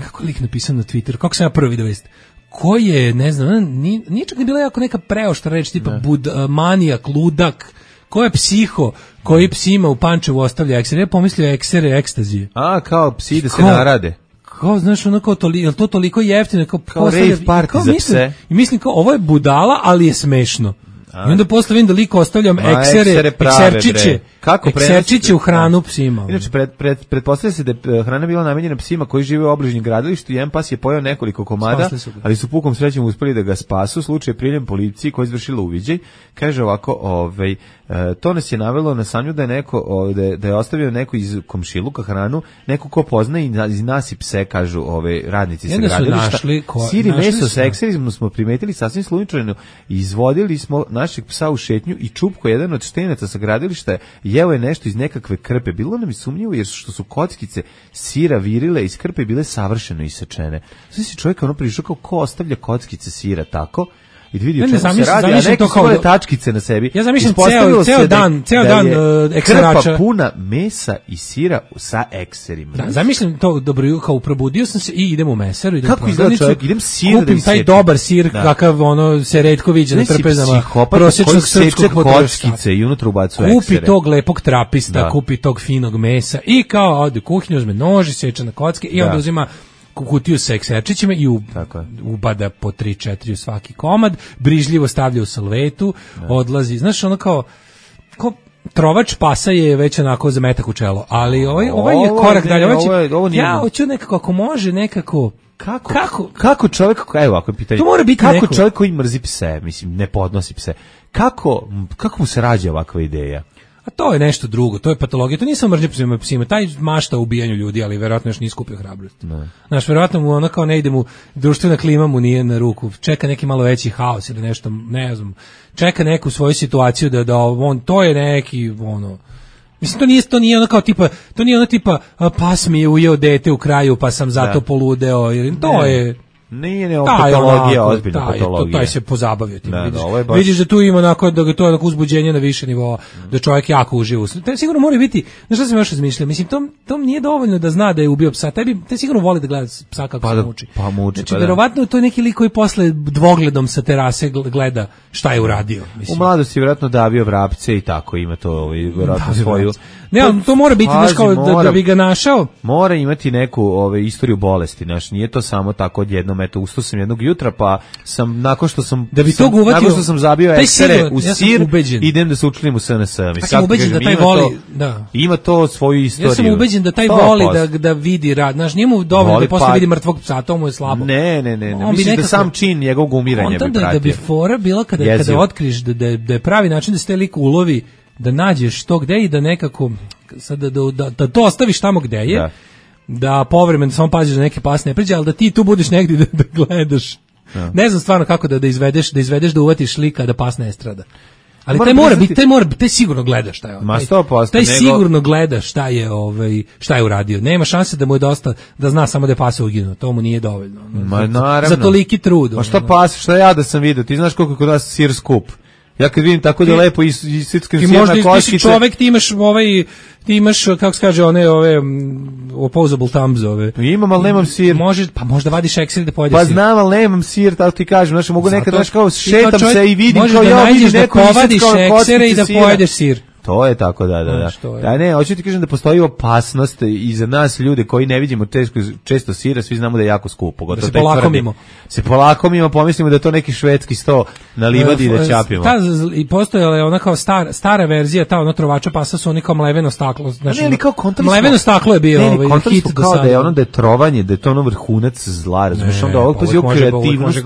kako je lik napisao na Twitteru, kako sam ja prvi video vest, ko je, ne znam, nije čak ni bila jako neka preoštra reč, tipa manijak, ludak, ko je psiho koji psima u Pančevu ostavlja eksere? Ja pomislio eksere, ekstazije. A, kao psi da se narade. Kao, znaš, ono kao je to toliko jeftino? Kao rave party za pse. I mislim kao, ovo je budala, ali je smešno. I onda posle vidim da liko ostavljam ekserčiće u hranu psima. Inače, pretpostavlja se da je hrana bila namenjena psima koji žive u obližnjem gradilištu. Jedan pas je pojeo nekoliko komada, ali su pukom srećom uspeli da ga spasu. Slučaj je priljem policiji koja je izvršila uviđaj. Kaže ovako, to nas je navelo na sanju da je neko da je ostavio neko iz komšiluka hranu, neko ko poznaje i nasi pse, kažu radnici sa gradilišta. Sir i meso sa ekserizmom smo primetili sasvim slučajno. Izvodili smo našeg psa u šetnju i čupko jedan od štenaca sa gradilišta jeo je nešto iz nekakve krpe. Bilo nam je sumnjivo jer što su kockice sira virile iz krpe bile savršeno isečene. Sve si čovjek prišao kao ko ostavlja kockice sira tako i da vidi o čemu se radi, a neki svoje tačkice na sebi. Ja zamišljam ceo dan ekserača. Krpa puna mesa i sira sa ekserima. Da, zamišljam to dobro, kao probudio sam se i idem u mesaru, idem kako izgleda čovjek, idem sir da kupim taj dobar sir, kakav se retko viđa na trpezama prosječnog srpskog kockice i unutra ubacuje eksere. Kupi tog lepog trapista, kupi tog finog mesa i kao ode u kuhinju, uzme nož, seče na kocke i onda uzima kutiju sa ekserčićima i ubada po 3-4 u svaki komad, brižljivo stavlja u salvetu, odlazi, znaš, ono kao trovač pasa je već onako za metak u čelo, ali ovaj je korak dalje, ja hoću nekako, ako može nekako, kako čovjek, evo ovako pitanje, to mora biti kako čovjek koji mrzi pse, mislim, ne podnosi pse, kako mu se rađa ovakva ideja? A to je nešto drugo, to je patologija, to nisam mržnja prema psima, taj mašta o ubijanju ljudi, ali verovatno još nije skupio hrabrost. Znaš, verovatno mu ono kao ne ide mu, društvena klima mu nije na ruku, čeka neki malo veći haos ili nešto, ne znam, čeka neku svoju situaciju da on, to je neki, ono, mislim, to nije ono kao tipa, to nije ono tipa, pas mi je ujeo dete u kraju pa sam zato poludeo, jer to je... Nije patologija, ozbiljna patologija. Taj se pozabavio tim. Baš... Vidiš da tu ima onako, da to je onako uzbuđenje na više nivoa, da čovjek jako uživa. To sigurno mora biti, znaš šta sam još razmišljao, mislim, tom nije dovoljno da zna da je ubio psa, te sigurno voli da gleda psa kako se muči. Pa muči, znači, verovatno to je neki lik koji posle dvogledom sa terase gleda šta je uradio. Mislim. U mladosti vjerojatno davio vrapce i tako, ima to vjerojatno svoju... Ne, ali to mora biti, znaš, kao da bi ga našao. Mora imati neku istoriju bolesti, znaš, nije to samo tako odjednom, eto, ustao sam jednog jutra, pa sam, nakon što sam zabio eksere u sir, idem da se učlim u SNS. Ja sam ubeđen da taj voli, da. Ima to svoju istoriju. Ja sam ubeđen da taj voli da vidi rad, znaš, nije mu dovoljno da posle vidi mrtvog psa, to mu je slabo. Ne, mislim da sam čin njegovog umiranja bi pratio. Da bi fora bila kada otkriš da je pravi način da se taj lik ulovi, da nađeš to gde i da nekako sad da to ostaviš tamo gde je, da povremeno samo paziš da neke pas ne pređe, ali da ti tu budeš negdje da gledaš. Ne znam stvarno kako da izvedeš, da uvatiš lika da pas ne strada. Ali taj sigurno gleda šta je on. Taj sigurno gleda šta je uradio. Nema šanse da mu je dosta da zna samo da je pas uginuo. To mu nije dovoljno. Za toliki trud. Ma šta pas, šta ja da sam vidio? Ti znaš koliko kod nas sir skup. Ja kad vidim tako da lepo i sickam sir na koškice... Ti si čovek, ti imaš, kako se kaže, one opposable thumbs ove. Imam, ali nemam sir. Pa možda vadiš eksir da pojedeš sir. Pa znam, ali nemam sir, tako ti kažem, znaš, mogu nekad, znaš, kao šetam se i vidim kao ja vidim neko povadiš eksire i da pojedeš sir. To je tako, da. Ne, hoću ti kažem da postoji opasnost i za nas ljude koji ne vidimo često sira, svi znamo da je jako skupo. Da se polakomimo. Pomislimo da je to neki švedski sto na livadi i da ćapimo. I postojala je ona kao stara verzija, ta ono trovača pasa su oni kao mleveno staklo. Znači, mleveno staklo je bio hit do sada. Kao da je trovanje, da je to ono vrhunac zla, razumiješ, onda ovog pazi u kreativnost,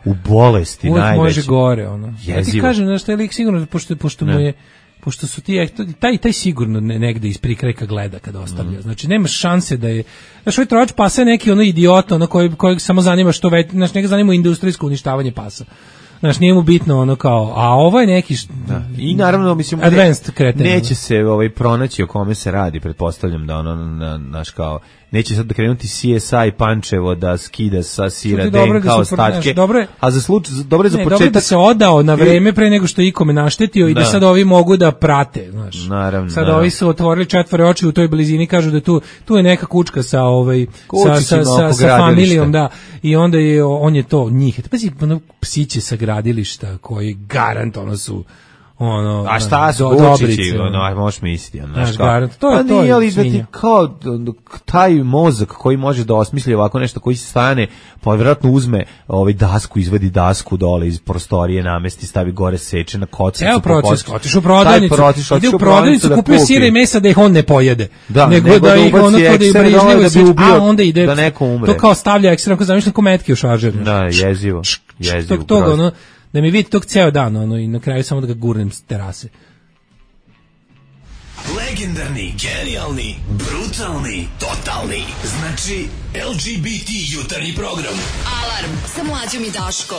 u bolesti najveće. Uvijek može gore, ono. Ja ti kažem, znaš, taj lik sigurno, pošto mu je pošto su ti taj sigurno negde iz prikrajka gleda kada ostavlja. Znači nema šanse da je, znači ovaj trovač pasa je neki ono idiot, ono kojeg samo zanima što već, znači njega zanima industrijsko uništavanje pasa. Znači nije mu bitno ono kao, a ovo je neki i naravno mislim neće se pronaći o kome se radi, pretpostavljam da ono naš kao neće sad da krenuti CSI Pančevo da skida sa sira DNK ostatke, a za slučaj dobro je za početak da se odao na vreme pre nego što ikome naštetio i da sad ovi mogu da prate, znaš. Naravno. Sad ovi su otvorili četvore oči u toj blizini, kažu da tu je neka kučka sa sa familijom, da. I onda je on je to njih. Pazi, psiće sa gradilišta koji garant ono su ono, a šta su kučići, ono, možeš misliti, znaš kao. To je ali da ti kao taj mozak koji može da osmisli ovako nešto, koji se stane, pa vjerojatno uzme dasku, izvadi dasku dole iz prostorije, namesti, stavi gore, seče na kockicu. Evo proces, otiš u prodavnicu, ide u prodavnicu, kupuje sira i mesa da ih on ne pojede, nego da ih ono kod da brižljivo seče, a onda ide, da neko umre. To kao stavlja ekstrem, kao zamišljam ko metke u šaržer. Da, jezivo. Toga, ono, da mi vidi tog ceo dan, ono, i na kraju samo da ga gurnem s terase. Legendarni, genijalni, brutalni, totalni. Znači, LGBT jutarnji program. Alarm sa Mlađom i Daškom.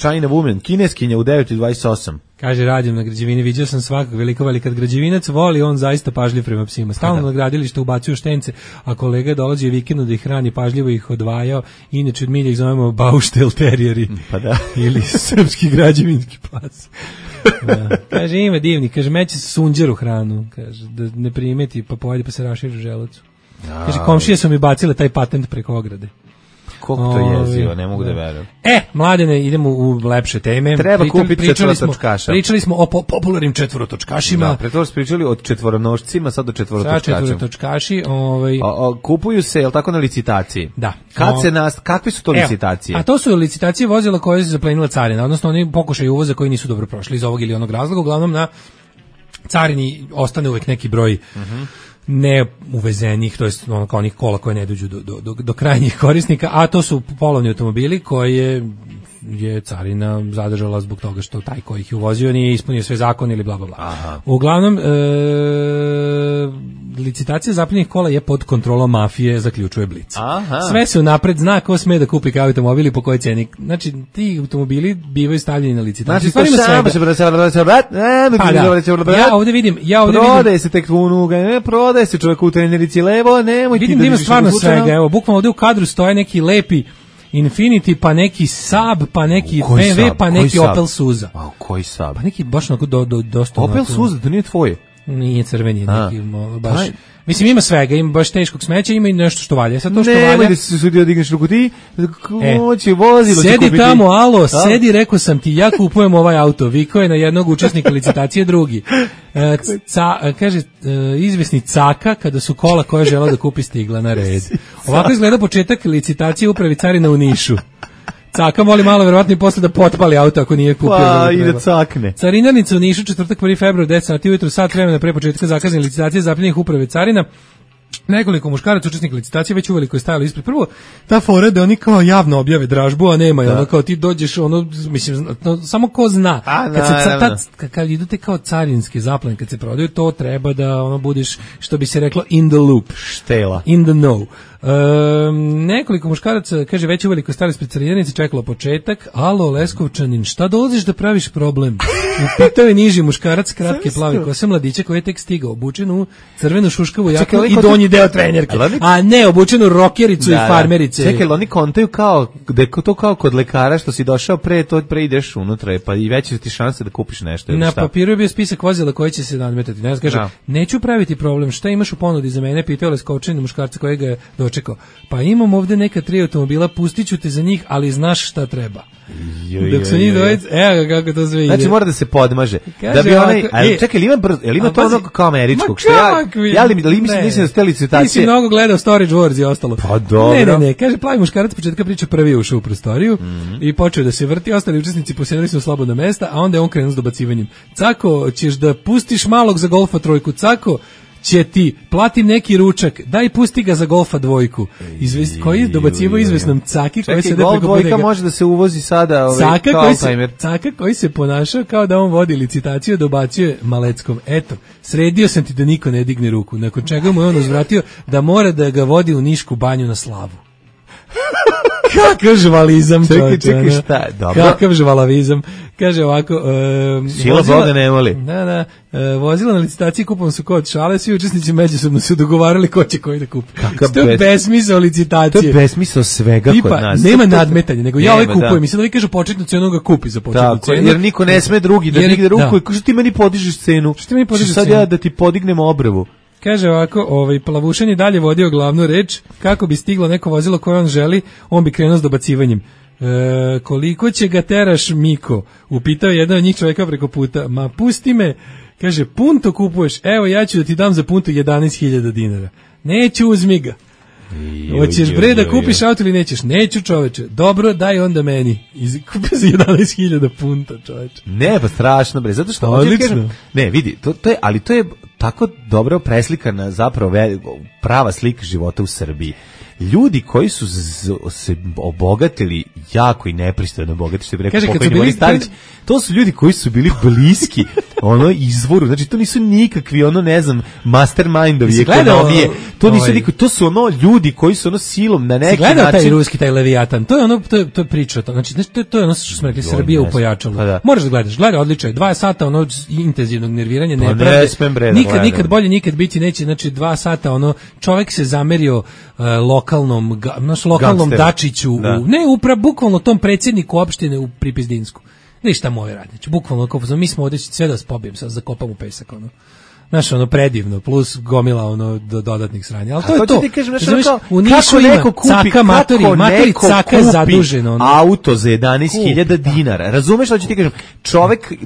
China Woman, kineskinja u 9:28. Kaže, radim na građevini, vidio sam svakog velikovali, kad građevinac voli, on zaista pažljiv prema psima. Stalno na gradilište ubacuju štence, a kolega dolazi vikendu da ih hrani, pažljivo ih odvajao, inače od milja ih zovemo bauštel terijeri, ili srpski građevinski pas. Da. Kaže, ima divni, kaže, meće se sunđeru hranu, kaže, da ne primeti, pa pojede pa se raširi u želucu. Kaže, komšije su mi bacile taj patent preko ograde. Koliko to jezivo, ne mogu da verujem. Mladene, idemo u lepše teme. Treba kupiti četvorotočkaša. Pričali smo o popularnim četvorotočkašima. Da, pre toga smo pričali o četvoronošcima, sad o četvorotočkašima. Četvorotočkaši. Kupuju se, jel tako, na licitaciji? Da. Kakve su to licitacije? A to su licitacije vozila koje se zaplenila carina, odnosno oni pokušaju uvoza koji nisu dobro prošli iz ovog ili onog razloga. Uglavnom na carini ostane uvek neki broj ne uvezenih, to jest ono kao onih kola koje ne dođu do krajnjih korisnika, a to su polovni automobili koje je carina zadržala zbog toga što taj koji ih je uvozio nije ispunio sve zakone ili bla bla bla. Uglavnom licitacija zapljenih kola je pod kontrolom mafije, zaključuje Blic. Aha. Sve se unapred zna ko sme da kupi kao automobil i po kojoj ceni. Znači, ti automobili bivaju stavljeni na licitaciju. Znači, Ja ovdje vidim... Prodaje se tek unuga, prodaje se čovjek u trenerici levo, nemoj ti da... Vidim da ima stvarno svega, evo, bukvalno ovdje u kadru stoje neki lepi Infiniti, pa neki Saab, pa neki BMW, pa neki Opel Suza. A koji Saab? Pa neki baš onako dosta... Opel Suza, to nije tvoje? Nije crveni, neki baš... Mislim, ima svega, ima baš teškog smeća, ima i nešto što valja. Sad to što valja... Nemoj da se sudio digneš ruku ti, hoće vozilo će kupiti. Sedi tamo, alo, sedi, rekao sam ti, ja kupujem ovaj auto, vikao je na jednog učesnika licitacije drugi. Kaže, izvesni Caka, kada su kola koja je žela da kupi stigla na red. Ovako izgleda početak licitacije upravi carina u Nišu. Caka moli malo verovatno i posle da potpali auto ako nije kupio. Pa ide cakne. Carinarnica u Nišu, četvrtak 1. februar, 10 sati ujutru, sat vremena pre početka zakazane licitacije zapljenih uprave carina. Nekoliko muškaraca učesnika licitacije već uveliko je stajalo ispred. Prvo, ta fora da oni kao javno objave dražbu, a nema je ono kao ti dođeš, ono, mislim, samo ko zna. Kad idu te kao carinske zaplene, kad se prodaju, to treba da ono budiš, što bi se reklo, in the loop. Štela. In the know. Nekoliko muškaraca, kaže, već uveliko stali ispred carinarnice, čekalo početak. Alo, Leskovčanin, šta dolaziš da praviš problem? Upitao je niži muškarac, kratke plave kose, mladića koji je tek stigao, obučen u crvenu šuškavu jaknu i donji deo trenerke. A ne, obučen u rokericu i farmerice. Čekaj, oni kontaju kao, da je to kao kod lekara što si došao pre, to pre ideš unutra, pa i veće ti šanse da kupiš nešto. Na papiru je bio spisak vozila koji će se nadmetati. Ne znam, kaže, neću praviti problem, šta imaš u ponudi za mene, pitao Leskovčanin muškarca kojega je dočekao. Pa imam ovde neka 3 automobila, pustit ću te za njih, ali znaš šta treba. Dok su njih dvojice, evo ga kako to sve ide. Znači mora da se podmaže. Da bi onaj, čekaj, ima to ono kao američkog, što mislim da ste licitacije. Ti si mnogo gledao Storage Wars i ostalo. Pa dobro. Ne, kaže, plavi muškarac početka priča prvi ušao u prostoriju i počeo da se vrti, ostali učesnici posjedili su slobodna mesta, a onda je on krenuo s dobacivanjem. Cako, ćeš da pustiš malog za Golfa trojku, Cako, će ti platim neki ručak, daj pusti ga za Golfa dvojku. Koji je dobacivo izvesnom Caki koji se Golf dvojka može da se uvozi sada Caka koji se ponašao kao da on vodi licitaciju, dobacuje Maleckom. Eto, sredio sam ti da niko ne digne ruku, nakon čega mu je on uzvratio da mora da ga vodi u Nišku banju na slavu. Kakav žvalizam, čekaj, šta? Dobro. Kakav žvalavizam. Kaže ovako, sila Boga ne voli. Da, vozila na licitaciji kupovom su kod šale, svi učesnici međusobno su dogovarali ko će koji da kupi. To je besmisao licitacije. To je besmisao svega kod nas. Nema nadmetanja, nego ja ovaj kupujem. Mislim da vi kažu početnu cenu ga kupi za početnu cenu. Jer niko ne sme drugi da digne ruku i kaže ti meni podižeš cenu. Sad ja da ti podignem obrvu. Kaže ovako, Plavušan je dalje vodio glavnu reč, kako bi stiglo neko vozilo koje on želi, on bi krenuo s dobacivanjem. Koliko će ga teraš, Miko? Upitao jedan od njih čovjeka preko puta. Ma pusti me, kaže, punto kupuješ, evo ja ću da ti dam za punto 11.000 dinara. Neću, uzmi ga. Hoćeš bre da kupiš auto ili nećeš? Neću, čoveče. Dobro, daj onda meni. Kupi za 11.000 punta, čoveče. Ne, pa strašno bre, zato što kažem, ne, vidi, to je tako dobro preslikana zapravo prava slika života u Srbiji. Ljudi koji su se obogatili jako i nepristojno obogatili, što bi rekao pokojni Boris Tadić, to su ljudi koji su bili bliski ono izvoru, znači to nisu nikakvi ono ne znam mastermindovi ekonomije, to nisu to su ono ljudi koji su ono silom na neki način. Gledao taj ruski, taj Leviatan, to je ono, to je priča, znači to je ono što smo rekli, Srbija upojačala. Moraš da gledaš, gledaj, odlično je, 2 sata ono intenzivnog nerviranja, nepravde, nikad bolje, nikad biti neće, znači 2 sata ono, čovjek se zamerio lokalnom Dačiću, bukvalno tom predsjedniku opštine u Pripizdinsku. Ništa moje radniče, bukvalno, mi smo ovdje sve da spobijem, sad zakopam u pesak, ono. Znaš, ono predivno, plus gomila ono dodatnih sranja. Ali to je to. U Nišu ima Caka matori Caka zaduženo. Auto za 11.000 dinara. Razumeš što ću ti kažem?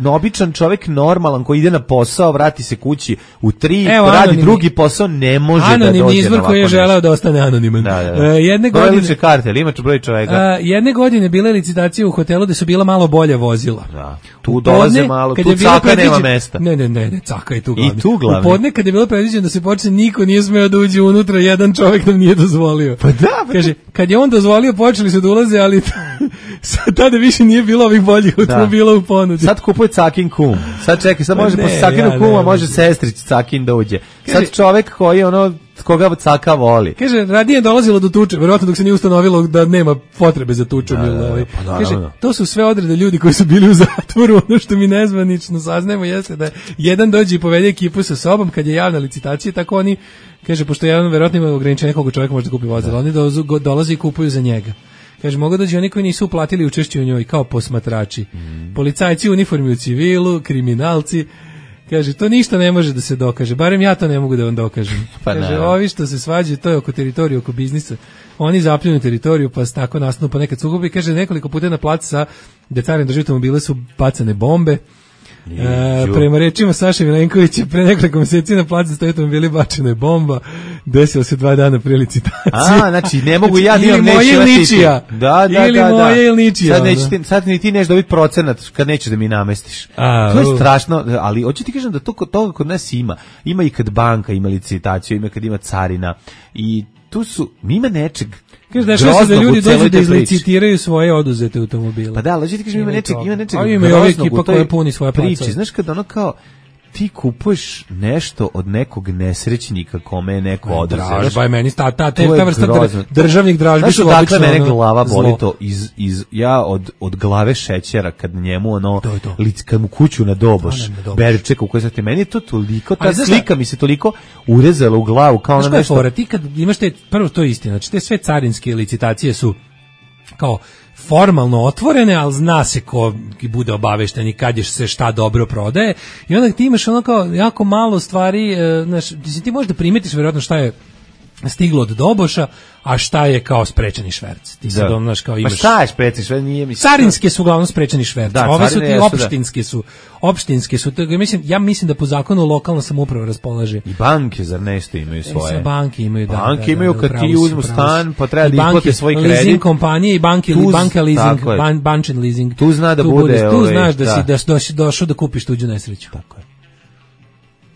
Običan čovjek normalan koji ide na posao, vrati se kući u 3, radi drugi posao, ne može da dođe na ovako. Anonimni izvor koji je želeo da ostane anoniman. Jedne godine kartel, imaš broj čoveka. Jedne godine bile licitacije u hotelu gde su bila malo bolja vozila. Da. Tu dolaze malo, tu Caka nema mesta. Ne, Caka je tu glavni. U podne kad je bilo predviđeno da se počne, niko nije smeo da uđe unutra, jedan čovjek nam nije dozvolio. Pa da, kaže, kad je on dozvolio, počeli su da ulaze, ali Sad tada više nije bilo ovih boljih automobila u ponudi. Sad kupuje Cakin kum. Sad čekaj, sad može posle Cakinu kuma, može sestrić Cakin da uđe. Sad čovek koji koga Caka voli. Kaže, radije je dolazilo do tuče, verovatno dok se nije ustanovilo da nema potrebe za tučom. Kaže, to su sve odrede ljudi koji su bili u zatvoru, ono što mi nezvanično saznajemo jeste da jedan dođe i povede ekipu sa sobom kad je javna licitacija, tako oni, kaže, pošto jedan verovatno ima ograničenje koliko čovjek može da kupi vozilo, oni dolaze i kupuju za njega. Kaže, mogu doći oni koji nisu uplatili učešće u njoj kao posmatrači. Policajci u uniformi u civilu, kriminalci. Kaže, to ništa ne može da se dokaže, barem ja to ne mogu da vam dokažem. Kaže, ovi što se svađaju, to je oko teritorije, oko biznisa. Oni zapljunu teritoriju, pa se tako nastanu pa nekad sukobi. Kaže, nekoliko puta na placu sa gde carin drži automobile su bacane bombe. Prema rečima Saše Milenkovića, pre nekoliko meseci na placu stoji automobili bačena je bomba. Desilo se 2 dana pre licitacije. Znači ne mogu ja ili moje ili ničija. Ili moje ili ničija. Sad ni ti neš dobiti procenat kad nećeš da mi namestiš. To je strašno, ali hoću ti kažem da toga kod nas ima. Ima i kad banka ima licitaciju, ima kad ima carina i tu su, ima nečeg. Kaže, dešava se da ljudi dođu da izlicitiraju svoje oduzete automobile. Pa da, ali ti kažem, ima nečeg a ima i ova ekipa koja puni svoje priči. Znaš kad ono kao, ti kupuješ nešto od nekog nesrećnika kome je neko oduzeo. Dražba je meni, ta vrsta državnih dražbi su obično. Dakle, mene glava boli to ja od glave šećera kad njemu kad mu kuću na doboš, berčeka u kojoj sad meni to toliko, ta slika mi se toliko urezala u glavu kao na nešto. Fora, ti kad imaš prvo to je istina, znači te sve carinske licitacije su kao formalno otvorene, ali zna se ko bude obavešten i kad je se šta dobro prodaje i onda ti imaš ono kao jako malo stvari, ti možeš da primetiš vjerojatno šta je stiglo od doboša, a šta je kao sprečeni šverc. Ti sad znaš kao imaš. Pa šta je sprečeni šverc? Nije mi. Carinske su uglavnom sprečeni šverc. Ove su ti opštinske su. Ja mislim da po zakonu lokalna samouprava raspolaže. I banke zar nešto imaju svoje. Banke imaju Banke imaju kad ti uzmu stan, pa treba da isplate svoj kredit. Leasing kompanije i banke leasing, bančin leasing. Tu zna da bude. Tu znaš da si došao da kupiš tuđu nesreću. Tako je.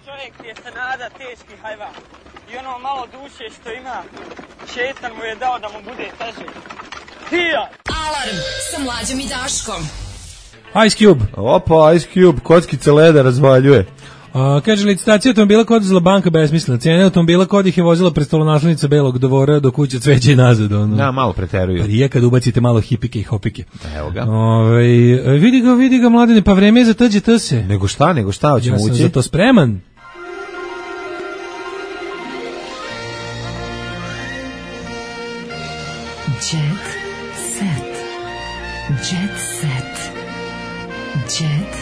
Čovjek je Sanada teški hajvan. I ono malo duše što ima, šetan mu je dao da mu bude teže. Hija! Alarm sa Mlađom i Daškom. Ice Cube. Opa, Ice Cube, kockice leda razvaljuje. Kaže, licitacija automobila kod uzela banka besmislena. Cijene automobila kod ih je vozila prestolonaslednica Belog dvora do kuće Cveće i nazad. Da, malo preteruju. Prije kad ubacite malo hipike i hopike. Evo ga. Vidi ga, Mladene, pa vreme je za tađe se. Nego šta, hoćemo ući? Ja sam za to spreman. Jet set. Jet set. Jet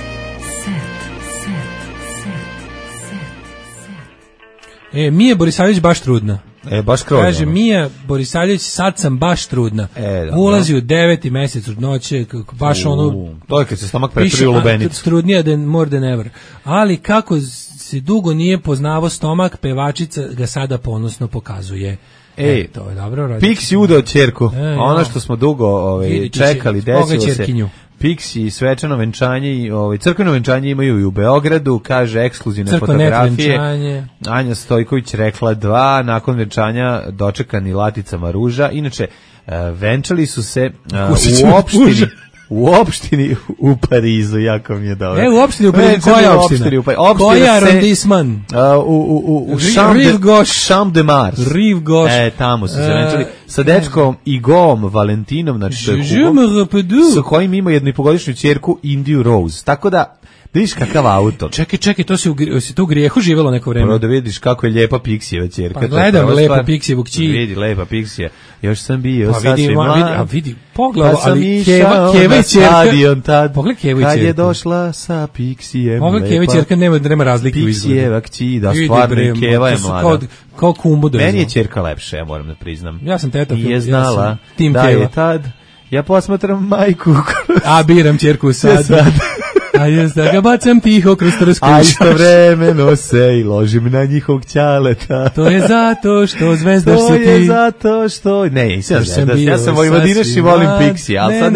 set. Mija Borisavljević baš trudna. Baš krozno. Kaže, Mija Borisavljević, sad sam baš trudna. Ulazi u 9. mesec trudnoće, baš ono... To je kad se stomak pretvori u lubenicu. Trudnija more than ever. Ali kako se dugo nije poznavao stomak, pevačica ga sada ponosno pokazuje. To je dobro. Pixi udao ćerku. Ono što smo dugo čekali, desilo se. Pixi svečano venčanje i crkveno venčanje imaju i u Beogradu, kaže ekskluzivne fotografije. Anja Stojković rekla 2, nakon venčanja dočekani laticama ruža. Inače, venčali su se u opštini u Parizu, jako mi je dobro. U opštini u Parizu, koja opština? Koja arondisman? U Champ de Mars. Rive Gauche. Tamo su se venčali sa dečkom Igom Valentinom, znači to je sa kojim ima 1,5-godišnju ćerku Indiju Rose. Tako da, vidiš kakav auto. Čekaj, to se u grijehu živelo neko vreme. Prvo da vidiš kako je lijepa Pixijeva ćerka. Pa gledam lepo Pixijevu kći. Vidi, lepa Pixija. Još sam bio sasvim mlad. Vidi, pogledaj, ali Keva i ćerka. Pogledaj Keva i ćerka. Kad je došla sa Pixijem. Pogledaj Keva i ćerka, nema razlike u izgledu. Pixijeva kći, da stvarno Keva je mlada. Kao kumbu da. Meni je ćerka lepša, ja moram da priznam. Ja sam teta. Nije znala da je tad. Ja posmatram majku. A biram ćerku sad. A jest da ga bacam tiho kroz trsku. A istovremeno se i ložim na njihovog ćaleta. To je zato što zvezdaš se ti. To je zato što... Ne, ja sam Vojvodinaš i volim Pixi, ali sad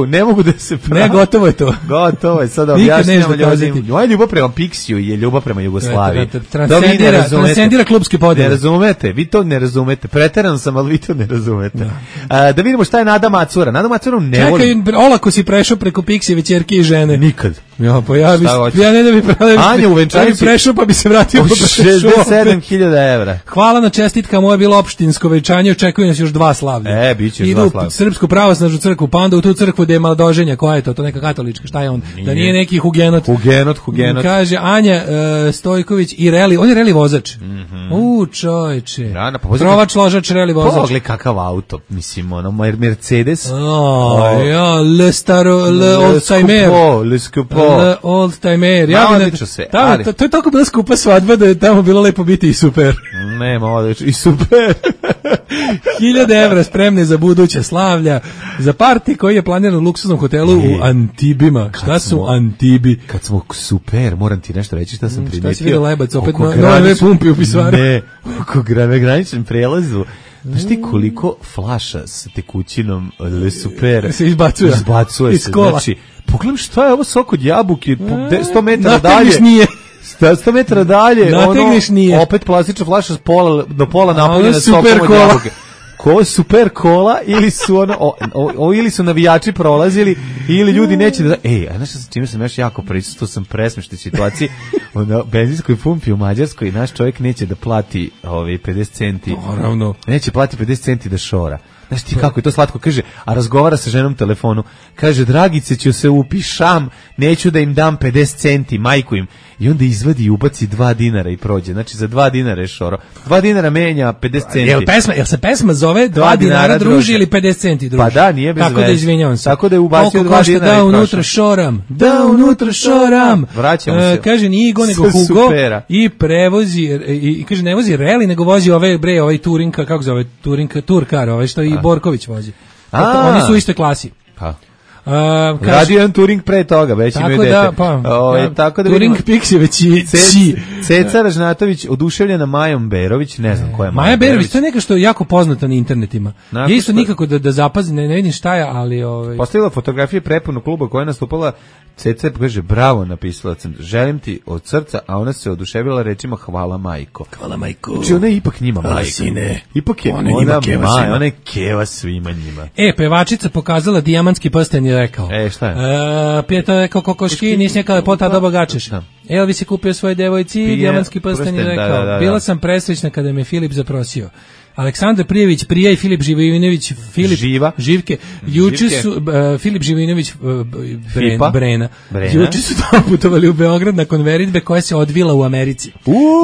ne mogu da se pravi. Ne, gotovo je to. Gotovo je, sada objašnjamo ljudima. Moja ljubav prema Pixiju je ljubav prema Jugoslaviji. Transcendira klubski podijel. Ne razumete, vi to ne razumete. Preteran sam, ali vi to ne razumete. Da vidimo šta je Nada Macura. Nada Macuru ne volim. Čekaj, olako si prešao preko Pixijeve ćerke i žene. Nikad. Ja, pa ja ne da bi Anja u venčanici prešao, pa bi se vratio. 67.000 evra. Hvala na čestitkama, ovo je bilo opštinsko venčanje, očekuju nas još 2 slavlja. Biće još 2 slavlja. Idu Srpsku pravoslavnu crkvu, pa onda u tu crkvu gde je Maldoženja, koja je to neka katolička, šta je on? Da nije neki hugenot. Hugenot. Kaže Anja Stojković i Reli, on je Reli vozač. Čoveče. Trovač, ložač, Reli vozač. Pogledaj kakav auto, mislim, ono, Mercedes. Le old-timer. Le skupo. Old-timer. To je toliko bila skupa svadba da je tamo bilo lepo biti i super. Nema odlično, i super. 1000 evra spremne za buduća slavlja, za parti koji je planiran u luksuznom hotelu u Antibima. Šta su Antibi? Kad smo super, moram ti nešto reći šta sam primetio. Šta si vidio Lebac, opet nove pumpi u pisvaru? Ne, oko graničnom prelazu. Znaš ti koliko flaša s tekućinom Le Super se izbacuje se. Znači, pogledam šta je ovo sok od jabuke, 100 metara dalje. Nategniš nije. 100 metara dalje, nije. Opet plastična flaša do pola napunjena sokom od jabuke. Super kola ili su ili su navijači prolazili ili ljudi neće da... znaš sa čime sam još jako prisustuo, sam presmešten situaciji na benzinskoj pumpi u Mađarskoj, naš čovjek neće da plati 50 centi. Naravno. Neće plati 50 centi da šora. Znaš ti kako je to slatko, kaže, a razgovara sa ženom telefonu, kaže, Dragice, ću se upišam, neću da im dam 50 centi, majku im, i onda izvadi i ubaci 2 dinara i prođe, znači za 2 dinara je šoro, 2 dinara menja 50 centi. Jel se pesma zove 2 dinara druži ili 50 centi druži? Pa da, nije bez veze. Tako da izvinjavam se. Tako da je ubacio 2 dinara da unutra šoram. Vraćamo se. Kaže, nije Igo nego Hugo i prevozi, i kaže, ne vozi Reli, nego vozi ovaj Turinka, kako zove, Turkar, što i Borković vozi. Oni su u istoj klasi. Radio jedan Turing pre toga, već imaju dete. Tako da Turing Pixi već i Ceca Ražnatović oduševljena Majom Berović, ne znam koja je Maja Berović. To je neka što je jako poznata na internetima. Ja isto nikako da zapazim, ne vidim šta je, ali... Postavila fotografije prepunog kluba koja je nastupala. Ceca kaže, bravo, napisala sam, želim ti od srca, a ona se oduševila rečima hvala majko. Hvala majko. Znači ona je ipak njima majko. Sine. Ipak je ona je keva svima njima. Pevačica pokazala dijamantski prsten i rekao. Šta je? Pijeta rekao kokoški, nisi neka lepota da bogačeš. Elvis je kupio svojoj devojci dijamantski prsten i rekao. Bila sam presrećna kada me Filip zaprosio. Aleksandar Prijević, Prija i Filip Živinović, Živke, juče su Filip Živinović Brena. Juče su putovali u Beograd na konveritbe koja se odvila u Americi.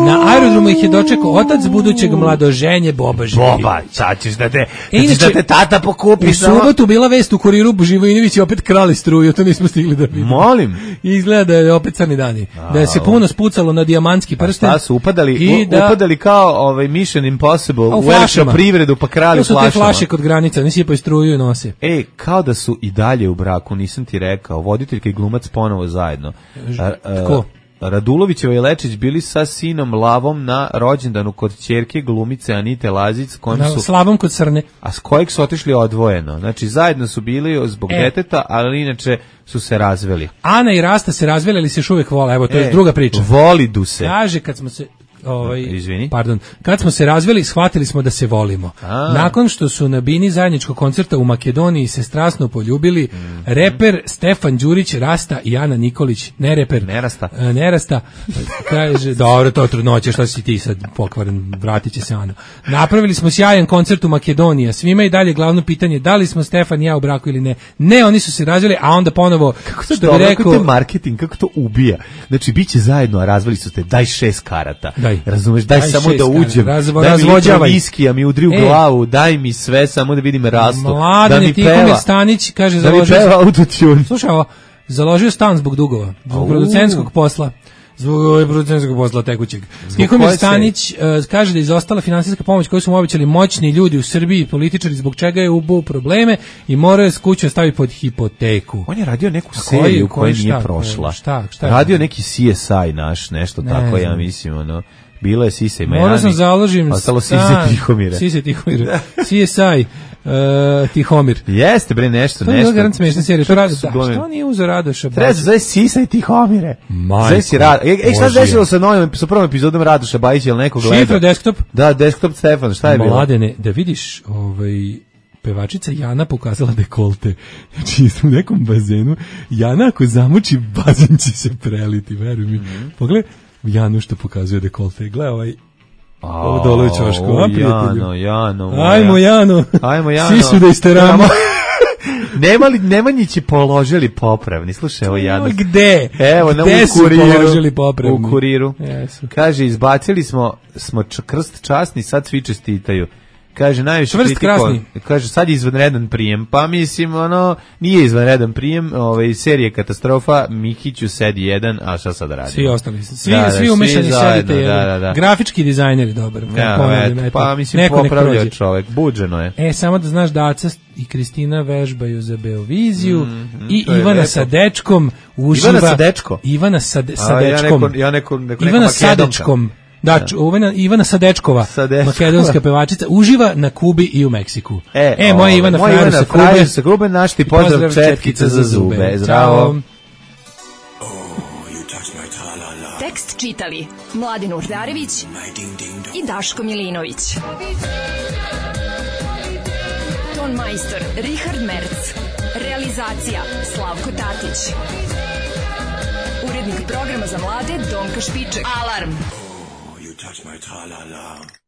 Na aerodromu ih je dočekao otac budućeg mladoženje Boba Živinović. Boba, sad ćeš da te tata pokupi. U subotu bila vest u Kuriru, Živinović je opet krali struju, to nismo stigli da vidimo. Molim. Izgleda da je opet crni dani. Da je se puno spucalo na dijamantski prsten. Šta su upadali kao Mission Impossible privredu pa krali flašama. To su te flaše kod granica, ne sipaju struju i nose. Kao da su i dalje u braku, nisam ti rekao, voditeljka i glumac ponovo zajedno. Ko? Radulovićeva i Lečić bili sa sinom Lavom na rođendanu kod ćerke glumice Anite Lazić, s Lavom kod Srne. A s kojeg su otišli odvojeno. Znači zajedno su bili zbog deteta, ali inače su se razveli. Ana i Rasta se razveli, ali se još uvijek vole. Evo, to je druga priča. Volidu se. Kaže, kad smo se... kad smo se razveli, shvatili smo da se volimo. Nakon što su na bini zajedničkog koncerta u Makedoniji se strasno poljubili, reper Stefan Đurić, Rasta i Ana Nikolić, Nerasta, kaže, dobro, to trudnoće, što si ti sad pokvaren, vratit će se Ana. Napravili smo sjajan koncert u Makedoniji, svima i dalje glavno pitanje, da li smo Stefan i ja u braku ili ne. Ne, oni su se razveli, a onda ponovo, što bi rekao... Kako to marketing, kako to ubija. Znači, bit će zajedno, a razveli su te, daj 6 karata. Razumeš, daj samo da uđem, daj mi litro viskija, mi udri u glavu, daj mi sve, samo da vidim rastu. Mladen Tihomir Stanić, kaže, da mi peva autotune. Slušaj ovo, založio stan zbog dugova, zbog producentskog posla. zbog ove producentskog posla tekućeg. Tihomir Stanić kaže da je izostala finansijska pomoć koju su mu obećali moćni ljudi u Srbiji, političari, zbog čega je ubuo probleme i morao je s kućom staviti pod hipoteku. On je radio neku seriju koja nije prošla. Šta radio neki CSI naš, nešto tako, ja mislim, ono. Bilo je Sisa i Majani. Morao sam založim ostalo Sise Tihomire. Sise Tihomire. CSI Tihomir. Jeste bre nešto. To je garant smešna serija. Što nije uzeo Radoša? Treba se zove Sisa i Tihomire. Majko. Šta se desilo sa prvom epizodom Radoša Bajića ili nekog gleda? Šifra desktop? Da, desktop Stefan, šta je bilo? Mladene, da vidiš pevačica Jana pokazala dekolte. Znači, u nekom bazenu Jana ako zamuči, bazen će se preliti, veruj mi. Pogledaj Janu što pokazuje dekolte. Gle ovo dole u čošku. Jano. Ajmo Jano. Svi su da isteramo. Nemanjići položili popravni. Slušaj, ovo Jano. Gde? Evo, gde su položili popravni? U Kuriru. Jesu. Kaže, izbacili smo krst časni, sad svi čestitaju. Kaže, najviše kritiko, kaže, sad je izvanredan prijem, pa mislim, nije izvanredan prijem, serije katastrofa, Mikiću sedi jedan, a šta sad radimo? Svi ostali, svi umešani sedite jedan, grafički dizajner je dobar, pa mislim, popravljao čovek, buđeno je. Samo da znaš da Aca i Kristina vežbaju za Beoviziju i Ivana sa dečkom uživa... Ivana sa dečkom. Ivana sa dečkom. Da, Ivana Sadečkova, makedonska pevačica, uživa na Kubi i u Meksiku. Moja Ivana Frajer sa Kube, naš ti pozdrav četkica za zube. Zdravo. Tekst čitali Mladin Urdarević i Daško Milinović. Ton majstor Richard Merc. Realizacija Slavko Tatić. Urednik programa za mlade Donka Špiček. Alarm! Touch my tra-la-la.